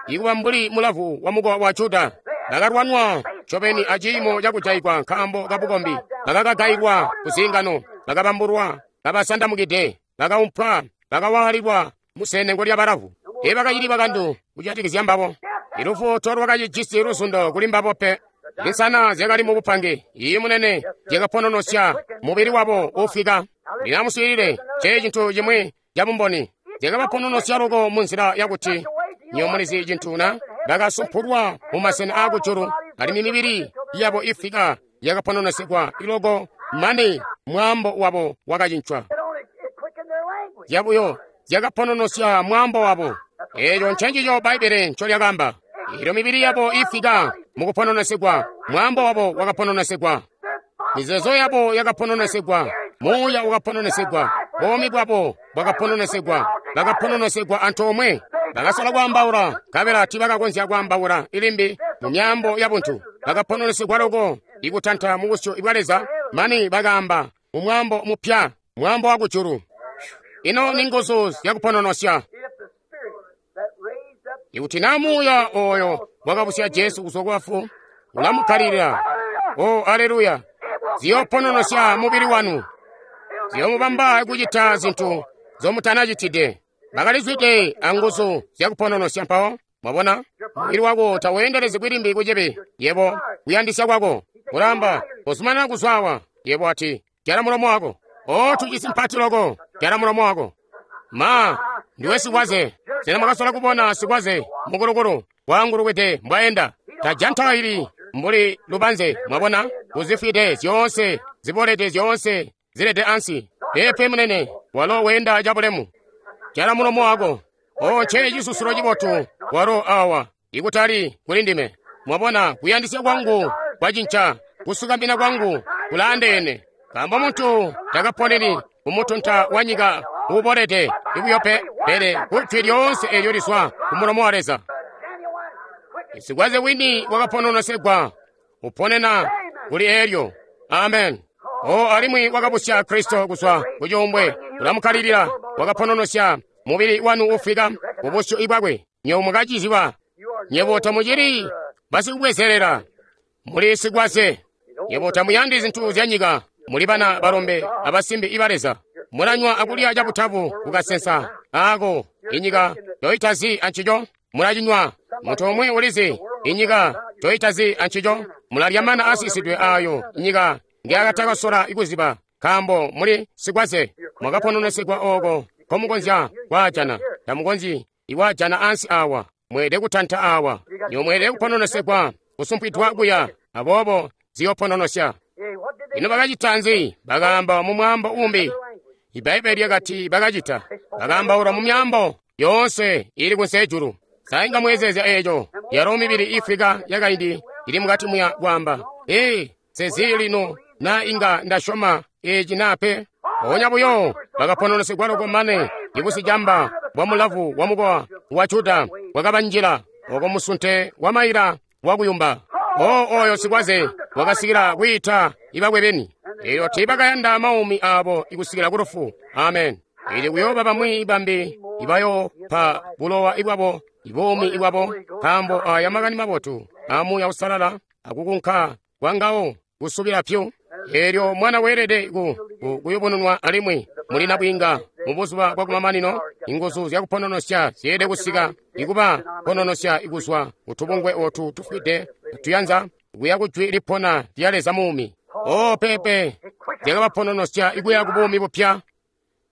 ikuba mbuli mulavu wa mukowa wa Juda. Bakalwanwa ncobeni aciimo cakujaigwa nkaambo kabukombi. Bakakagailwa ku ziingano, bakabambulwa, kabasandamukide, bakaumpwa, bakawaalilwa musenengo lya balavu. Teebakacili bakandu kujatikizya mbabo. Ilufu tolwakacijisi luzundo kuli mbabo pe. Insana zyakali mu bupange, iyi munene, zyakapononosya mubili wabo uufwika. Lino amuswiilile, nce cintu cimwi cabumboni. Zyakabapononosya loko munzila yakuti, nywebo mulizi cintu na? Bakasumpulwa mu masena aakujulu, alimwi mibili yabo ifwika yakapononosyegwa iloko mane mwaambo wabo wakacincwa. Zyabuyo zyakapononosya mwaambo wabo. Eeco ncencico Bbaibbele ncolyakaamba. Eelyo mibili yabo ifwika mukupononosegwa, mwaambo wabo wakapononosegwa, mizeezo yabo yakapononosegwa, muuya wakapononosegwa, buumi bwabo bwakapononosegwa, bakapononosegwa antoomwe. Bakasola kwaambaula, nkabela tiibakakonzya kwaambaula ilimbi mu myaambo yabuntu. Bakapononosegwa loko ikutanta mu busyu bwa Leza, mane bakaamba mu mwaambo mupya, mwaambo wa kujulu. Ino ni nguzu zyakupononosya. Ikuti na muuya oyo wakabusya Jesu kuzwa kubafu ulamukkalilila, o aleluya, ziyoopononosya mubili wanu, ziyoomubamba kucita zintu nzomutanacitide. Bakalizwide anguzu zyakupononosya mpawo. Mwabona, mubili wako taweendelezegwi limbi kucibi. Yebo kuyandisya kwako ulaamba, kozumanana kuzwawa. Yebo ati, jala mulomo wako. O tujisi mpati loko, jala mulomo wako. Ma, ndiwe sikwaze. Sena mwakasola kubona sikwaze mukulukulu waangulukide mbwaenda? Tajantaili mbuli lubanze, mwabona, uzifwide zyoonse, zibolede zyoonse, zilede ansi. Pepe munene, walo weenda cabulemu. Jala mulomo wako. O nce cisusulo cibotu walo awa, ikutali kuli ndime. Mwabona, kuyandisya kwangu kwacinca, kusukamina kwangu kulaandeene. Nkaambo muntu takaponeni kumutunta wa nyika uubolede ibuyo pe, pele kujwi lyoonse eelyo lizwa ku mulomo wa Leza. Sikwaze wini wakapononosegwa uponena kuli eelyo. Amen. O alimwi wakabusya Kristo kuzwa ku cuumbwe, ulamukkalilila, wakapononosya mubili wanu uufwika mu busyu bwakwe. Nywebo mwakaciziba, nywebo tamucili basikubwezelela, muli sikwaze. Nywebo tamuyandi zintu zya nyika, muli bana balombe abasimbi iba Leza. Mulanywa akulya cabutabu kukasensa aako inyika toitazi ancico, mulacinywa. Muntu umwi ulizi inyika toitazi ancico, mulalya mana asisidwe aayo inyika ngyakatakasola kuziba, nkaambo muli sikwaze. Mwakapononosegwa ooko nkomukonzya kwaajana, tamukonzyi ikwaajana ansi awa. Mweelede kutanta awa, nywebo mweelede kupononosegwa, kusumpwidwa kuya, aboobo ziyoopononosya. Ino bakacita nzi? Bakaamba mu mwaambo umbi. Ibbaibbele lyakati bakacita. Bakaambaula mu myaambo yoonse ili kunsi ejulu. Sa inga mweezeezya eeco? Yalo mibili ifwika yakaindi ili mukati muya kwaamba, ee, sezi lino na inga ndasyoma eci naa pe. Mpoonya buyo bakapononosegwa loko mane ibusicamba bwa mulavu wa mukowa wa Juda bwakabanjila oko musunte wa maila wakuyumba. O oyo sikwaze wakasikila kwiita ibakwe beni. Eelyo tiibakayanda maumi aabo ikusikila ku lufu. Amen. Ili kuyooba bamwi bambi ibayoopa bulowa ibwabo, ibuumi ibwabo, nkaambo aya makani mabotu a Muuya Uusalala akukunka kwangawo kusubila pyu. Eelyo mwana weelede kuyubununwa alimwi muli nabwiinga mu buzuba bwakumamanino, inguzu zyakupononosya zyeelede kusika ikuba pononosya ikuzwa kutubungwe ootu tufwide tuyanza kuya kujwi lipona lya Leza muumi. O pepe, zyakabapononosya ikuya ku buumi bupya.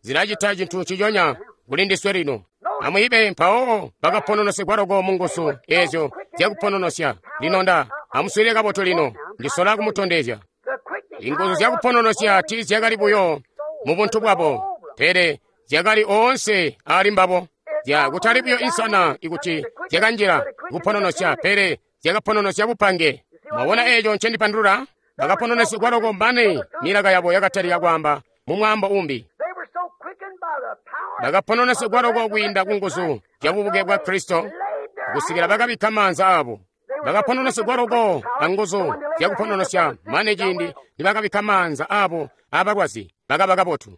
Zilacita cintu nciconya kuli ndiswe lino. Amwiibe mpawo bakapononosegwa loko mu nguzu eezyo zyakupononosya. Lino nda Amuswiilile kabotu lino, ndisola kumutondezya. Inguzu zyakupononosya tiizyakali buyo mu buntu bwabo, pele zyakali oonse aali mbabo. Kutali buyo insana ikuti zyakanjila kupononosya, pele zyakapononosya bupange. Mwabona eeco ncendipandulula? Bakapononesyegwa loko mane milaka yabo yakatalika kwaamba mu mwaambo umbi. Bakapononesyegwa loko kwiinda ku nguzu zya bubuke bwa Kristo kusikila bakabikka maanza aabo. Bakapononesyegwa loko anguzu zyakupononosya mane ciindi nibakabikka maanza aabo aabalwazi bakaba kabotu.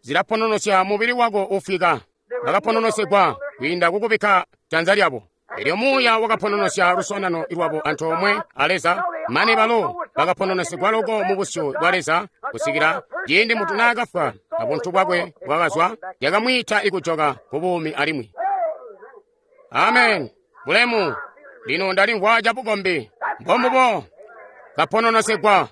Zilapononosya mubili wako ufwika. Bakapononesyegwa kwiinda kukubikka janza lyabo. Elyo Muuya wakapononosya luswaanano lwabo antoomwe a Leza, mane balo bakapononesyegwa loko mu busyu bwa Leza kusikila ciindi muntu naakafwa abuntu bwakwe bwakazwa, yakamwiita ikujoka ku buumi alimwi. Amen. Bulemu. Lino ndalimvwa cabukombi. Mbombubo. Kapononesyegwa.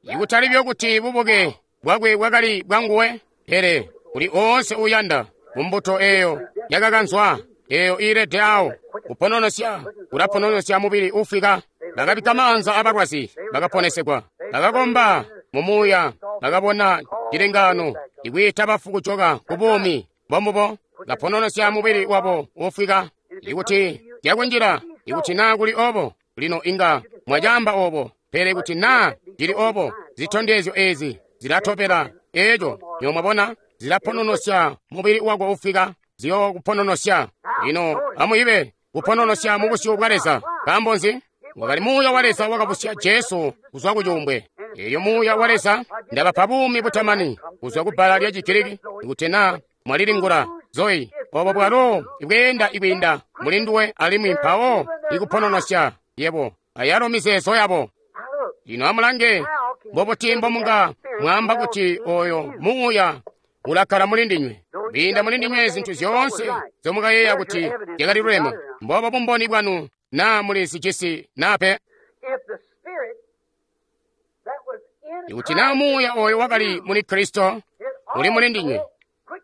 Ikutali buyo kuti bubuke bwakwe bwakali bwanguwe, pele kuli oonse uuyanda mumbuto eeyo yakakanzwa, eeyo iilede awo, kupononosya, kulapononosya mubili uufwika. Bakabikka maanza abalwazi, bakaponesegwa. Bakakomba mu muuya, bakabona cilengaano, ikwiita bafu kujoka ku buumi. Mbombubo, kapononosya mubili wabo uufwika. Ikuti zyakunjila, ikuti naa kuli obo, lino inga mwacaamba obo, pele kuti naa cili obo, zitondezyo eezi zilatobela eeco, nywebo mwabona, zilapononosya mubili wako uufwika, ziyookupononosya. Lino amuyibe kupononosya mu busyu bwa Leza. Nkaambo nzi? Wakali Muuya wa Leza wakabusya Jesu kuzwa ku cuumbwe. Elyo Muuya wa Leza ndabapa buumi butamani kuzwa ku bbala lya Chigiriki kuti naa mwalilingula Zoe, obo bwalo ibweenda ikwiinda muli nduwe alimwi mpawo ikupononosya yebo ayalo mizeezo yabo. Lino amulange, mbobuti mbomunga mwaamba kuti oyo Muuya ulakkala muli ndinywe, kwiinda muli ndinywe zintu zyoonse nzyomukayeeya kuti zyakali luleme. Mboobo bumboni bwanu naa muli sicisi naa pe. Ikuti naa Muuya oyo wakali muli Kristo uli muli ndinywe,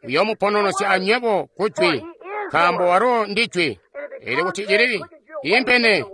uyoomupononosya anywebo ku Jwi, nkaambo walo ndi Jwi. Elyo kuti cili iimpene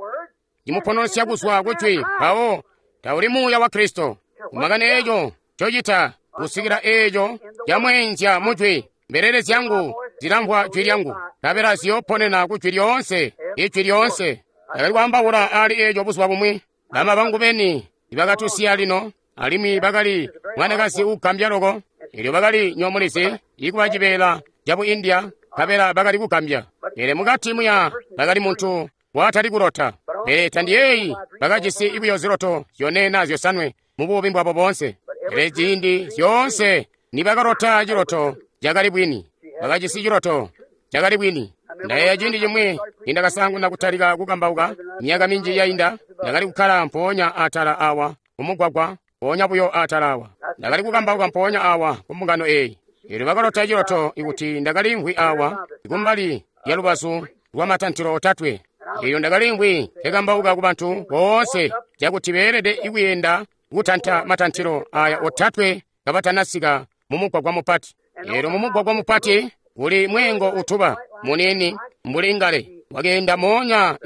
cimupononosya kuzwa ku Jwi, mpawo tauli Muuya wa Kristo. Kumakani eeco ncocita kusikila eeco camweenzya mu Jwi. Mbelele zyangu zilamvwa Jwi lyangu, nkabela ziyooponena ku Jwi lyoonse, Ijwi lyoonse. Ndakali kwaambaula aali eeco buzuba bumwi. Bama bangu beni ibakatusiya lino, alimwi bakali mwanakazi uugambya loko. Elyo bakali nyomulizi ikuba cibeela cabu India, nkabela bakali kugambya. Pele mukati muya bakali muntu watali kulota. Pele tandiyeeyi bakajisi buyo ziloto zyone naa zyosanwe mu buumi bwabo boonse. Pele ciindi zyoonse nibakalota ciloto cakali bwini. Bakajisi ciloto cakali bwini. Ndayeeya ciindi cimwi nindakasaanguna kutalika kukambauka myaka minji yainda, ndakali kukkala mpoonya atala awa kumugwagwa, mpoonya buyo atala awa. Ndakali kukambauka mpoonya awa kumbungano eeyi. Eelyo bakalota ciloto ikuti ndakaliimvwi awa kumbali lya lubazu lwa matantilo otatwe. Eelyo ndakaliimvwi nkekambauka ku bantu boonse cakuti beelede kuyenda kutanta matantilo aya otatwe kabatanasika mumugwagwa mupati. Eelyo mumugwagwa mupati kuli mweengo utuba muniini mbuli ngale wakeenda moonya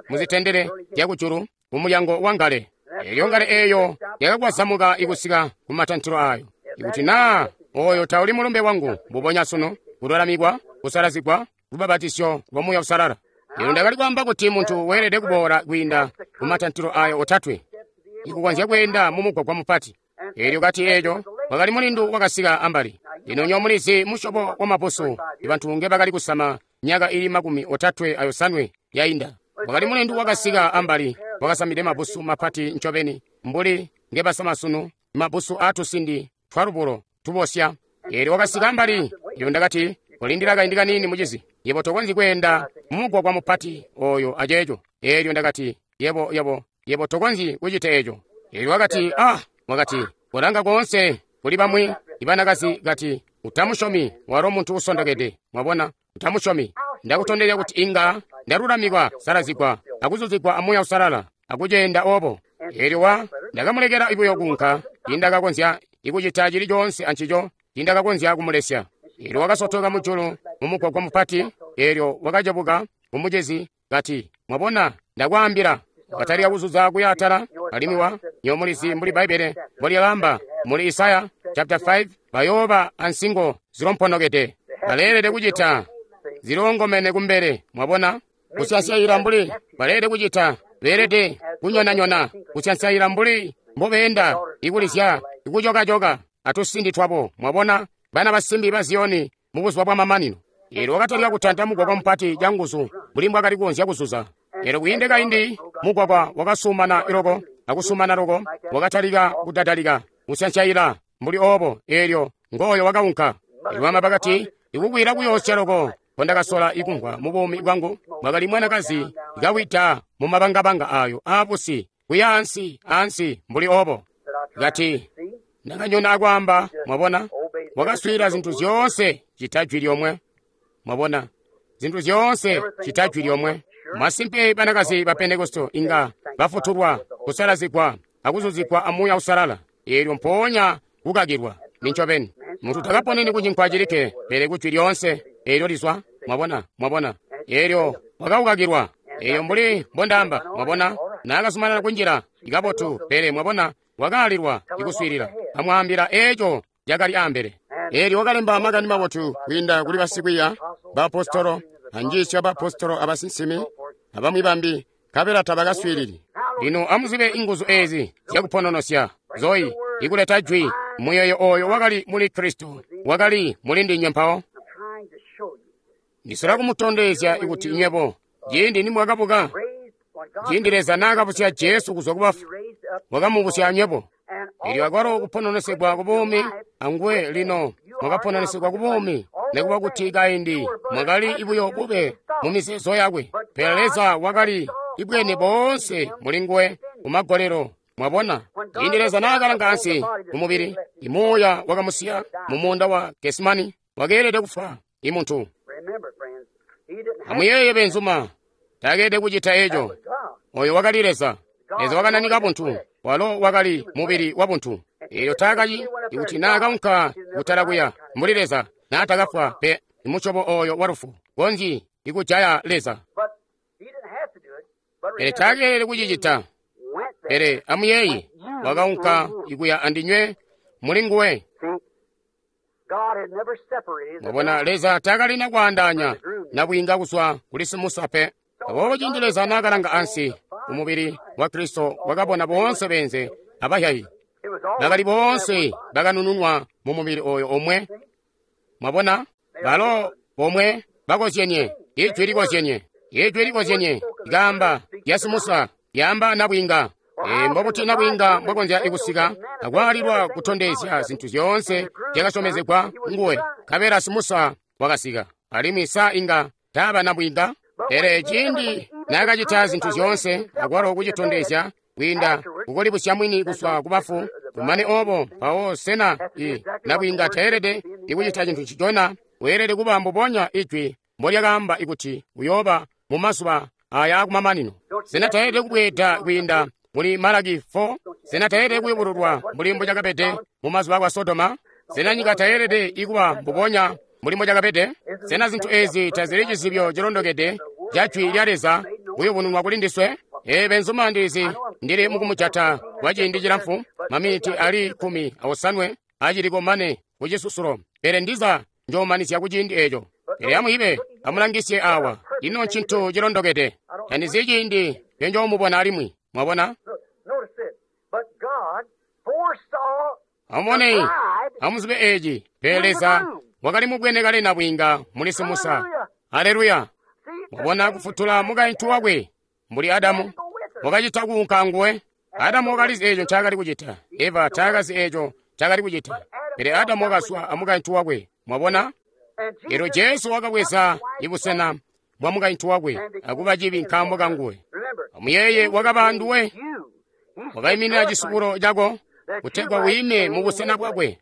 muzitendele zyakujulu kumulyango wa ngale. Eelyo ngale eeyo yakakwazamuka ikusika ku matantilo ayo. Ikuti naa oyo tauli mulumbe wangu mbubonya sunu, kululamikwa, kusalazigwa, lubabatisyo lwa Muuya Uusalala. Eelyo ndakali kwaamba kuti muntu weelede kuboola kwiinda ku matantilo ayo otatwe ikukonzya kweenda mumugwagwa mupati. Eelyo kati eeco wakali mulindu wakasika ambali. Lino nywebo mulizi musyobo wa mabusu ibantu nge bakali kusama myaka ili 37 yainda. Wakali mulindu wakasika ambali wakasamide mabusu mapati ncobeni mbuli ngebasama sunu, mabusu aatusindi twalubulo tubosya. Eelyo wakasika ambali, eelyo ndakati, kolindila kaindi kaniini mucizi, yebo tokonzyi kweenda mumugwagwa mupati oyo aceeco. Eelyo ndakati, yebo tokonzyi kucita eeco. Eelyo wakati, wakati, kolanga koonse kuli bamwi ibanakazi kati, utamusyomi, walo muntu usondokede. Mwabona, utamusyomi. Ndakutondezya kuti inga ndalulamikwa, salazigwa, akuzuzigwa a Muuya Uusalala, akuceenda obo. Eelyo ndakamulekela buyo kuunka, tiindakakonzya ikucita cili coonse ancico, tiindakakonzya kumulesya. Eelyo wakasotoka mujulu mumugwagwa mupati, eelyo wakacebuka kumucezi kati, mwabona, Ndakwaambila. Wakatalika kuzuza kuya atala, alimwi wa nyomulizi mbuli Bbaibbele mbolyaamba muli Isaya chapter 5, bayooba ansingo zilomponokede. Baleelede kucita zilongomene kumbele, mwabona? Kusyansyayila mbuli baleelede kucita, beelede kunyonanyona, kusyansyayila mbuli mbobeenda, ikulizya, ikucokacoka atusindi twabo, mwabona? Bana basimbi ba Ziyoni mu buzuba bwa mamanino. Eelyo wakatalika kutanta mugwagwa mupati canguzu mbuli mbwakali kukonzya kuzuza. Eelyo kwiinde kaindi mugwagwa wakasumana loko akusumana loko, wakatalika kudadalika kusyansyayila mbuli oobo. Eelyo ngooyo wakaunka. Eelyo mama bakati, ikukwila kuyoosya loko nkondakasola ikumvwa mu buumi bwangu, mwakali mwanakazi kawida mu mabangabanga ayo aabusi kuya ansi ansi mbuli oobo. Kati ndakanyona akwaamba, mwabona, wakaswiilila zintu zyoonse cita jwi lyomwe. Mwabona, zintu zyoonse cita jwi lyomwe. Masimpe banakazi ba Pentekoste inga bafutulwa, kusalazigwa, akuzuzigwa amuuya usalala. Eelyo mpoonya kukakilwa. Nincobeni. Muntu takaponeni kucinkwa cilikke, pele kujwi lyoonse eelyo lizwa. Mwabona, mwabona. Eelyo wakaukakilwa. Eyo mbuli mbondaamba, mwabona, naakazumanana kunjila ikabotu, pele mwabona, wakaalilwa ikuswiilila. Amwaambila eeco cakali ambele. Eelyo wakalemba makani mabotu kwiinda kuli basikwiiya, baapostolo, anjiisyo abaapostolo abasinsimi, abamwi bambi, nkabela tabakaswiilili. Lino amuzibe inguzu eezi zyakupononosya, zoyi, ikuleta jwi, muyeeyo ooyo wakali muli Kristo, wakali muli ndinywe mpawo. Ndisola kumutondezya kuti nywebo, ciindi nimwakabuka, ciindi Leza naakabusya Jesu kuzwa kubafu, wakamubusya anywebo. Eelyo akwalo kupononesegwa kubuumi anguwe lino mwakapononesegwa kubuumi, nikuba kuti kaindi mwakali buyo bube mu mizeezo yakwe, pele Leza wakali ibwene boonse mulinguwe kumagolelo. Mwabona, ciindi Leza naakalanga ansi kumubili, imuuya wakamusiya mu muunda wa Gesemani, wakeelede kufwa imuntu. Amuyeeye benzuma, taakeelede kucita eco. Oyo wakali Leza. Leza wakananika buntu, walo wakali mubili wa buntu. Eelyo taakaci ikuti naakaunka kutala kuya mbuli Leza, naatakafwa pe imusyobo oyo wa lufu konzyi ikujaya Leza. Pele taakeelede kucicita. Pele amuyeeye, wakaunka ikuya andinywe muli nguwe. Mwabona, Leza taakalina kwaandaanya nabwiinga kuzwa kuli simusa pe. Aboobo ciindi Leza naakalanga ansi umubili wa Kristo, wakabona boonse beenze abahyayi bakali boonse bakanununwa mu mubili oyo omwe. Mwabona, balo bomwe bakozyenye, ijwi likozyenye, ijwi likozyenye likaamba lya simusa lyaamba nabwiinga. Mbobuti nabwiinga mbwakonzya ikusika akwaalilwa kutondezya zintu zyoonse zyakasyomezegwa nguwe, nkabela simusa wakasika, alimwi sa inga taaba nabwiinga? Pele ciindi naakacita zintu zyoonse akwalo kucitondezya kwiinda kukulibusya mwini kuzwa kubafu, kumane oobo mpawo sena i nabwiinga teelede ikucita cintu ncicona? Weelede kuba mbubonya ijwi mbolyakaamba ikuti uyooba mu mazuba aya akumamanino. Sena teelede kubweeda kwiinda muli Malaki 4? Sena teelede kuyubululwa mbuli mbocakabede mu mazuba akwa Sodoma? Sena nyika teelede ikuba mbubonya mbuli mbocakabede? Sena zintu eezi tazili cizibyo cilondokede ca jwi lya Leza kuyubununwa kuli ndiswe? Ee benzuma, ndizi ndili mukumujata kwa ciindi cilamfu, maminiti ali 17 aciliko mane kucisusulo, pele ndiza njoomanizya ku ciindi eeco. Pele amuibe, amulangisye awa, ino ncintu cilondokede. Tandizi ciindi ncenjoomubona alimwi, mwabona? Amubone, amuzibe eeci, pele Leza wakali mubwene kale nabwiinga muli simusa. Aleluya! Mwabona, kufutula mukaintu wakwe mbuli Adamu wakacita kuunka anguwe. Adamu wakalizi eeco ncaakali kucita, Eva taakazi eeco ncaakali kucita, pele Adamu wakazwa amukaintu wakwe. Mwabona? Eelyo Jesu wakabweza ibusena bwa mukaintu wakwe akuba cibi nkaambo kanguwe. Amuyeeye, wakaba anduwe, wakaiminina cisubulo cako kutegwa wiime mubusena bwakwe.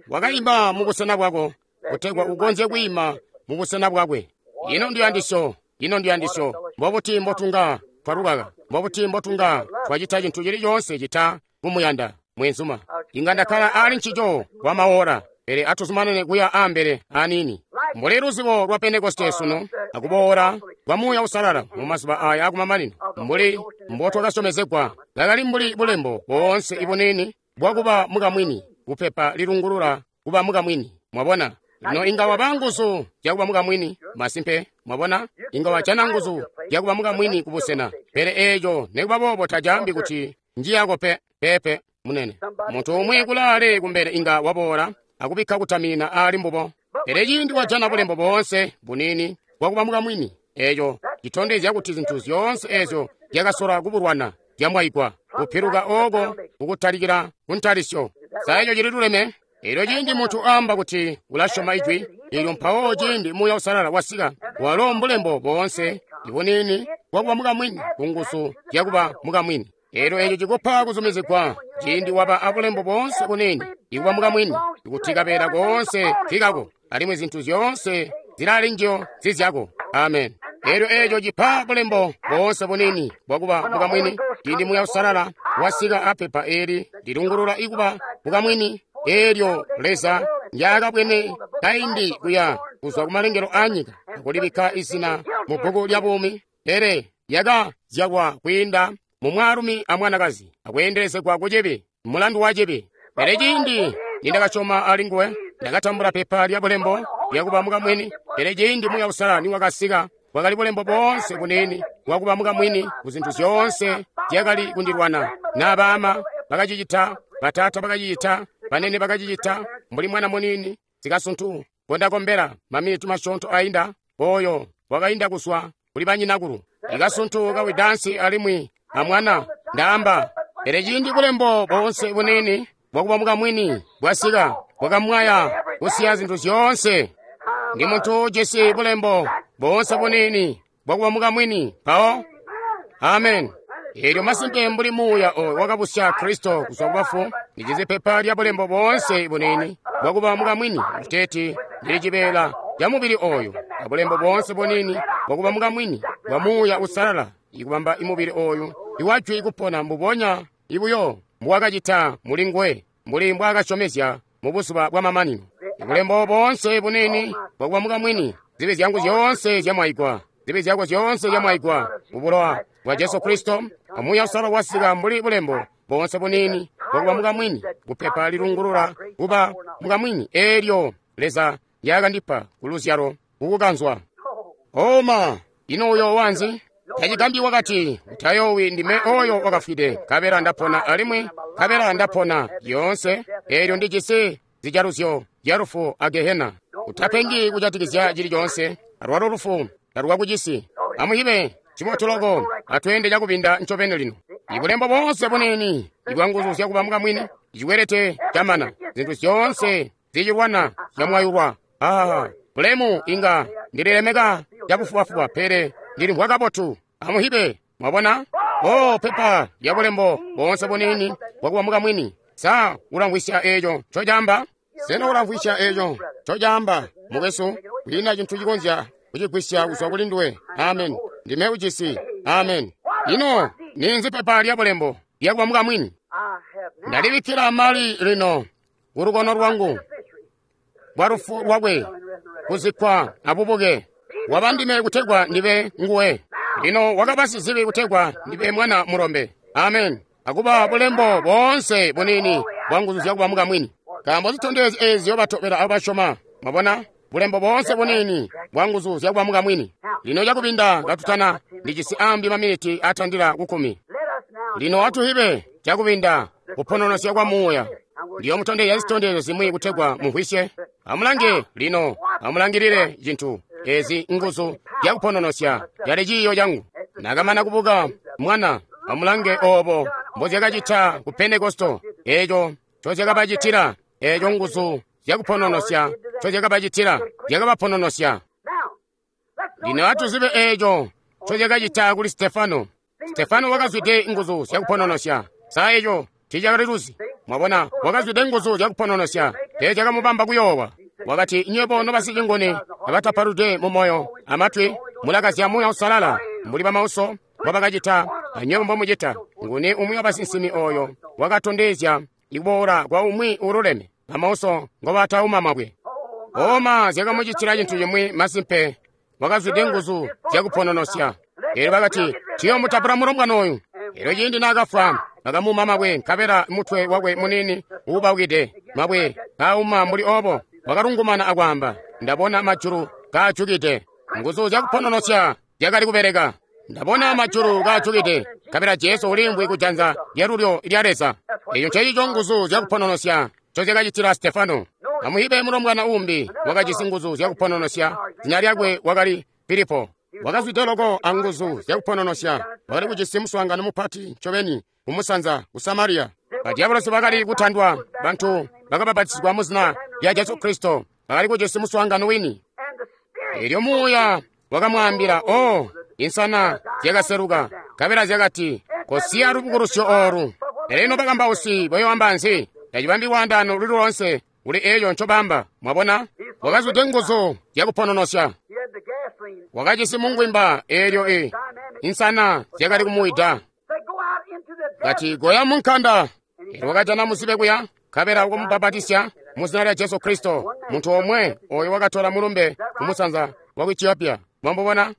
Wakaima mubusena bwako kutegwa ukonzye kwiima mubusena bwakwe. Ino ndiyandisyo, ino ndiyandisyo. Mbobuti mbotunga twalukaka? Mbobuti mbotunga twacita cintu cili coonse cita kumuyanda mwenzuma? Inga ndakkala ali ncico kwa maora, pele atuzumanane kuya ambele aniini. Mbuli luzibo lwa Pentekoste sunu, akuboola kwa Muuya Uusalala mu mazuba aya akumamanino, mbuli mbotwakasyomezegwa, kakali mbuli bulembo boonse ibuniini bwakuba mukamwini, kupepa lilungulula kuba mukamwini. Mwabona? Lino inga waba nguzu zyakuba mukamwini, masimpe, mwabona? Inga wajana nguzu zyakuba mukamwini kubusena, pele eeco nikuba boobo tacaambi kuti njiyako pe, peepe, munene. Muntu umwi kulaale kumbele inga waboola akubikka kutamina aali mbubo. Pele ciindi wajana bulembo boonse buniini bwakuba mukamwini, eeco citondezya kuti zintu zyoonse eezyo zyakasola kubulwana zyamwaigwa, kupiluka ooko kukutalikila kuntalisyo. Sa eco cililuleme? Elyo ciindi muntu aamba kuti ulasyoma Ijwi, elyo mpawo ciindi Muuya Uusalala wasika, walo mbulembo boonse ibuniini bwakuba mukamwini kunguzu zyakuba mukamwini. Elyo eco cikupa kuzumizigwa ciindi waba abulembo boonse buniini ikuba mukamwini, ikuti kabeela koonse nkikako, alimwi zintu zyoonse zilali njiyo zizyako. Amen. Elyo eco cipa bulembo boonse buniini bwakuba mukamwini ciindi Muuya Uusalala wasika apepa eli lilungulula ikuba mukamwini, eelyo Leza ndyakabwene kaindi kuya kuzwa kumalengelo a nyika akulibikka izina mu bbuku lya buumi, pele lyakazyalwa kwiinda mu mwaalumi a mwanakazi akweendelezegwa ku cibi, mulandu wa cibi. Pele ciindi nindakasyoma ali nguwe, ndakatambula pepa lya bulembo lyakuba mukamwini. Pele ciindi Muuya Uusalala niwakasika, bwakali bulembo boonse buniini bwakuba mukamwini ku zintu zyoonse zyakali kundilwana. Na baama bakacicita, bataata bakacicita, banene bakacicita, mbuli mwana muniini sikasuntu ngondakombela maminiti masyoonto ainda, oyo wakainda kuzwa kuli banyinakulu. Ikasuntu kawidansi alimwi amwana ndaamba. Pele ciindi bulembo boonse buniini bwakuba mukamwini bwasika, bwakamwaya kusiya zintu zyoonse. Ndi muntu ujisi bulembo boonse buniini bwakuba mukamwini mpawo. Amen. Eelyo masimpe mbuli Muuya oyo wakabusya Kristo kuzwa kubafu, ndijisi pepa lya bulembo boonse buniini bwakuba mukamwini, kuteeti ndili cibeela ca mubili oyo, abulembo boonse buniini bwakuba mukamwini bwa Muuya Uusalala, ikubamba imubili oyu iwajwi ikupona mbubonya ibuyo mbuwakacita mulinguwe, mbuli mbwaakasyomezya mu buzuba bwamamanino. Ibulembo boonse buniini bwakuba mukamwini, zibi zyangu zyoonse zyamwaigwa, zibi zyako zyoonse zyamwaigwa mu bulowa bwa Jesu Kristo, amuuya Uusalala wasika mbuli bulembo boonse buniini bwakuba mukamwini, kupepa lilungulula kuba mukamwini eelyo Leza ndyakandipa ku luzyalo kukukanzwa. Oma, ino uyo wanzi? Tacigambyi wakati, utayoowi, ndime oyo wakafwide, nkabela ndapona alimwi, nkabela ndapona lyoonse, eelyo ndijisi zijaluzyo zya lufu a gehena. Utapengi kujatikizya cili coonse, alwalo lufu talwakucisi. Amuhibe cibotu loko, atweende cakubinda ncobeni lino. Ibulembo boonse buniini ibwa nguzu zyakuba mukamwini, icikwelete camana, zintu zyoonse zicilwana zyamwayulwa. Bulemu inga ndililemeka cabufubafuba, pele ndilimvwa kabotu. Amuhibe, mwabona? O, pepa lya bulembo boonse buniini bwakuba mukamwini. Sa ulamvwisya eeco ncocaamba? Sena ulamvwisya eeco ncocaamba, mukwesu? Kwiina cintu cikonzya kucigwisya kuzwa kuli nduwe. Amen. Ndime ujisi. Amen. Ino ninzi pepa lya bulembo lyakuba mukamwini? Ndalibikkila mali lino kulukono lwangu bwa lufu lwakwe, kuzikkwa abubuke. Waba ndime kutegwa ndibe nguwe. Lino wakaba sizibi kutegwa ndibe mwana mulombe. Amen. Akuba bulembo boonse buniini bwa nguzu zyakuba mukamwini. Nkaambo zitondezyo eezi ziyoobatobela abo basyoma. Mwabona? Bulembo boonse buniini bwa nguzu zyakuba mukamwini. Lino cakubinda katutana, ndijisi ambi maminiti atandila ku 10. Lino atuhibe cakubinda kupononosya kwa Muuya. Ndiyomutondezya zitondezyo zimwi kutegwa mumvwisye. Amulange lino, amulangilile cintu ezi nguzu zyakupononosya yali ciiyo cangu. Nakamana kubuka mwana, amulange obo mbozyakacita ku Pentekosto, eeco ncozyakabacitila, eeco nguzu zyakupononosya ncozyakabacitila, zyakabapononosya. Lino atuzibe eeco ncozyakacita kuli Stefano. Stefano wakazwide nguzu zyakupononosya. Sa eco tiicakaliluzi? Mwabona, wakazwide nguzu zyakupononosya, teezyakamubamba kuyoowa. Wakati, nywebo nobasicinguni abatapaludwe mu moyo amatwi, mulakazya Muuya Uusalala mbuli bamauso mbobakacita, anywebo mbomucita. Nguni umwi wabasinsimi oyo wakatondezya ikuboola kwa umwi uululeme, bamauso ngobatauma mabwe? Oma zyakamucitila cintu cimwi masimpe. Wakazwide nguzu zyakupononosya. Elyo bakati, "Tuyomutapula mulombwana oyu." Elyo ciindi naakafwa, bakamuuma mabwe, nkabela mutwe wakwe muniini uubaukide mabwe kauma mbuli obo, wakalungumana akwaamba, "Ndabona majulu kaajukide." Nguzu zyakupononosya zyakali kubeleka. Ndabona majulu kaajukide, nkabela Jesu uliimvwi kujanza lyalulyo lya Leza. Eco ncecico nguzu zyakupononosya ncozyakacitila Stefano. Amuhibe mulombwana uumbi wakajisi nguzu zyakupononosya, zina lyakwe wakali Filipo. Wakazwide loko anguzu zyakupononosya, wakali kujisi muswaangano mupati ncobeni kumusanza ku Samariya. Badyabolosi bakali kutandwa, bantu bakabapatizigwa muzina lya Jesu Kristo, bakali kujisi muswaangano wini. Elyo Muuya wakamwaambila, "Oh, insana zyakaseluka, nkabela zyakati, kosiya lubukulusyo oolu." Pele ino bakambausi bayoamba nzi? Tacibambi lwaandaano luli loonse kuli eeco ncobamba. Mwabona? Wakazwide nguzu zyakupononosya. Wakajisi mungwimba eelyo insana zyakali kumuwida. Kati, "Goya munkanda." Elyo wakajana muzibe kuya, nkabela wakamubapatizya muzina lya Jesu Kristo, muntu omwe oyo wakatola mulumbe kumusanza wa ku Ethiopia. Mwamubona?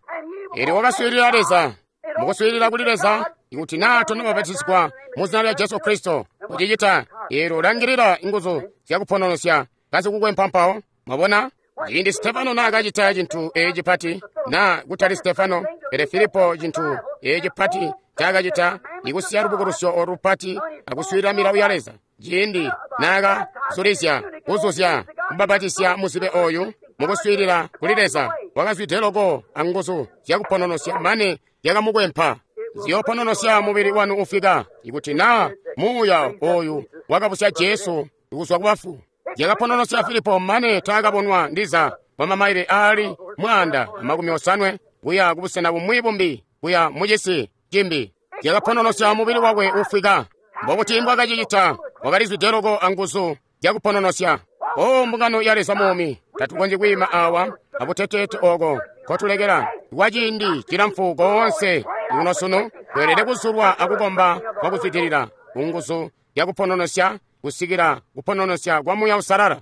Elyo wakaswiilila Leza. Mukuswiilila kuli Leza, ikuti naa tonabapatizigwa muzina lya Jesu Kristo, kucicita, eelyo langilila nguzu zyakupononosya kazikukwempa mpawo. Mwabona? Ciindi Stefano naakacita cintu eeci cipati, naa kutali Stefano, pele Filipo, cintu eeci cipati ncaakacita, ikusiya lubukulusyo olu lupati akuswiilila milawo ya Leza. Ciindi naakazulizya kuzuzya kubapatisya muzibe oyu mukuswiilila kuli Leza, wakazwide loko anguzu zyakupononosya mane zyakamukwempa. Ziyoopononosya mubili wanu ufika, ikuti naa Muuya oyu wakabusya Jesu kuzwa kubafu. Zyakapononosya Filipo mane taakabonwa ndiza kwa mamaile aali 150 kuya kubusena bumwi bumbi, kuya mucisi cimbi. Zyakapononosya mubili wakwe ufwika. Mbobuti mbwakacicita? Wakalizwide loko anguzu zyakupononosya. O mbungano ya Leza muumi, tatukonzyi kwiima awa abuteteete oko nkotulekela kwa ciindi cilamfu koonse kuno sunu. Tweelede kuzulwa akukomba kwa kuzwidilila kunguzu zyakupononosya kusikila kupononosya kwa Muuya Uusalala.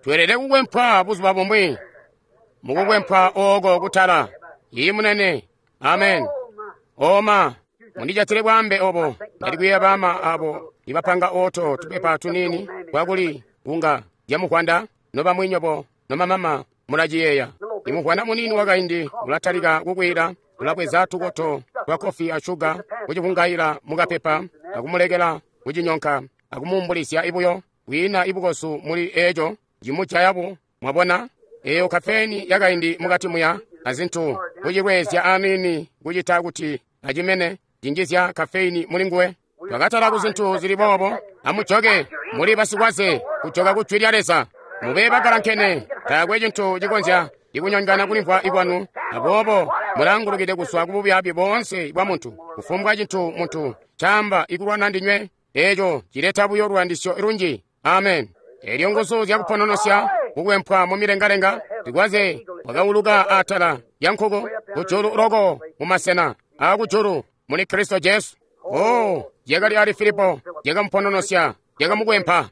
Tweelede kukwempwa buzuba bumwi mukukwempwa oko kutala. Iyi munene. Amen. Oma, mundijatile bwambe obo. Ndali bama abo ibapanga oto tupepa tunini kwakuli kunga lyamukwanda, nobamwinyobo nomamama mulaciyeeya. Imukwanda munini wakaindi ulatalika kukwila, ulabweza tukoto twa kofi a shuga, kucivungaila mukapepa, akumulekela kucinyonka, akumuumbulizya ibuyo. Kwiina ibukosu muli eco cimujayabo. Mwabona? Eyo kafeni yakaindi mukati muya azintu kucilwezya aniini kucita kuti acimene cinjizya kafeini mulinguwe. Twakatala kuzintu zili boobo. Amujoke, muli basikwaze kujoka ku jwi lya Leza. Mube bagalankene, taakwe cintu cikonzya ikunyongana kulimvwa ikwanu, aboobo mulangulukide kuzwa kububyaabi boonse bwa muntu. Kufumbwa cintu muntu caamba ikulwana ndinywe, eeco cileta buyo luyandisyo lunji. Amen. Elyo nguzu zyakupononosya kukwempwa mumilengalenga, zikwaze wakauluka atala ya nkuku kujulu loko mumasena aakujulu muli Kristo Jesu. Oh, zyakali ali Filipo, zyakamupononosya, zyakamukwempa.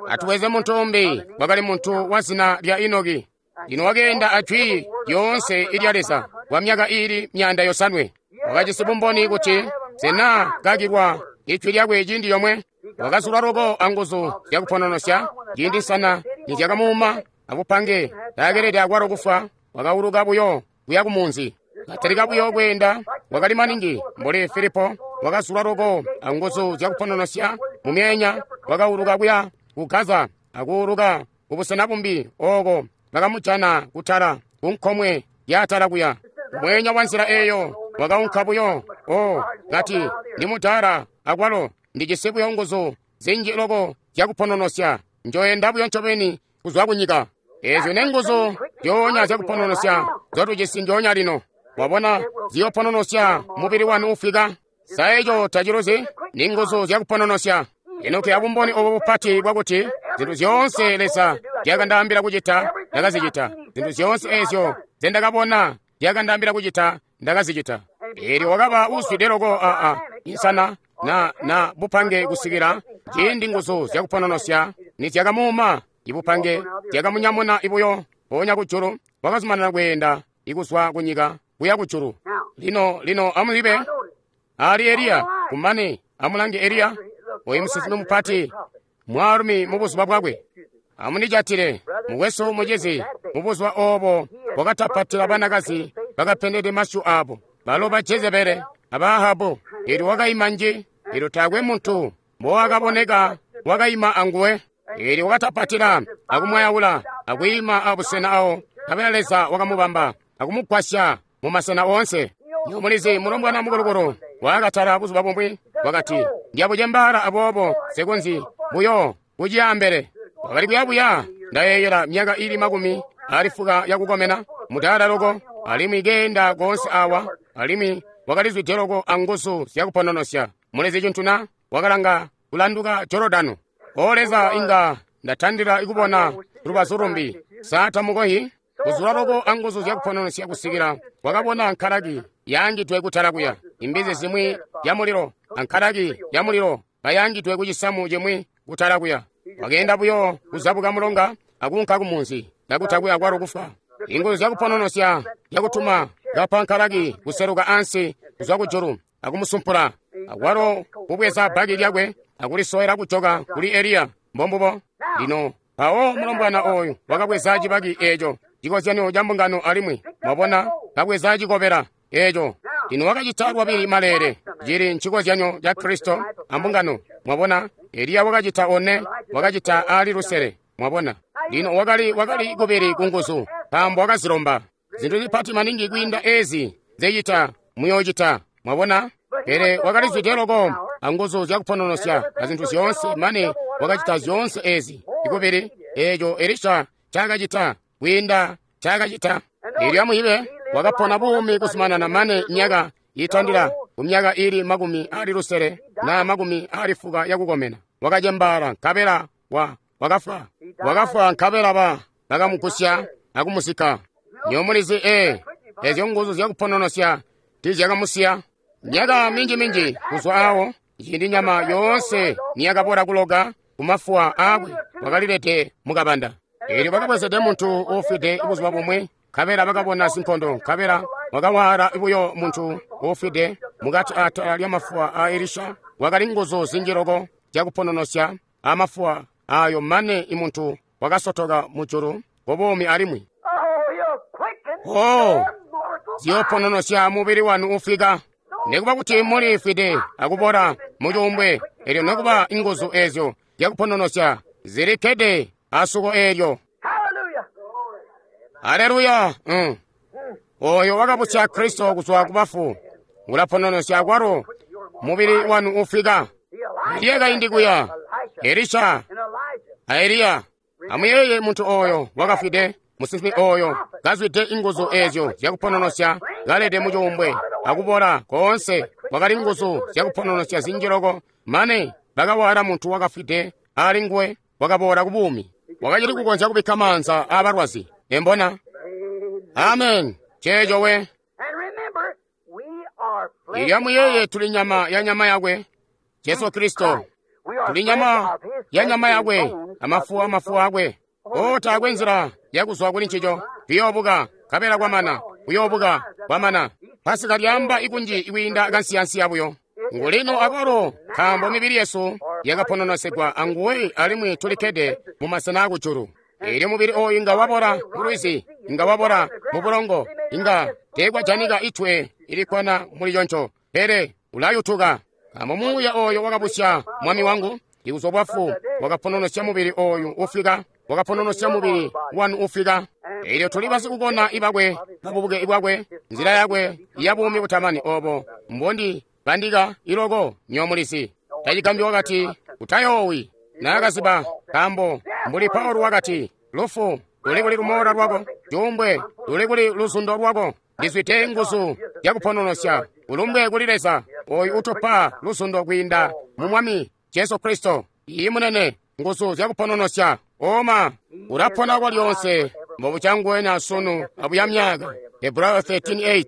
Atuweze muntu umbi, wakali muntu wa zina lya Enoki. Lino wakeenda ajwi lyoonse ilya Leza kwa myaka iili 500. Wakajisi bumboni kuti sena kakilwa ijwi lyakwe ciindi yomwe. Wakazulwa loko anguzu zyakupononosya, ciindi nsana nizyakamuuma abupange, taakelede akwalo kufwa, wakauluka buyo kuya kumunzi. Katalika buyo kweenda, wakali maningi mbuli Filipo, wakazulwa loko anguzu zyakupononosya mumyeenya, wakauluka kuya ku Gaza akuuluka kubusena bumbi ooko bakamujana kutala kunkomwe yaatala kuya. Mweenya wa nzila eeyo wakaunka buyo. Oh, kati, "Ndi mudaala akwalo ndijisi buyo nguzu zinji loko zyakupononosya, njoyenda buyo ncobeni kuzwa kunyika." Eezyo nenguzu zyoonya zyakupononosya zotujisi njoonya lino. Wabona, ziyopononosya mubili wanu ufwika. Sa eco taciluzi? Ni nguzu zyakupononosya. Enoki abumboni obo bupati bwakuti zintu zyoonse Leza zyakandaambila kucita ndakazicita, zintu zyoonse eezyo nzendakabona zyakandaambila kucita ndakazicita. Eelyo wakaba uzwide loko insana na bupange kusikila ciindi nguzu zyakupononosya nizyakamuuma ibupange zyakamunyamuna ibuyo mpoonya kujulu, wakazumanana kweenda ikuzwa kunyika kuya kujulu. Lino lino amuzibe ali Eliya. Kumane amulange Eliya, oyu musinsimi mupati, mwaalumi mu buzuba bwakwe. Amunijatile, mukwesu, mucizi, mu buzuba obo wakatapatila banakazi bakapendede masyu abo, balo ba Jezebele aba Ahabu. Elyo wakaima nji, elyo taakwe muntu mbowakaboneka wakaima anguwe. Elyo wakatapatila akumwayaula akwiima abusena awo, nkabela Leza wakamubamba akumugwasya mu masena oonse. Mulizi mulombwana mukulukulu wakatala buzuba bumwi wakati, Ndiyabucembaala aboobo nsikonzyi buyo kuciya ambele. Wakali kuyabuya, ndayeeyela myaka ili 80 yakukomena, mudaala loko, alimwi keenda koonse awa, alimwi wakalizwide loko anguzu zyakupononosya. Mulizi cintu na? Wakalanga kulanduka Jorodano. O Leza, inga ndatandila ikubona lubazu lumbi. Sa tamukohi? Kuzula loko anguzu zyakupononosya kusikila wakabona nkalaki yaangidwe kutala kuya, imbizi zimwi yamulilo ankalaki yamulilo kayangidwe ku cisamu cimwi kutala kuya. Wakeenda buyo kuzabuka mulonga akuunka kumunzi, kakutakwe akwalo kufwa. Inguzu zyakupononosya zyakutuma kapa nkalaki kuseluka ansi kuzwa kujulu akumusumpula, akwalo kubweza bbaki lyakwe akulisowela kujoka kuli Eliya. Mbombubo. Lino mpawo mulombwana oyu wakabweza cibaki eeco, cikozyanyo ca mbungano, alimwi mwabona, kabweza cikobela eeco. Lino wakacita lwabili maleele, cili ncikozyanyo ca Kristo ambungano. Mwabona, Eliya wakacita one, wakacita ali lusele. Mwabona, lino wakali kubili kunguzu, nkaambo wakazilomba zintu zipati maningi kwiinda ezi zecita muyoocita. Mwabona, pele wakalizwide loko anguzu zyakupononosya azintu zyoonse, mane wakacita zyoonse ezi ikubili eeco Elisha cakacita kwiinda cakacita. Elyo amuyibe wakapona buumi kuzumanana mane myaka itandila kumyaka ili 60 na 90 yakukomena. Wakacembaala nkabela wakafwa. Wakafwa nkabela bakamugusya akumusika. Nyomulizi ezyo nguzu zyakupononosya tizyakamusiya. Myaka minji-minji kuzwa awo, ciindi nyama yoonse niyakabola kuloka kumafuwa aakwe, wakalilede mukabanda. Elyo bakabwezede muntu uufwide buzuba bumwi, nkabela bakabona zinkondo, nkabela wakawaala buyo muntu uufwide mukati atala lyamafuwa a Elisha. Wakali nguzu zinji loko zyakupononosya amafuwa ayo, mane imuntu wakasotoka mujulu kubuumi alimwi. Oh, ziyopononosya mubili wanu ufwika. Nikuba kuti mulifwide akubola mucuumbwe, elyo nokuba inguzu ezyo zyakupononosya zilikkede asuko eelyo. Aleluya! Oyo wakabusya Kristo kuzwa kubafu ulapononosya akwalo mubili wanu ufwika. Eliya kaindi kuya, Elisha a Eliya. Amuyeeye muntu oyo wakafwide, musinsimi oyo kazwide inguzu ezyo zyakupononosya, kalede mucuumbwe akubola koonse. Kwakali nguzu zyakupononosya zinji loko, mane bakawala muntu wakafwide ali nguwe, wakabola kubuumi. Wakacili kukonzya kubikka maanza aabalwazi. Embona? Amen. Ceeco we. Elyo amuyeeye, tuli nyama ya nyama yakwe, Jesu Kristo. Tuli nyama ya nyama yakwe, amafuwa amafuwa akwe. O, taakwe nzila yakuzwa kuli ncico. Tuyoobuka, nkabela kwamana. Kuyoobuka, kwamana. Pasika lyaamba ikunji ikwiinda kansiyansiya buyo. Ngulino akwalo, nkaambo mibili yesu yakapononosegwa anguwe, alimwi tulikkede mu masena akujulu. Elyo mubili oyu inga wabola mulwizi, inga wabola mu bulongo, inga teekwajanika itwe ilikkwana muli conco, pele ulayutuka. Nkaambo muuya oyo wakabusya mwami wangu ikuzwa bwafu wakapononosya mubili oyu ufwika, wakapononosya mubili wanu ufwika. Elyo tuli basikukona ibakwe, babubuke ibwakwe, nzila yakwe ya buumi butamani obo mbondi bandika iloko nyomulizi. Tacigambyi wakati, utayoowi. Naakaziba, nkaambo mbuli Paulo wakati, lufu luli kuli lumoola lwako, cuumbwe luli kuli luzundo lwako. Ndizwide nguzu zyakupononosya. Ulumbwe kuli Leza oyu utupa luzundo kwiinda mu Mwami Jesu Kristo. Iyi munene, nguzu zyakupononosya. Oma ulapona kwalyonse mbobucangwena sunu abuya myaka. Hebrayo 13:8.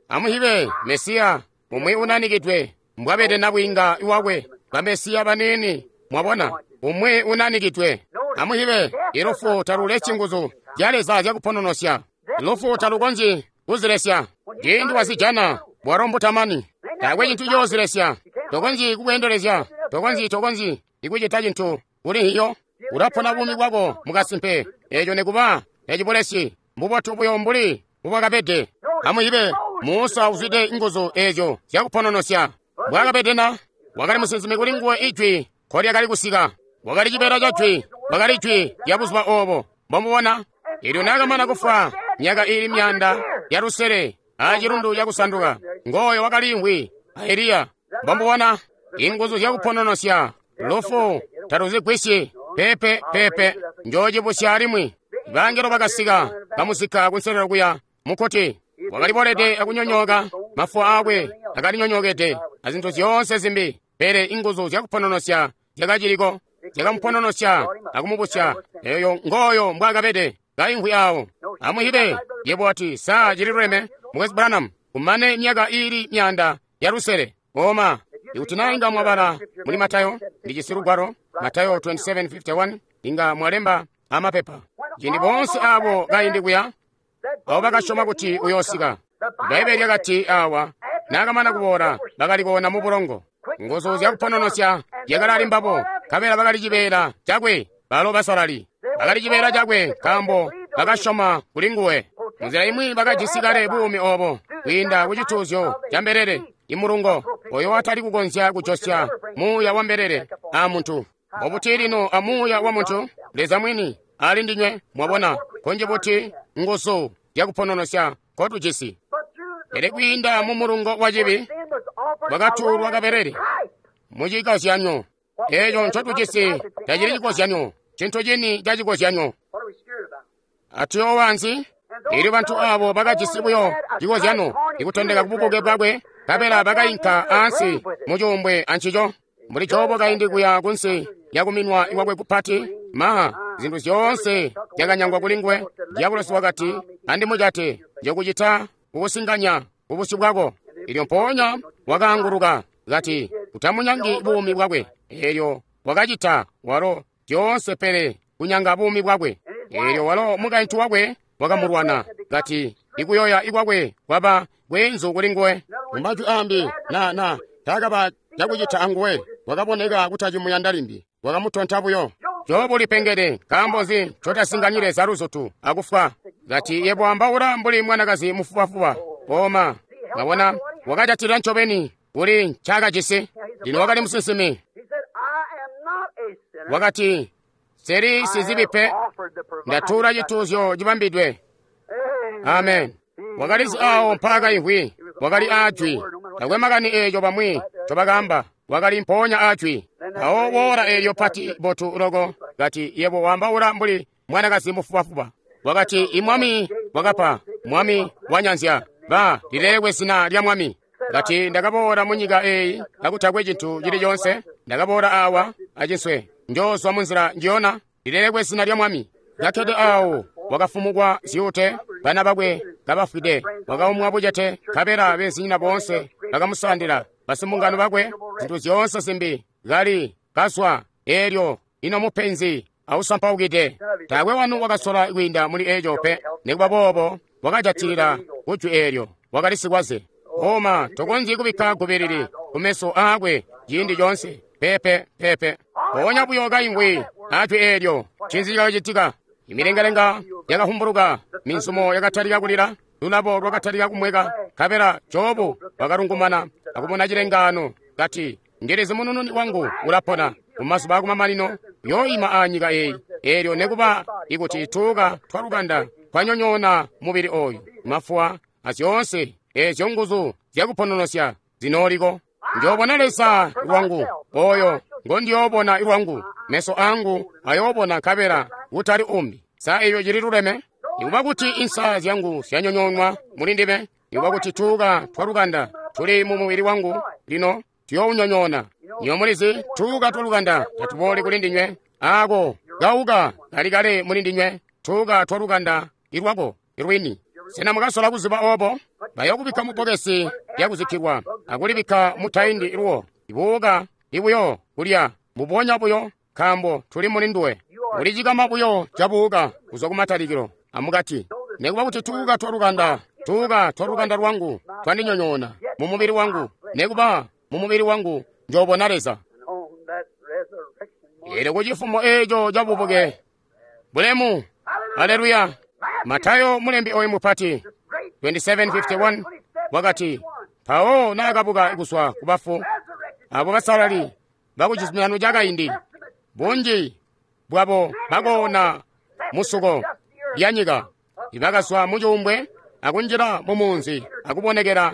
Amuhibe Mesiya umwi unanikidwe mbwabede nabwiinga iwakwe, bamesiya banini. Mwabona, Umwi unanikidwe. Amuhibe, ilufu talulesyi nguzu zya Leza zyakupononosya. Lufu talukonzyi kuzilesya. Ciindi wazijana, bwalo mbutamani. Taakwe cintu coozilesya. Tokonzyi kubweendelezya. Tokonzyi ikucita cintu kuli hiyo. Ulapona buumi bwako mukasimpe. Eeco nikuba tacibulesyi. Mbubotu buyo mbuli mbubwakabede. Amuhibe, Musa uzwide nguzu eezyo zyakupononosya. Mbwaakabede na? Wakali musinsimi kuli nguwe ijwi nkolyakali kusika. Wakali cibeela ca jwi, wakali jwi lya buzuba oobo. Mbomubona? Eelyo naakamana kufwa myaka iili 600 aacilundu cakusanduka, ngooyo wakaliimvwi a Eliya. Mbomubona? Inguzu zyakupononosya lufu taluzigwisyi. Pepe pepe, njoocibusya alimwi. Bangelo bakasika bamusika kunselelo kuya mukkuti. Wakalibolede akunyonyooka, mafuwa aakwe akalinyonyookede azintu zyoonse zimbi, pele inguzu zyakupononosya zyakaciliko, zyakamupononosya akumubusya. Eeyo ngooyo mbwaakabede kaimvwi aawo. Amuhibe, yebo wati, saa cililuleme, Mukwesu Branham, kumane myaka iili 600. Oma, ikuti naa inga mwabala muli Matayo, ndijisi lugwalo, Matayo 27:51, inga mwalemba amapepa. Ciindi boonse aabo kaindi kuya, abo bakasyoma kuti uyoosika. Bbaibbele lyakati awa, naakamana kuboola, bakali koona mu bulongo. Nguzu zyakupononosya zyakali ali mbabo, nkabela bakali cibeela cakwe, balo basalali. Bakali cibeela cakwe nkaambo bakasyoma kuli nguwe. Munzila imwi bakajisi kale buumi oobo kwiinda ku cituuzyo ca mbelele, imulungo oyo watali kukonzya kujosya muuya wa mbelele a muntu. Mbobuti lino a muuya wa muntu, Leza mwini ali ndinywe, mwabona, kunji buti nguzu zyakupononosya nkotujisi. Pele kwiinda mu mulungo wa cibi, bwakatuulwa kabelele mucikozyanyo. Eeco ncotujisi tacili cikozyanyo, cintu cini ca cikozyanyo. Atuyoowa nzi? Eelyo bantu aabo bakajisi buyo cikozyanyo ikutondeka kububuke bwakwe, nkabela bakainka ansi mucuumbwe ancico. Mbuli Jobo kaindi kuya kunsi lyakuminwa kwakwe kupati, ma zintu zyoonse zyakanyangwa kuli nguwe. Diabolosi wakati, andimujate, njokucita kukusinganya kubusyu bwako. Eelyo mpoonya wakaanguluka, kati, utamunyangi buumi bwakwe. Eelyo wakacita walo zyoonse pele kunyanga buumi bwakwe. Eelyo walo mukaintu wakwe wakamulwana, kati, ikuyoya ikwakwe kwaba kweenzu kuli nguwe. Mumajwi aambi, na taakaba cakucita anguwe, wakaboneka kutacimuyanda limbi, wakamutonta buyo. Jobu lipengede, nkaambo nzi ncotasinganyi Leza luzutu akufwa? Kati, yebo ambaula mbuli mwanakazi mufubafuba. Oma, mwabona, wakajatilila ncobeni kuli ncaakajisi. Lino wakali musinsimi. Wakati, seli sizibi pe, ndatuula cituuzyo cibambidwe. Amen. Wakalizi aawo mpaakaimvwi, wakali aajwi. Takwe makani eeco bamwi ncobakaamba, wakali mpoonya aajwi. Mpawo woola eelyo pati botu loko, kati, yebo waambaula mbuli mwanakazi mufubafuba. Wakati, imwami wakapa, mwami wanyanzya, ba lilelekwe zina lya mwami. Kati, ndakaboola munyika eeyi kakutakwe cintu cili coonse, ndakaboola aawa acinswe, njoozwa munzila njiyona, lilelekwe zina lya mwami. Kakkede aawo wakafumukwa zyuute, bana bakwe kabafwide, wakaumwa bucete, nkabela beenzinyina boonse bakamusandila, basimbungano bakwe, zintu zyoonse zimbi, kali kazwa, eelyo ino mupenzi ausampaukide. Taakwe wanu wakasola kwiinda muli eeco pe. Nikuba boobo wakajatilila kujwi eelyo, wakali sikwaze. Oma, tokonzyi kubikka gubilili kumeso aakwe ciindi coonse. Pepe pepe. Mpoonya buyo kaimvwi ajwi eelyo, ncinzi cakacitika? Imilengalenga yakahumbuluka, minzumo yakatalika kulila, lulabo lwakatalika kumweka, nkabela Jobu wakalungumana akubona cilengaano, kati, ndilizi munununi wangu ulapona mumazuba akumamanino, uyooima aanyika eeyi. Eelyo nekuba ikuti tuuka twalukanda twanyonyoona mubili ooyu, mafuwa azyoonse eezyo nguzu zyakupononosya zinooliko. Njoobona Leza lwangu, oyo ngondiyoobona lwangu, meso angu ayoobona nkabela kutali umbi. Sa eeyo cili luleme? Nikuba kuti insa zyangu zyanyonyoonwa muli ndime, nikuba kuti tuuka twalukanda tuli mu mubili wangu, lino tuyoounyonyoona. Niyo mulizi, tuuka twalukanda tatubooli kuli ndinywe, aako kauka kali kale muli ndinywe, tuuka twalukanda ilwako ilwini. Sena mukasola kuziba oobo? Bayokubikka mu bbokesi lyakuzikkilwa akulibikka mutaindi lwo, ibuuka ibuyo kulya mbubonya buyo. nkaambo tuli muli nduwe. Uli cikama buyo cabuuka kuzwa kumatalikilo amukati. Nekuba kuti tuuka twalukanda, tuuka twalukanda lwangu twandinyonyoona mu mubili wangu, nekuba mu mubili wangu njoobona Leza. Eelyo kucifumo eeco cabubuke bulemu, aleluya. Matayo mulembi oyu mupati 27:51 wakati, mpawo naakabuka kuzwa kubafu, abo basalali bakucizuminano cakaindi, bunji bwabo bakoona musuko lyanyika, ibakazwa mucuumbwe akunjila mumunzi akubonekela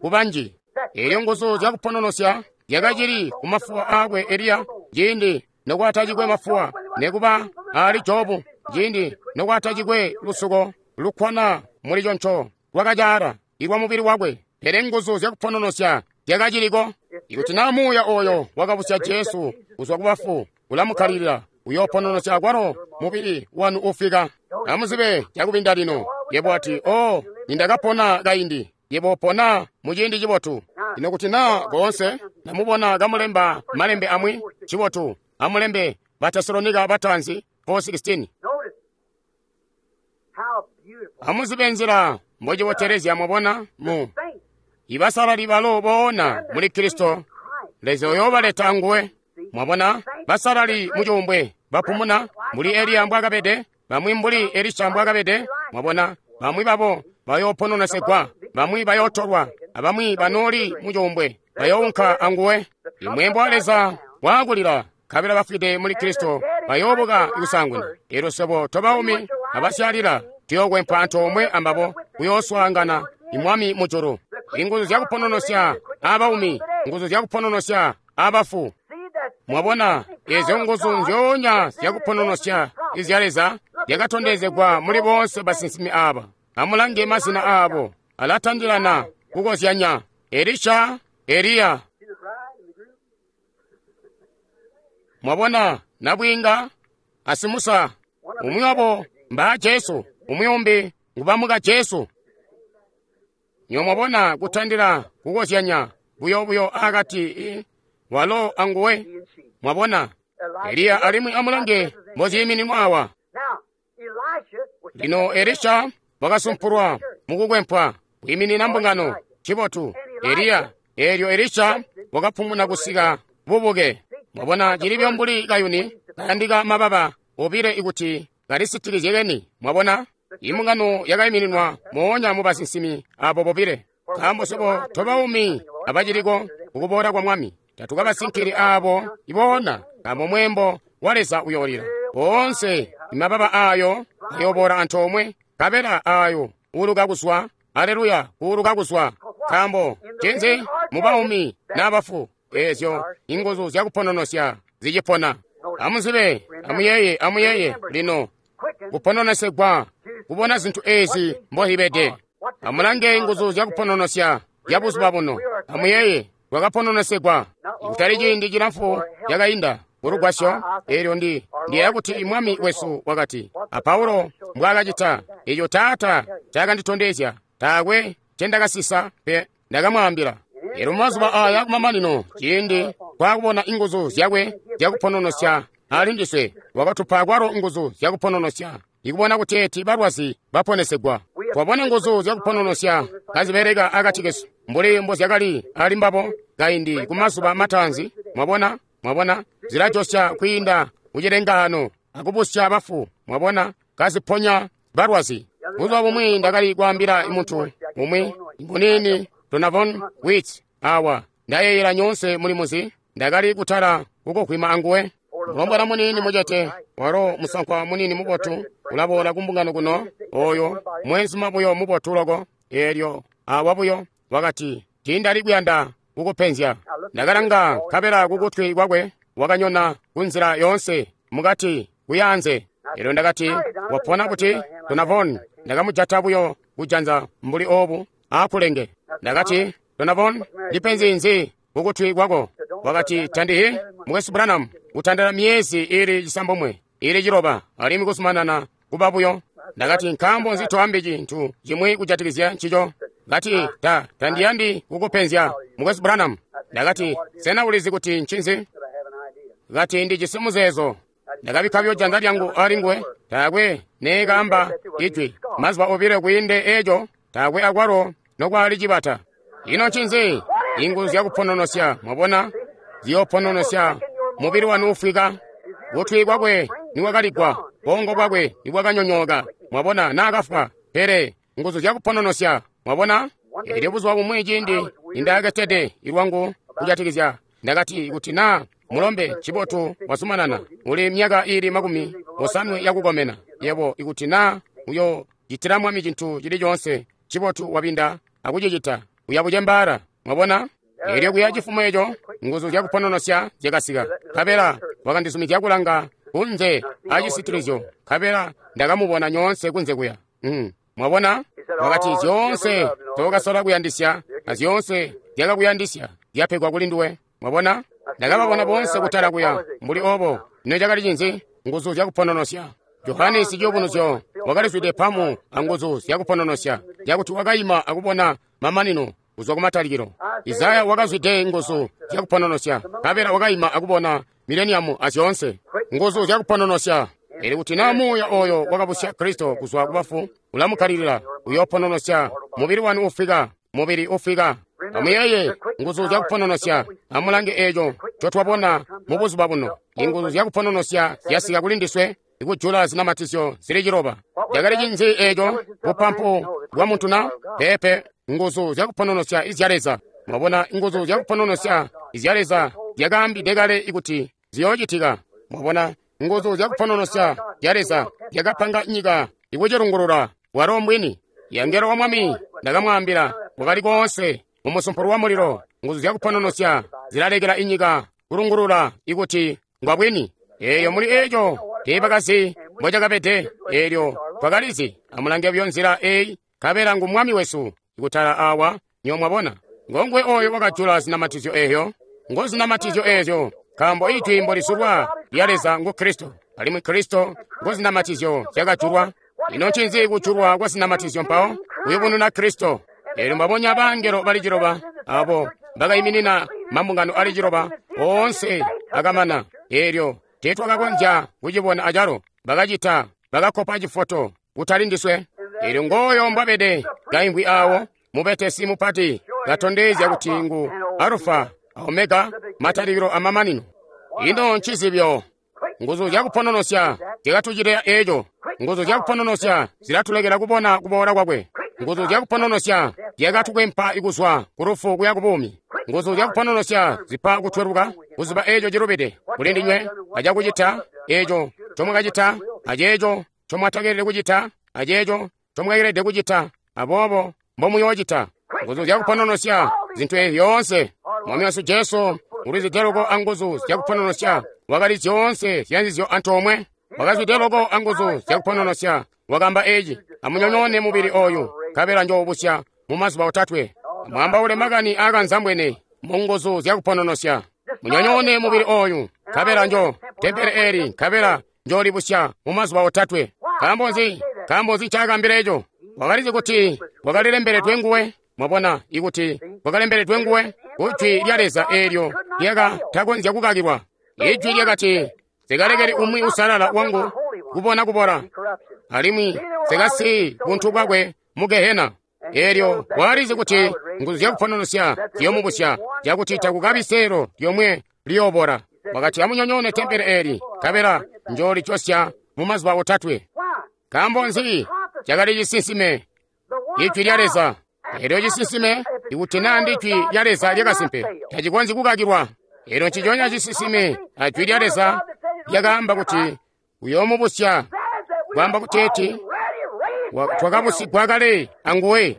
kubanji. Eelyo nguzu zyakupononosya zyakacili kumafuwa aakwe Eliya ciindi nokwatacikwe mafuwa, nekuba ali Jobu ciindi nokwatacikwe lusuko lukkwana muli conco lwakacaala ilwa mubili wakwe. Pele nguzu zyakupononosya zyakaciliko. Ikuti naa muuya oyo wakabusya Jesu kuzwa kubafu ulamukkalilila, uyoopononosya akwalo mubili wanu ufika. Amuzibe cakubinda lino. Yebo ati, "Oh, nindakapona kaindi." Yebo upona muciindi cibotu. Ino kuti naa koonse namubona kamulemba malembe amwi, cibotu amulembe Batesalonika bataanzi 4:16. Amuzibe nzila mbocibotelezya mwabona mu ibasalali balo boona muli Kristo, Leza uyoobaleta anguwe. Mwabona basalali mucuumbwe bapumuna mbuli Eliya mbwakabede, bamwi mbuli Elisha mbwakabede. Mwabona bamwi babo bayoopononesegwa, bamwi bayootolwa, abamwi banooli mucuumbwe bayounka anguwe. Imweembo wa Leza waakulila, nkabela bafwide muli Kristo bayoobuka kusaanguna. Eelyo swebo tobaumi abasyalila tuyookwempwa antoomwe ambabo kuyooswaangana imwami mujulu. Inguzu zyakupononosya abaumi, nguzu zyakupononosya abafu. Mwabona eezyo nguzu nzyoonya zyakupononosya izya Leza zyakatondezegwa muli boonse basinsimi aaba. Amulange mazina aabo alatandilana kukozyanya: Elisha, Eliya. Mwabona nabwiinga asimusa, umwi wabo mbaa Jesu, umwi umbi ngubamuka Jesu. Nyo mwabona kutandila kukozyanya buyo-buyo akati walo anguwe. Mwabona Eliya alimwi amulange mboziimininwa awa. Lino Elisha wakasumpulwa mukukwempwa kwiiminina mbungano. Cibotu Eliya. Eelyo Elisha wakapumuna kusika bubuke. Mwabona cilibyo mbuli kayuni kayandika mababa obile ikuti kalisitikizye keni. Mwabona imbungano yakaimininwa moonya mu basinsimi abo bobile. Nkaambo swebo tobaumi abaciliko kukuboola kwa Mwami, tatukabasinkili aabo iboona, nkaambo mweembo wa Leza uyoolila. Boonse imababa aayo ayooboola antoomwe, nkabela aayo uuluka kuzwa, aleluya, kuuluka kuzwa. Nkaambo ncinzi? Mubaumi n'abafu, eezyo inguzu zyakupononosya zicipona. Amuzibe, amuyeeye, amuyeeye lino kupononesegwa kubona zintu eezi mbozibede. Amulange nguzu zyakupononosya zya buzuba buno. Amuyeeye, bwakapononesegwa kutali ciindi cilamfu cakainda kulugwasyo. Eelyo ndiyeeya kuti Mwami wesu wakati, a Paulo mbwaakacita, eeco Taata ncaakanditondezya, taakwe ncendakasisa pe, ndakamwaambila. Eelyo mumazuba aaya kumamanino, ciindi twaakubona inguzu zyakwe zyakupononosya alindiswe, wakatupa kwalo nguzu zyakupononosya, ikubona kuteeti balwazi baponesegwa. Twabona nguzu zyakupononosya kazibeleka akati kesu mbuli mbozyakali ali mbabo kaindi kumazuba mataanzi. Mwabona, mwabona zilajosya kwiinda kucilengaano akubusya bafu. Mwabona kaziponya balwazi. Buzuba bumwi ndakali kwaambila muntu umwi ngunini Donovan Wits awa, ndayeeyela nyoonse muli muzi, ndakali kutala kukukwima anguwe. Mulombwana muniini mucete, walo musankwa muniini mubotu, ulaboola kumbungano kuno, oyo mweenzuma buyo mubotu loko. Eelyo awa buyo wakati, tiindali kuyanda kukupenzya. Ndakalanga nkabela kukutwi kwakwe wakanyona kunzila yoonse mukati kuyaanze. Eelyo ndakati, wapona buti Donovan? Ndakamujata buyo kujanza mbuli oobu aakulenge. Ndakati, Donovan, ndipenzi nzi kukutwi kwako? Wakati, tandihi mukwesu Branham, kutandala miyezi ili 9 ili 9 alimwi kuzumanana kuba buyo. Ndakati, nkaambo nzi toambi cintu cimwi kujatikizya ncico? Kati, tandiyandi kukupenzya mukwesu Branham. Ndakati, sena ulizi kuti ncinzi? Kati, Ndijisi muzeezo. Ndakabikka buyo janza lyangu ali nguwe. Taakwe neekaamba ijwi. Mazuba obilo kwiinde eco, taakwe akwalo nokwali cibata. Ino ncinzi? Inguzu zyakupononosya, mwabona, ziyopononosya mubili wanu ufwika. Kutwi kwakwe nikwakaligwa, bongo bwakwe nibwakanyonyooka, mwabona, naakafwa. Pele nguzu zyakupononosya, mwabona. Elyo buzuba bumwi ciindi nindaketede ilwangu kujatikizya, ndakati, kuti naa mulombe cibotu wazumanana, uli myaka iili 50 yakukomena, yebo, ikuti naa uyo citila Mwami cintu cili coonse cibotu wabinda akucicita, uya bucembaala. Mwabona? Elyo kuya cifumo eco, nguzu zyakupononosya zyakasika. Nkabela wakandizumizya kulanga kunze acisitilizyo, nkabela ndakamubona nyoonse kunze kuya. Mwabona? Wakati, zyoonse zookasola kuyandisya na zyoonse zyakakuyandisya zyapegwa kuli nduwe. Mwabona? Ndakababona boonse kutala kuya mbuli obo. Ino cakali cinzi? Nguzu zyakupononosya. Johane siciyubunuzyo wakalizwide pamu anguzu zyakupononosya, zyakuti wakaima akubona mamanino kuzwa kumatalikilo. Isaya wakazwide nguzu zyakupononosya, nkabela wakaima akubona mileniamu azyoonse. Nguzu zyakupononosya. Elyo kuti naa muuya oyo wakabusya Kristo kuzwa kubafu ulamukkalilila, uyopononosya mubili wanu ufwika, mubili ufwika. Amuyeeye nguzu zyakupononosya. Amulange eco ncotwabona mu buzuba buno. Inguzu zyakupononosya zyasika kuli ndiswe, ikujula zinamatizyo zili 9. Cakali cinzi eco? Bupampu bwa muntu na? Peepe, nguzu zyakupononosya izya Leza. Mwabona, nguzu zyakupononosya izya Leza zyakaambide kale ikuti ziyoocitika. Mwabona, nguzu zyakupononosya zya Leza zyakapanga nyika ikucilungulula walo mbwini. Yangelo wa Mwami ndakamwaambila wakali koonse mu musumpulu wa mulilo. Nguzu zyakupononosya zilalekela inyika kulungulula ikuti ngwa bwini. Eyo muli eco teebakazi mbocakabede. Eelyo twakalizi. Amulange buyo nzila eyi, nkabela ngu Mwami wesu ikutala awa. Nyo mwabona, ngongwe oyo wakajula zinamatizyo eyo. Ngo zinamatizyo eezyo, nkaambo ijwi mbolizulwa lya Leza ngu Kristo, alimwi Kristo ngo zinamatizyo zyakajulwa. Ino ncinzi kujulwa kwa zinamatizyo mpawo? Kuyubununa Kristo. Eelyo mbabonya bangelo bali 9 abo bakayiminina mambungano ali 9 oonse akamana. Eelyo teetwakakonzya kucibona acalo. Bakacita, bakakopa cifoto kutali ndiswe. Eelyo ngooyo mbwabede kaimvwi awo, mubetesi mupati, katondezya kuti ngu Alufa a Omega, matalikilo amamanino. Ino ncizibyo. Nguzu zyakupononosya zyakatucitila eco. Nguzu zyakupononosya zilatulekela kubona kuboola kwakwe. Nguzu zyakupononosya zyakatukwempa kuzwa ku lufu kuya ku buumi. Nguzu zyakupononosya zipa kutweluka kuziba eco cilubide kuli ndinywe acakucita eco ncomwakacita, aceeco ncomwatakelede kucita, aceeco ncomwakelede kucita, aboobo mbomuyoocita. Nguzu zyakupononosya zintu eezi zyoonse. Mwami wesu Jesu ulizwide loko anguzu zyakupononosya, wakali zyoonse zyanzizyo antoomwe. Wakazwide loko anguzu zyakupononosya, wakaamba eci: amunyonyoone mubili oyu, nkabela njoobusya mu mazuba 3. Amwaambaule makani aakanzambwene mu nguzu zyakupononosya. Munyonyoone mubili oyu, nkabela njo tempele eli, nkabela njoolibusya mu mazuba 3. Nkaambo nzi? Nkaambo nzi ncaakaambila eco? Wakalizi kuti wakalilembeledwe nguwe. Mwabona, ikuti kwakalembeledwe nguwe kujwi lya Leza eelyo lyakatakonzya kukakilwa. Ijwi lyakati, nsikalekeli umwi usalala wangu kubona kubola, alimwi nsikasiyi buntu bwakwe mu Gehena. Eelyo walizi kuti nguzu zyakupononosya ziyomubusya, cakuti takukabi seelo lyomwe liyoobora. Wakati, amunyonyoone tempele eli, nkabela njoolijosya mu mazuba 3. Nkaambo nzi? Cakali cisinsime, ijwi lya Leza. Eelyo cisinsime, ikuti naa ndijwi lya Leza lyakasimpe, tacikonzyi kukakilwa. Eelyo nciconya cisinsime ajwi lya Leza lyakaamba kuti uyoomubusya, kwaamba kuteeti twakabusigwa kale anguwe.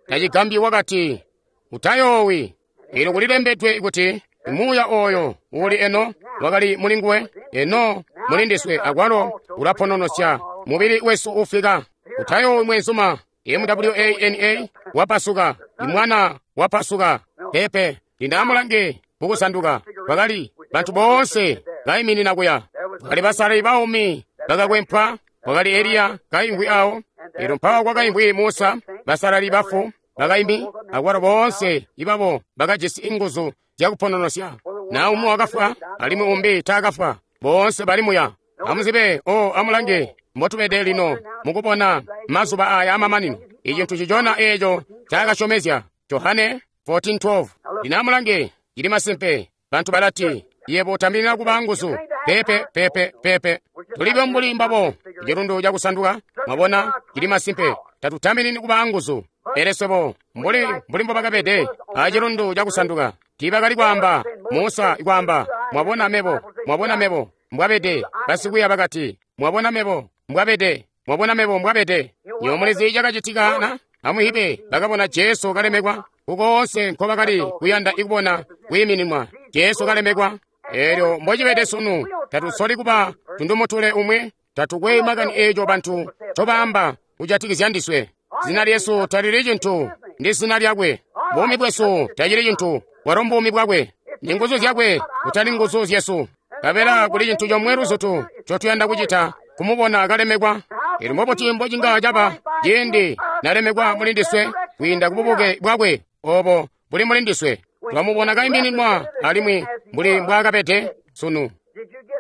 Tacigambyi wakati, utayoowi. Eelyo kulilembedwe kuti muuya oyo uuli eno wakali mulinguwe, eno mulindiswe akwalo ulapononosya mubili wesu ufwika. Utayoowi mwenzuma. MWANA wapasuka, imwana wapasuka. Pepe lindamulange mukusanduka. Bakali bantu boonse baiminina kuya. Bakali basalali baumi bakakwempwa. Wakali Eliya kaimvwi awo. Elyo mpawo kwakaimvwi Musa, basalali bafu bakaimbi, akwalo boonse ibabo bakajisi inguzu zyakupononosya. Na umwi wakafwa alimwi umbi taakafwa, boonse bali muya. Amuzibe, o amulange mbotubede lino mukubona mazuba aya amamanino. Icintu cicona eeco cakasyomezya Johane 14:12. Lino amulange, cili masimpe. Bantu balati, yebo utambilila kuba nguzu. Pepe, pepe, pepe. Tulibe mbuli mbabo. Cilundu cakusanduka, mwabona, cili masimpe. Tatutambilini kuba nguzu. Pele swebo, mbuli mbobakabede acilundu cakusanduka, tiibakali kwaamba, Musa kwaamba, mwabona mebo, mwabona mebo, mbwabede. Basikwiiya bakati, mwabona mebo, mbwabede, mwabona mebo, mbwabede. Nywebo mulizi cakacitika na? Amuhibe, bakabona Jesu kalemekwa. Kukoonse nkobakali kuyanda ikubona kwiimininwa, Jesu kalemekwa. Eelyo mbocibede sunu, tatusoli kuba tundumutule umwi, tatukwe makani eeco bantu ncobaamba kujatikizya ndiswe. Zina lyesu talili cintu, ndi zina lyakwe. Buumi bwesu tacili cintu, bwalo mbuumi bwakwe. Ni nguzu zyakwe, kutali nguzu zyesu. Kabela kuli cintu comwe luzutu ncotuyanda kucita, kumubona kalemekwa. Eelyo mbobuti mbocinga caba ciindi nalemekwa muli ndiswe kwiinda kububuke bwakwe obo buli muli ndiswe. Twamubona kaimininwa alimwi mbuli mbwaakabede sunu.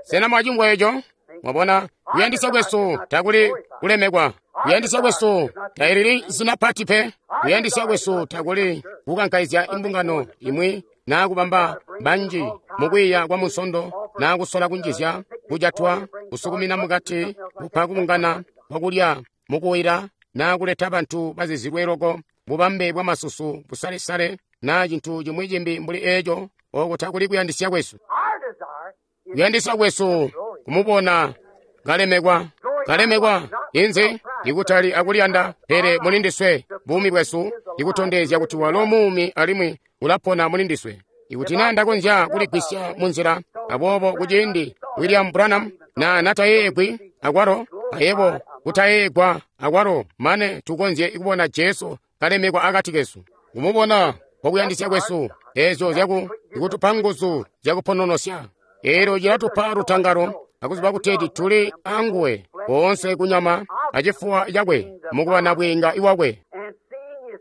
Sena mwacimvwa eco? Mwabona, kuyandisya kwesu takuli kulemekwa. Kuyandisya kwesu talili zina pati pe. Kuyandisya kwesu takuli kukankaizya imbungano imwi naa kubamba banji mukwiiya kwa munsondo naa kusola kunjizya kujatwa kusukumina mukati kupa kubungana kwakulya mukuwira naa kuleta bantu bazizilwe loko bubambe bwa masusu busalesale naa cintu cimwi cimbi mbuli eeco. Oko takuli kuyandisya kwesu. Kuyandisya kwesu kumubona kalemekwa, kalemekwa inze ikutali akuliyanda, pele muli ndiswe buumi bwesu ikutondezya kuti walo muumi alimwi ulapona muli ndiswe. Ikuti naa ndakonzya kuligwisya munzila, aboobo kuciindi William Branham na natayeegwi akwalo, ayebo kutayeegwa akwalo, mane tukonzye kubona Jesu kalemekwa akati kesu. Kumubona kwakuyandisya kwesu, eezyo zyaku ikutupa nguzu zyakupononosya. Eelyo cilatupa lutangalo akuziba kuteeti tuli anguwe koonse kunyama acifuwa cakwe mukuba nabwiinga iwakwe,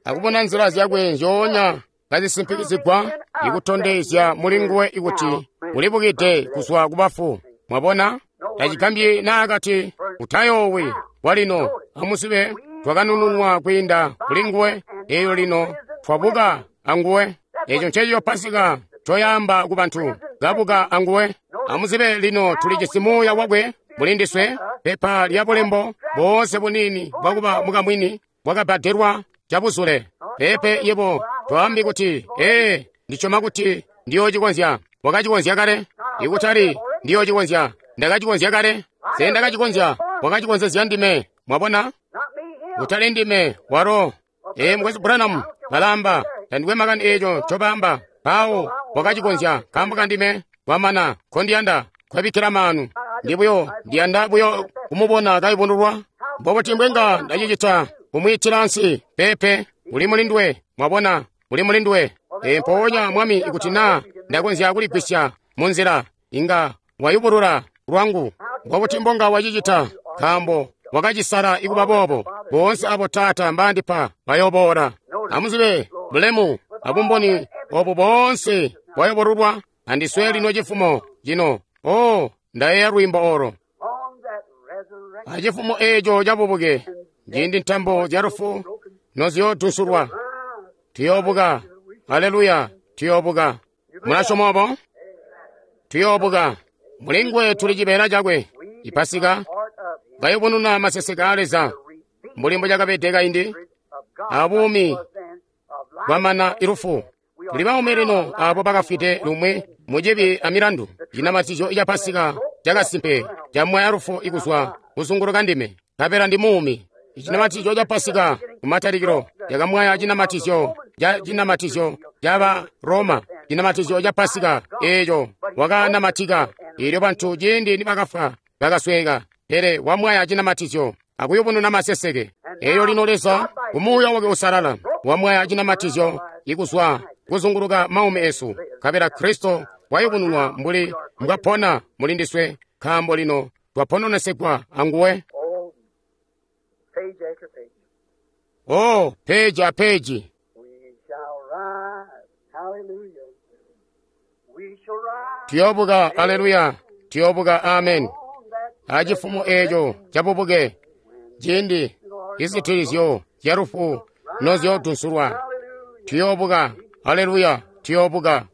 akubona nzila zyakwe nzyoonya kazisimpikizigwa ikutondezya muli nguwe ikuti ulibukide kuzwa kubafu. Mwabona, tacigambyi naakati utayoowi walino amuzibe twakanununwa kwiinda kuli nguwe, eelyo lino twabuka anguwe. Eeco ncencico Pasika ncoyaamba ku bantu, kabuka anguwe. Amuzibe lino tulijisi muuya wakwe muli ndiswe, pepa lya bulembo boonse buniini bwakuba mukamwini bwakabbadelwa cabuzule. Pepe yebo twaambi kuti, ee, ndisyoma kuti ndiyoocikonzya. Wakacikonzya kale. Ikutali ndiyoocikonzya, ndakacikonzya kale. Se ndakacikonzya, wakacikonzezya ndime. Mwabona? Kutali ndime, walo. Ee, Mukwesu Branham balaamba, tandikwe makani eeco ncobaamba. Mpawo wakacikonzya nkaambo kandime. Kwamana, nkondiyanda kwabikkila maanu. Ndi buyo, ndiyanda buyo kumubona kayubunulwa. Mbobuti mbwenga ndacicita kumwiitila ansi? Pepe, uli muli nduwe. Mwabona, uli muli nduwe. Ee, mpoonya Mwami, ikuti naa ndakonzya kuligwisya munzila, inga wayubulula lwangu. Mbobuti mbonga wacicita? Nkaambo wakacisala ikuba boobo. Boonse abo Taata mbaandipa bayoboola. Amuzibe bulemu abumboni obu boonse bwayobolulwa andiswe lino cifumo cino. Oh, ndayeeya lwiimbo olo. Acifumo eeco cabubuke, ciindi ntambo zya lufu noziyoodusulwa, tuyoobuka. Aleluya, tuyoobuka. Mulasyoma obo? Tuyoobuka. Mulinguwe tuli cibeela cakwe. Ipasika kayubununa maseseke a Leza mbuli mbocakabede kaindi, abuumi bwamana ilufu. Tuli baumi lino abo bakafwide lumwi mucibi amilandu. Cinamatizyo ca Pasika cakasimpe camwaya lufu ikuzwa kuzunguluka ndime, nkabela ndi muumi. Icinamatizyo ca Pasika kumatalikilo cakamwaya cinamatizyo ca cinamatizyo ca Roma, cinamatizyo ca Pasika eeco wakanamatika. Eelyo bantu ciindi nibakafwa bakasweeka, pele wamwaya cinamatizyo akuyubununa maseseke. Eelyo lino Leza umuuya wake usalala wamwaya cinamatizyo ikuzwa kuzunguluka maumi esu, nkabela Kristo wayubununwa mbuli mbwapona muli ndiswe, nkaambo lino twapononesegwa anguwe. Oh, peji a peji. We shall rise. Hallelujah. Tuyobuka, aleluya, tuyobuka, amen. Acifumo eeco cabubuke, ciindi izitilizyo zya lufu nozyodunsulwa. Tuyobuka, aleluya, tuyobuka.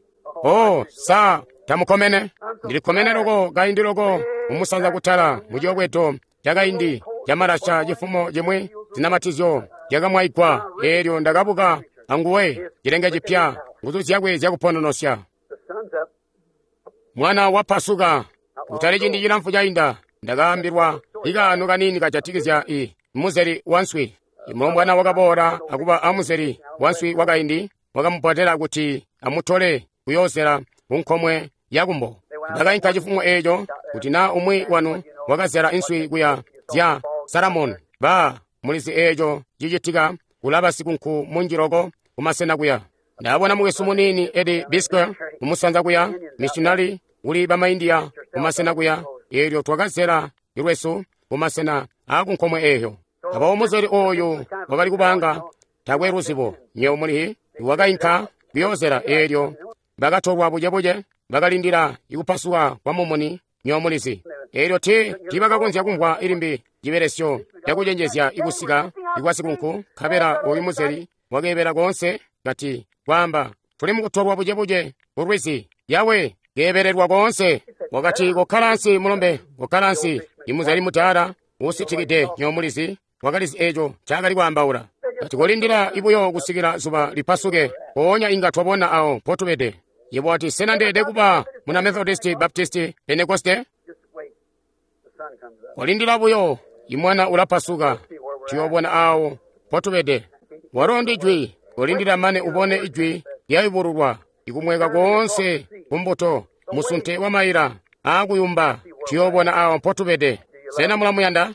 Oh, sa tamukomene? Ndilikomene loko kaindi loko mumusanza kutala muciyobwedo cakaindi camalasha cifumo cimwi zinamatizyo zyakamwaigwa. Eelyo ndakabuka anguwe cilenge cipya, nguzu zyakwe zyakupononosya. Mwana wapasuka. Kutali ciindi cilamfu cainda ndakaambilwa ikaano kaniini kajatikizya i muzeli wanswi. Imulombwana wakaboola akuba amuzeli wanswi wakaindi wakamupotela kuti amutole kuyoozela kunkomwe yakumbo. Ndakainka cifumo eeco kuti naa umwi wanu wakazela inswi kuya zya Salamoni. Ba mulizi eeco cicitika kulaba sikunku munji loko kumasena kuya. Ndabona mukwesu muniini Eddie Bisker kumusanza kuya, missionary kuli bamaindiya kumasena kuya. Eelyo twakazela lwesu kumasena aakunkomwe eeyo. Abawo muzeli ooyu wakali kubanga takwe luzibo, nyewe mulihi wakainka kuyoozela. Eelyo bakatolwa bucebuce, bakalindila ikupasuka kwa mumuni, nyewe mulizi. Eelyo tiibakakonzya kumvwa ilimbi cibelesyo cakucenjezya ikusika ikwa sikunku. Nkabela ooyu muzeli wakeebela koonse kati kwaamba, tuli mukutolwa bucebuce kulwizi, yawe keebelelwa koonse. Wakati, kokkala ansi mulombe, kokkala ansi. Imuzeli mudaala uusitikide, nyewe mulizi, wakalizi eeco ncaakali kwaambaula. Kati, kolindila ibuyo kusikila zuba lipasuke, mpoonya inga twabona awo mpotubede. Yebo wati, sena ndeede kuba muna Methodist, Baptist, Pentekoste? Kolindila buyo, imwana ulapasuka, tuyoobona awo mpotubede. Walo ndi jwi, kolindila mane ubone ijwi lyayubululwa, ikumweka koonse kumbuto, musunte wa maila aakuyumba, tuyoobona awo mpotubede. Sena mulamuyanda?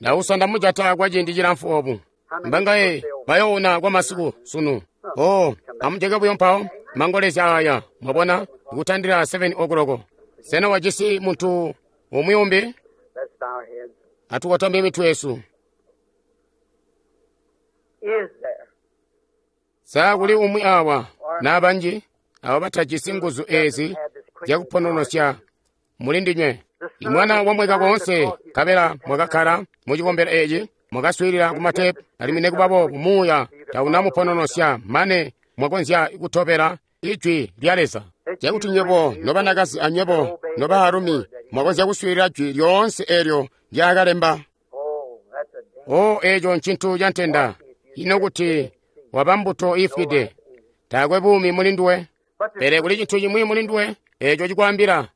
Ndausa ndamujata kwa ciindi cilamfu obu. Mbangaye bayoona kwa masiku sunu. Oh, amujeke buyo mpawo mangolezya aya, mwabona, ikutandila 7 o'clock. Sena wajisi muntu umwi umbi? Atukotambe mitwe yesu. Sa kuli umwi awa nabanji abo batajisi nguzu ezi zyakupononosya mulindinywe? Imwana wamweka koonse, nkabela mwakakkala mucikombelo eci, mwakaswiilila kumatepu, alimwi nekuba boobu muuya taunamupononosya mane mwakonzya kutobela ijwi lya Leza. Cakuti nywebo nobanakazi anywebo nobaalumi mwakonzya kuswiilila jwi lyoonse eelyo ndyaakalemba. O, eeco ncintu ca ntenda. Ino kuti waba mbuto iifwide, taakwe buumi mulinduwe. Pele kuli cintu cimwi mulinduwe eeco cikwaambila,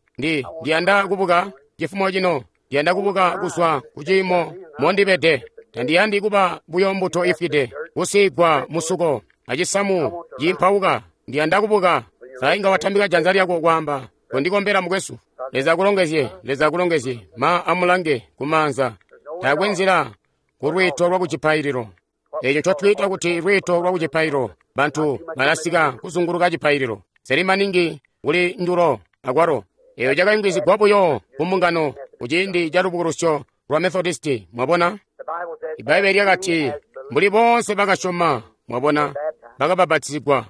ndiyanda kubuka cifumo cino, ndiyanda kubuka kuzwa kuciimo mondibede. Tandiyandi kuba buyo mbuto ifwide, kusiigwa musuko acisamu ciimpauka. Ndiyanda kubuka. Sa inga watambika janza lyako kwaamba, kondikombela mukwesu. Leza akulongezye, Leza akulongezye. Ma amulange kumaanza. Taakwe nzila ku lwiito lwa kucipaililo. Eeco ncotwiita kuti lwiito lwa kucipaililo, bantu balasika kuzunguluka cipaililo. Seli maningi kuli ndulo akwalo. Eeyo cakayungizigwa buyo ku mbungano kuciindi ca lubukulusyo lwa Methodisti, mwabona? Ibbaibbele lyakati, mbuli boonse bakasyoma, mwabona, bakabapatizigwa.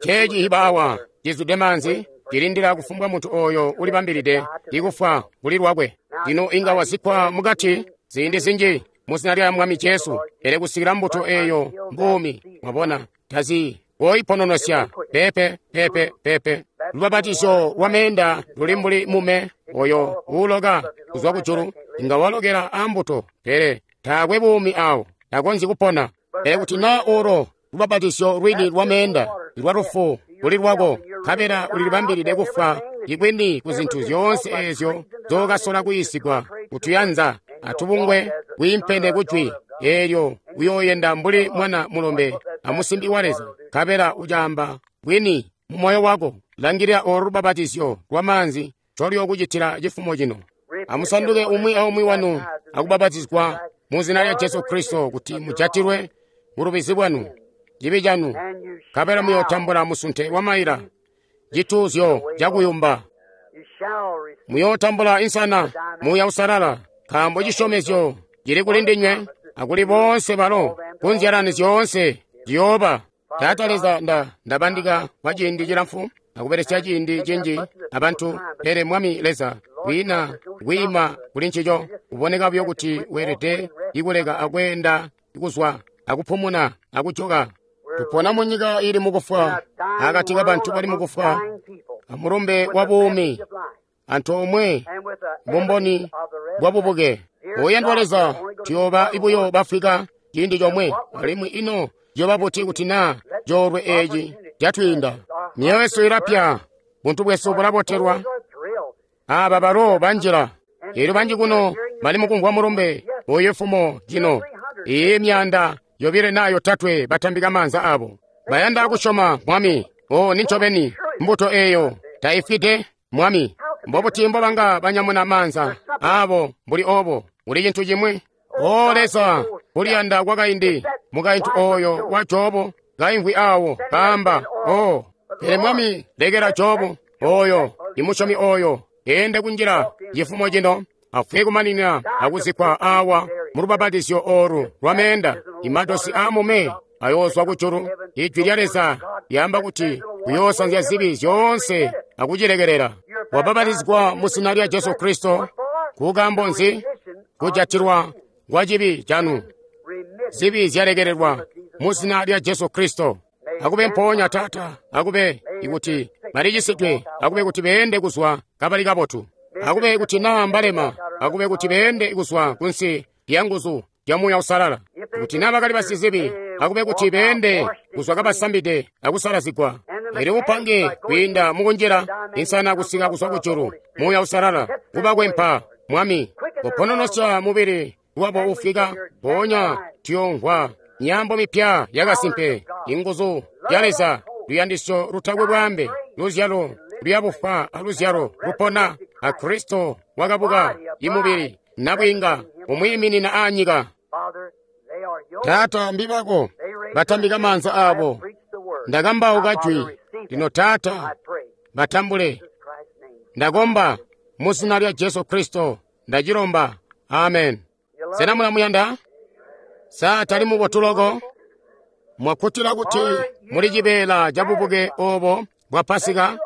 Ceeci hiba awa cizwide maanzi, cilindila kufumbwa muntu ooyo ulibambilide ikufwa kuli lwakwe. Lino inga wazikkwa mukati ziindi zinji muzina lya Mwami Jesu, pele kusikila mbuto eeyo mbuumi, mwabona, tazi woipononosya. Pepe, pepe, pepe. Lubapatizyo lwa meenda luli mbuli mume oyo uuloka kuzwa kujulu, inga walokela ambuto, pele taakwe buumi awo, takonzyi kupona. Pele kuti naa olo lubapatizyo lwini lwa meenda lwa lufu kuli lwako, nkabela ulilibambilide kufwa ikwini ku zintu zyoonse eezyo zookasola kuyiisigwa kutuyanza atubungwe kwiimpene kujwi eelyo uyooyenda mbuli mwana mulombe amusimbi wa Leza, nkabela ucaamba bwini mu moyo wako. Langilila olo lubapatizyo lwa maanzi ncoluyookucitila cifumo cino. Amusanduke umwi aumwi wanu akubapatizwa mu zina lya Jesu Kristo kuti mujatilwe bulubizi bwanu, cibi canu, nkabela muyootambula musunte wa maila, cituuzyo cakuyumba. Muyootambula insana, Muuya Uusalala, nkaambo cisyomezyo cili kuli ndinywe akuli boonse balo kunzyalani zyoonse ciyooba. Taata Leza, ndabandika kwa ciindi cilamfu akubelesya ciindi cinji abantu, pele Mwami Leza, kwiina kwiima kuli ncico, kuboneka buyo kuti weelede ikuleka akweenda kuzwa akupumuna akujoka. Tupona munyika ili mukufwa, akati kabantu bali mukufwa, amulumbe wa buumi antoomwe bumboni bwa bubuke. Oyandwa Leza, tuyooba buyo bafwika ciindi comwe, alimwi ino ciyooba buti kuti naa coolwe eeci catwiinda? Myoyo yesu ilapya, buntu bwesu bulabotelwa. Aaba balo banjila, eelyo banji kuno bali mukumvwa mulumbe oyu fumo cino. Iyi 200 naa 300 batambika maanza abo, bayanda kusyoma Mwami. O nincobeni mbuto eeyo taifwide Mwami. Mbobuti mbobanga banyamuna maanza abo mbuli obo? Kuli cintu cimwi. O Leza, kuliyanda kwakaindi mukaintu oyo wa Jobu kaimvwi awo kaamba, o pele Mwami, lekela Jobu oyo imusyomi oyo ende kunjila cifumo cino, afwe kumanina akuzikkwa awa mulubapatizyo oolu lwameenda. Imadosi aamume ayoozwa kujulu. Ijwi lya Leza lyaamba kuti kuyoosanzya zibi zyoonse akucilekelela. Wabapatizigwa mu zina lya Jesu Kristo kukaambo nzi? Kujatilwa kwa cibi canu. Zibi zyalekelelwa mu zina lya Jesu Kristo. Akube mpoonya Taata, akube ikuti balicisidwe, akube kuti beende kuzwa kabali kabotu, akube kuti naa mbalema, akube kuti beende kuzwa kunsi lya nguzu lya Muuya Uusalala. Kuti naa bakali basizibi, akube kuti beende kuzwa kabasambide akusalazigwa. Elyo upange kwiinda mukunjila insana kusika kuzwa kujulu, Muuya Uusalala kubakwempa Mwami, kupononosya mubili wabo ufika, mpoonya tuyoomvwa nyambo mipya yakasimpe, inguzu ya Leza, luyandisyo lutakwe bwaambe, luzyalo luyabufwa aluzyalo lupona, a Kristo wakabuka imubili nabwiinga umwiiminina aanyika. Taata, mbibako batambika maanza abo. Ndakambauka jwi lino, Taata, batambule. Ndakomba mu zina lya Jesu Kristo, ndacilomba. Amen. Sena mulamuyanda? Sa tali mubotu loko? Mwakkutila kuti muli cibeela ca bubuke obo bwa Pasika,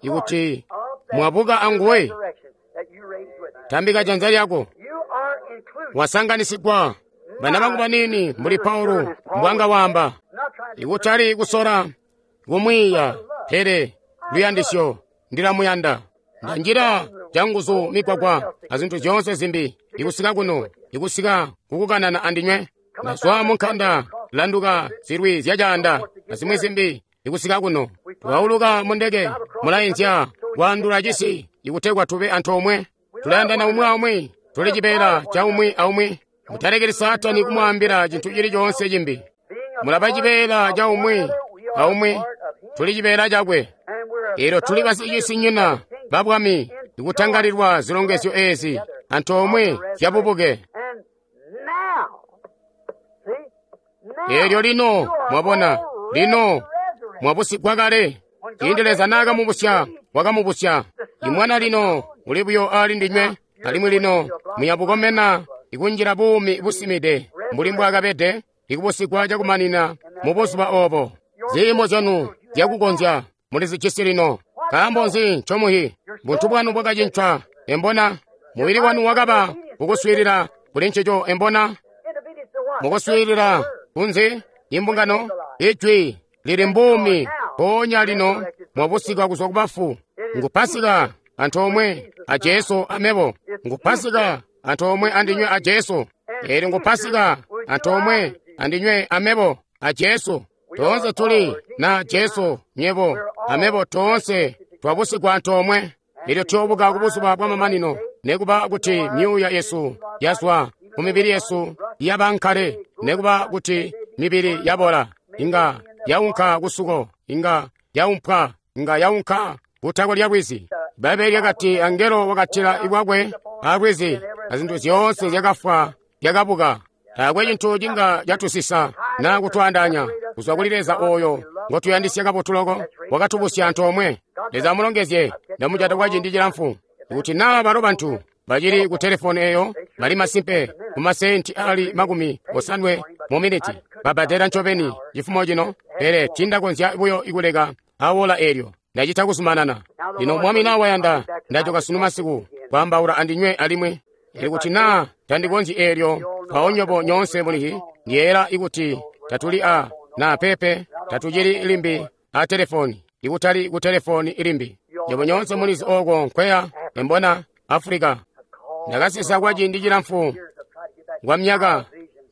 ikuti mwabuka anguwe? Tambika janza lyako. Wasanganisigwa. Bana bangu banini, mbuli Paulo mbwanga waamba, ikutali kusola kumwiiya, pele luyandisyo ndilamuyanda. Ndanjila canguzu migwagwa azintu zyoonse zimbi, ikusika kuno, ikusika kukukanana andinywe. Ndazwa munkanda, landuka zilwi zyacaanda azimwi zimbi, ikusika kuno. Twauluka mundeke, mulainzya kwaandula cisi, ikutegwa tube antoomwe. Tulayandana umwi aumwi, tuli cibeela ca umwi aumwi. Mutalekeli Saatani kumwaambila cintu cili coonse cimbi. Mulaba cibeela ca umwi aumwi, tuli cibeela cakwe. Eelyo tuli basicisinyina ba bwami, ikutangalilwa zilongezyo eezi antoomwe zyabubuke. Eelyo lino mwabona, lino mwabusigwa kale. Ciindi Leza naakamubusya, wakamubusya. Imwana lino uli buyo ali ndinywe, alimwi lino muyabukomena ikunjila buumi busimide mbuli mbwaakabede, ikubusigwa cakumanina mu buzuba obo. Ziimo zyanu zyakukonzya mulizijisi lino. Nkaambo nzi ncomuhi? Buntu bwanu bwakacincwa, embona? Mubili wanu wakaba kukuswiilila kuli ncico, embona? Mukuswiilila kunzi? Imbungano, ijwi lili mbuumi, mpoonya lino mwabusigwa kuzwa kubafu. Ngu Pasika antoomwe a Jesu amebo. Ngu Pasika antoomwe andinywe a Jesu. Eelyo ngu Pasika antoomwe andinywe amebo a Jesu. Toonse tuli na Jesu, nyebo amebo toonse twabusigwa antoomwe. Eelyo tuyoobuka kubuzuba bwamamanino, nekuba kuti myuuya yesu yazwa mumibili yesu yaba nkale, nekuba kuti mibili yabola, inga yaunka kusuko, inga yaumpwa, inga yaunka kutako lya lwizi. Bbaibbele lyakati angelo wakatila ibwakwe alwizi, azintu zyoonse zyakafwa zyakabuka. Taakwe cintu cinga catusisa naa kutwaandaanya kuzwa kuli Leza oyo ngotuyandisya kabotu loko, wakatubusya antoomwe. Leza amulongezye. Ndamujata kwa ciindi cilamfu. Kuti naa balo bantu bacili ku telefoni eyo bali masimpe ku masenti ali 50 mu miniti. babbadela ncobeni cifumo cino, pele tiindakonzya buyo kuleka awola eelyo. Ndacita kuzumanana. Lino Mwami na wayanda, ndajoka sunu masiku kwaambaula andinywe alimwi. Ikuti naa tandikonzyi eelyo, mpawo nywebo nyoonse mulihi, ndiyeeyela ikuti tatuli a na pepe, tatucili limbi a telefoni, ikutali ku telefoni ilimbi. Nywebo nyoonse mulizi ooko nkweya, embona, Africa. Ndakasisa kwa ciindi cilamfu kwa myaka,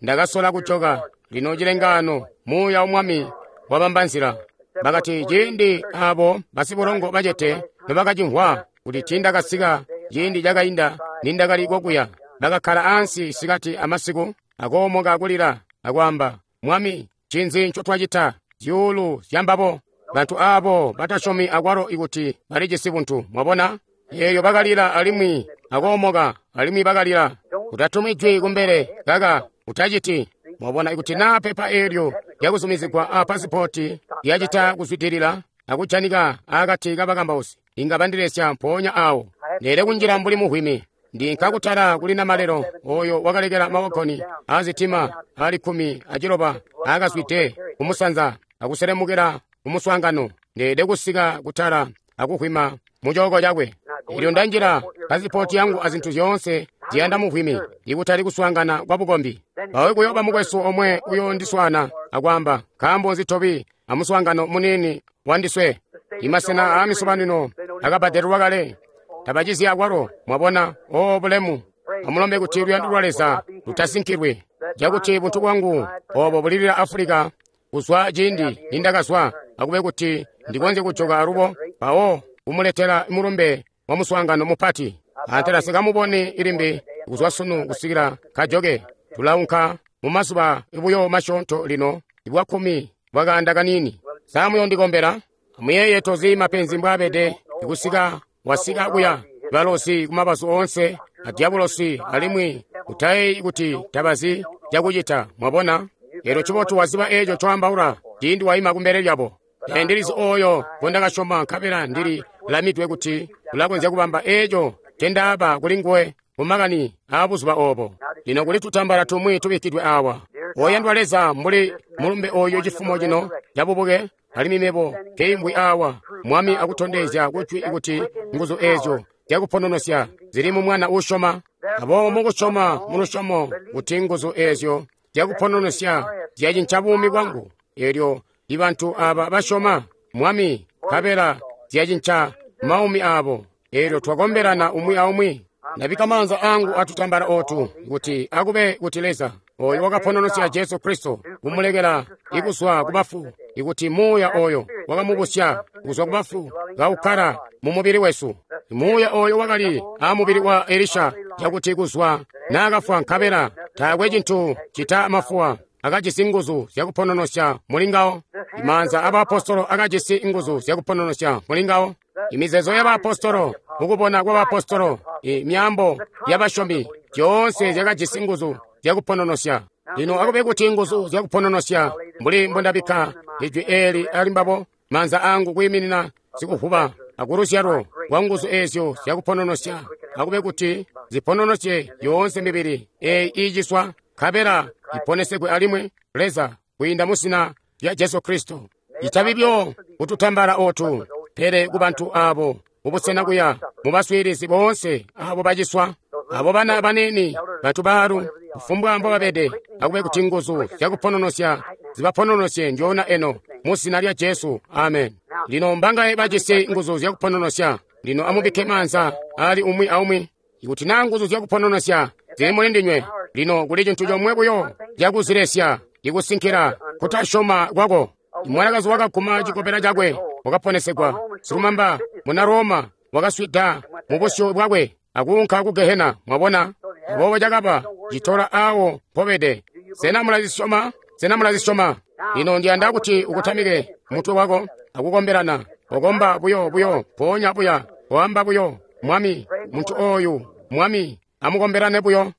ndakasola kujoka. Lino cilengaano, muuya wa Mwami wabamba nzila. Bakati ciindi abo basibulongo bacete nobakacimvwa kuti tiindakasika ciindi cakainda nindakali kokuya, bakakkala ansi sikati amasiku akoomoka kulila akwaamba, Mwami, ncinzi ncotwacita? Zyuulu zyambabo bantu aabo batasyomi akwalo ikuti balijisi buntu. Mwabona? Eeyo bakalila alimwi akoomoka alimwi bakalila. Utatumi jwi kumbele kaka, utaciti. Mwabona ikuti naa pepa eelyo lyakuzumizigwa a pasipoti lyacita kuzwidilila akujanika akati kabakambausi, inga bandilesya mpoonya awo. Ndeele kunjila mbuli muhwimi. Ndinka kutala kuli namalelo oyo wakalekela mawagoni aazitima ali 16 aakazwide kumusanza akuselemukila kumuswaangano. Ndeele kusika kutala akuhwima mucooko cakwe. Elyo ndanjila pasipoti yangu azintu zyoonse ziyanda muhwimi, ikutali kuswaangana kwa bukombi. Mpawo kuyooba mukwesu omwe uyoondiswaana akwaamba, nkaambo nzi tobi amuswaangano muniini wandiswe? Imasena aamisobanino akabbadelelwa kale, tabacizi akwalo. Mwabona? O bulemu! Amulombe kuti luyando lwa Leza lutasinkilwi, cakuti buntu bwangu obo bulilila Afulika kuzwa ciindi nindakazwa, akube kuti ndikonzye kujoka alubo, mpawo kumuletela mulumbe wa muswaangano mupati. Antela sikamuboni ilimbi kuzwa sunu kusikila kajoke. Tulaunka mumazuba buyo masyoonto lino, ibwa 10 bwakaanda kaniini. Sa muyondikombela? Amuyeeye tozi mapenzi mbwaabede ikusika wasika kuya balosi kumabazu oonse a dyabulosi, alimwi utayeeyi kuti tabazi cakucita. Mwabona? Eelyo cibotu waziba eeco coambaula ciindi waima kumbele lyabo. Pele ndilizi ooyo ngondakasyoma, nkabela ndili lamidwe kuti ulakonzya kubamba eeco ncendaaba kulinguwe mumakani aabuzuba oobo. Lino kuli tutambala tumwi tubikkidwe aawa. Oyandwa Leza, mbuli mulumbe ooyu cifumo cino cabubuke, alimwi mebo nkeimbwi aawa, Mwami akutondezya kujwi kuti nguzu eezyo zyakupononosya zili mu mwana uusyoma. Aboobo mukusyoma mulusyomo kuti nguzu eezyo zyakupononosya zyacinca buumi bwangu, eelyo ibantu aaba basyoma Mwami, nkabela zyacinca maumi aabo. Eelyo twakombelana umwi aumwi. Ndabikka maanza angu atutambala ootu kuti akube kuti Leza oyo wakapononosya Jesu Kristo kumulekela ikuzwa kubafu, ikuti muuya oyo wakamubusya kuzwa kubafu kaukkala mumubili wesu. Muuya oyo wakali amubili wa Elisha, cakuti kuzwa naakafwa nkabela taakwe cintu cita mafuwa akajisi nguzu zyakupononosya mulingawo. Imaanza abaapostolo akajisi nguzu zyakupononosya mulingawo. Imizeezo y'abaapostolo, mukubona kw'abaapostolo, imyaambo y'abasyomi, zyoonse zyakajisi nguzu zyakupononosya. Lino akube kuti nguzu zyakupononosya, mbuli mbondabikka ijwi eeli ali mbabo, maanza angu kwiiminina sikuvuba akuluzyalo lwa nguzu eezyo zyakupononosya, akube kuti zipononosye yoonse mibili eeyi iiciswa, nkabela iponesegwe alimwi, Leza, kwiinda mu zina lya Jesu Kristo. Itabi byo kututambala ootu, pele kubantu aabo mubusena kuya, mubaswiilizi boonse aabo baciswa, abo bana baniini, bantu baalu, kufumbwa mbobabede, akube kuti nguzu zyakupononosya zibapononosye ndyoonya eno mu zina lya Jesu. Amen. Lino mbangaye bajisi nguzu zyakupononosya? Lino amubikke maanza ali umwi aumwi. Ikuti naa nguzu zyakupononosya zili muli ndinywe, lino kuli cintu comwe buyo cakuzilesya, ikusinkila kutasyoma kwako. Mwanakazi wakaguma cikobela cakwe wakaponesegwa. Silumamba muna Roma wakaswida mubusyu bwakwe akuunka ku Gehena. Mwabona? Aboobo cakaba citola aawo mpobede. Sena mulazisyoma? Sena mulazisyoma? Lino ndiyanda kuti ukutamike mutwe wako akukombelana. Okomba buyo buyo, mpoonya buya, oamba buyo, Mwami, muntu ooyu, Mwami, amukombelane buyo.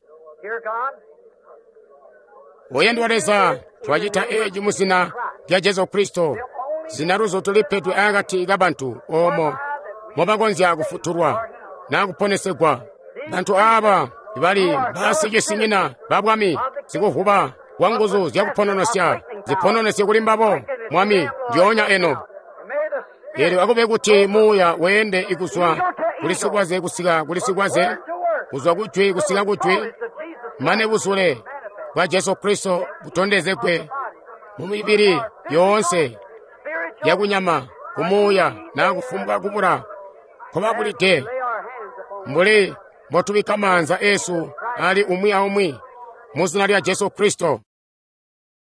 Oyandwa Leza, twacita eeci mu zina lya Jesu Kristo, zina luzutu lipedwe akati kabantu oomo mobakonzya kufutulwa naa kuponesegwa. Bantu aaba bali basicisinyina ba Bwami, sikuvuba wa nguzu zyakupononosya zipononesye kuli mbabo, Mwami, ndyoonya eno. Eelyo akube kuti muuya weende ikuzwa kuli sikwaze kusika kuli sikwaze, kuzwa kujwi kusika kujwi, mane buzule bwa Jesu Kristo butondezegwe mu mibili yoonse yakunyama, kumuuya naa kufumbwa kubula nkobabulide, mbuli mbotubikka maanza eesu ali umwi aumwi mu zina lya Jesu Kristo.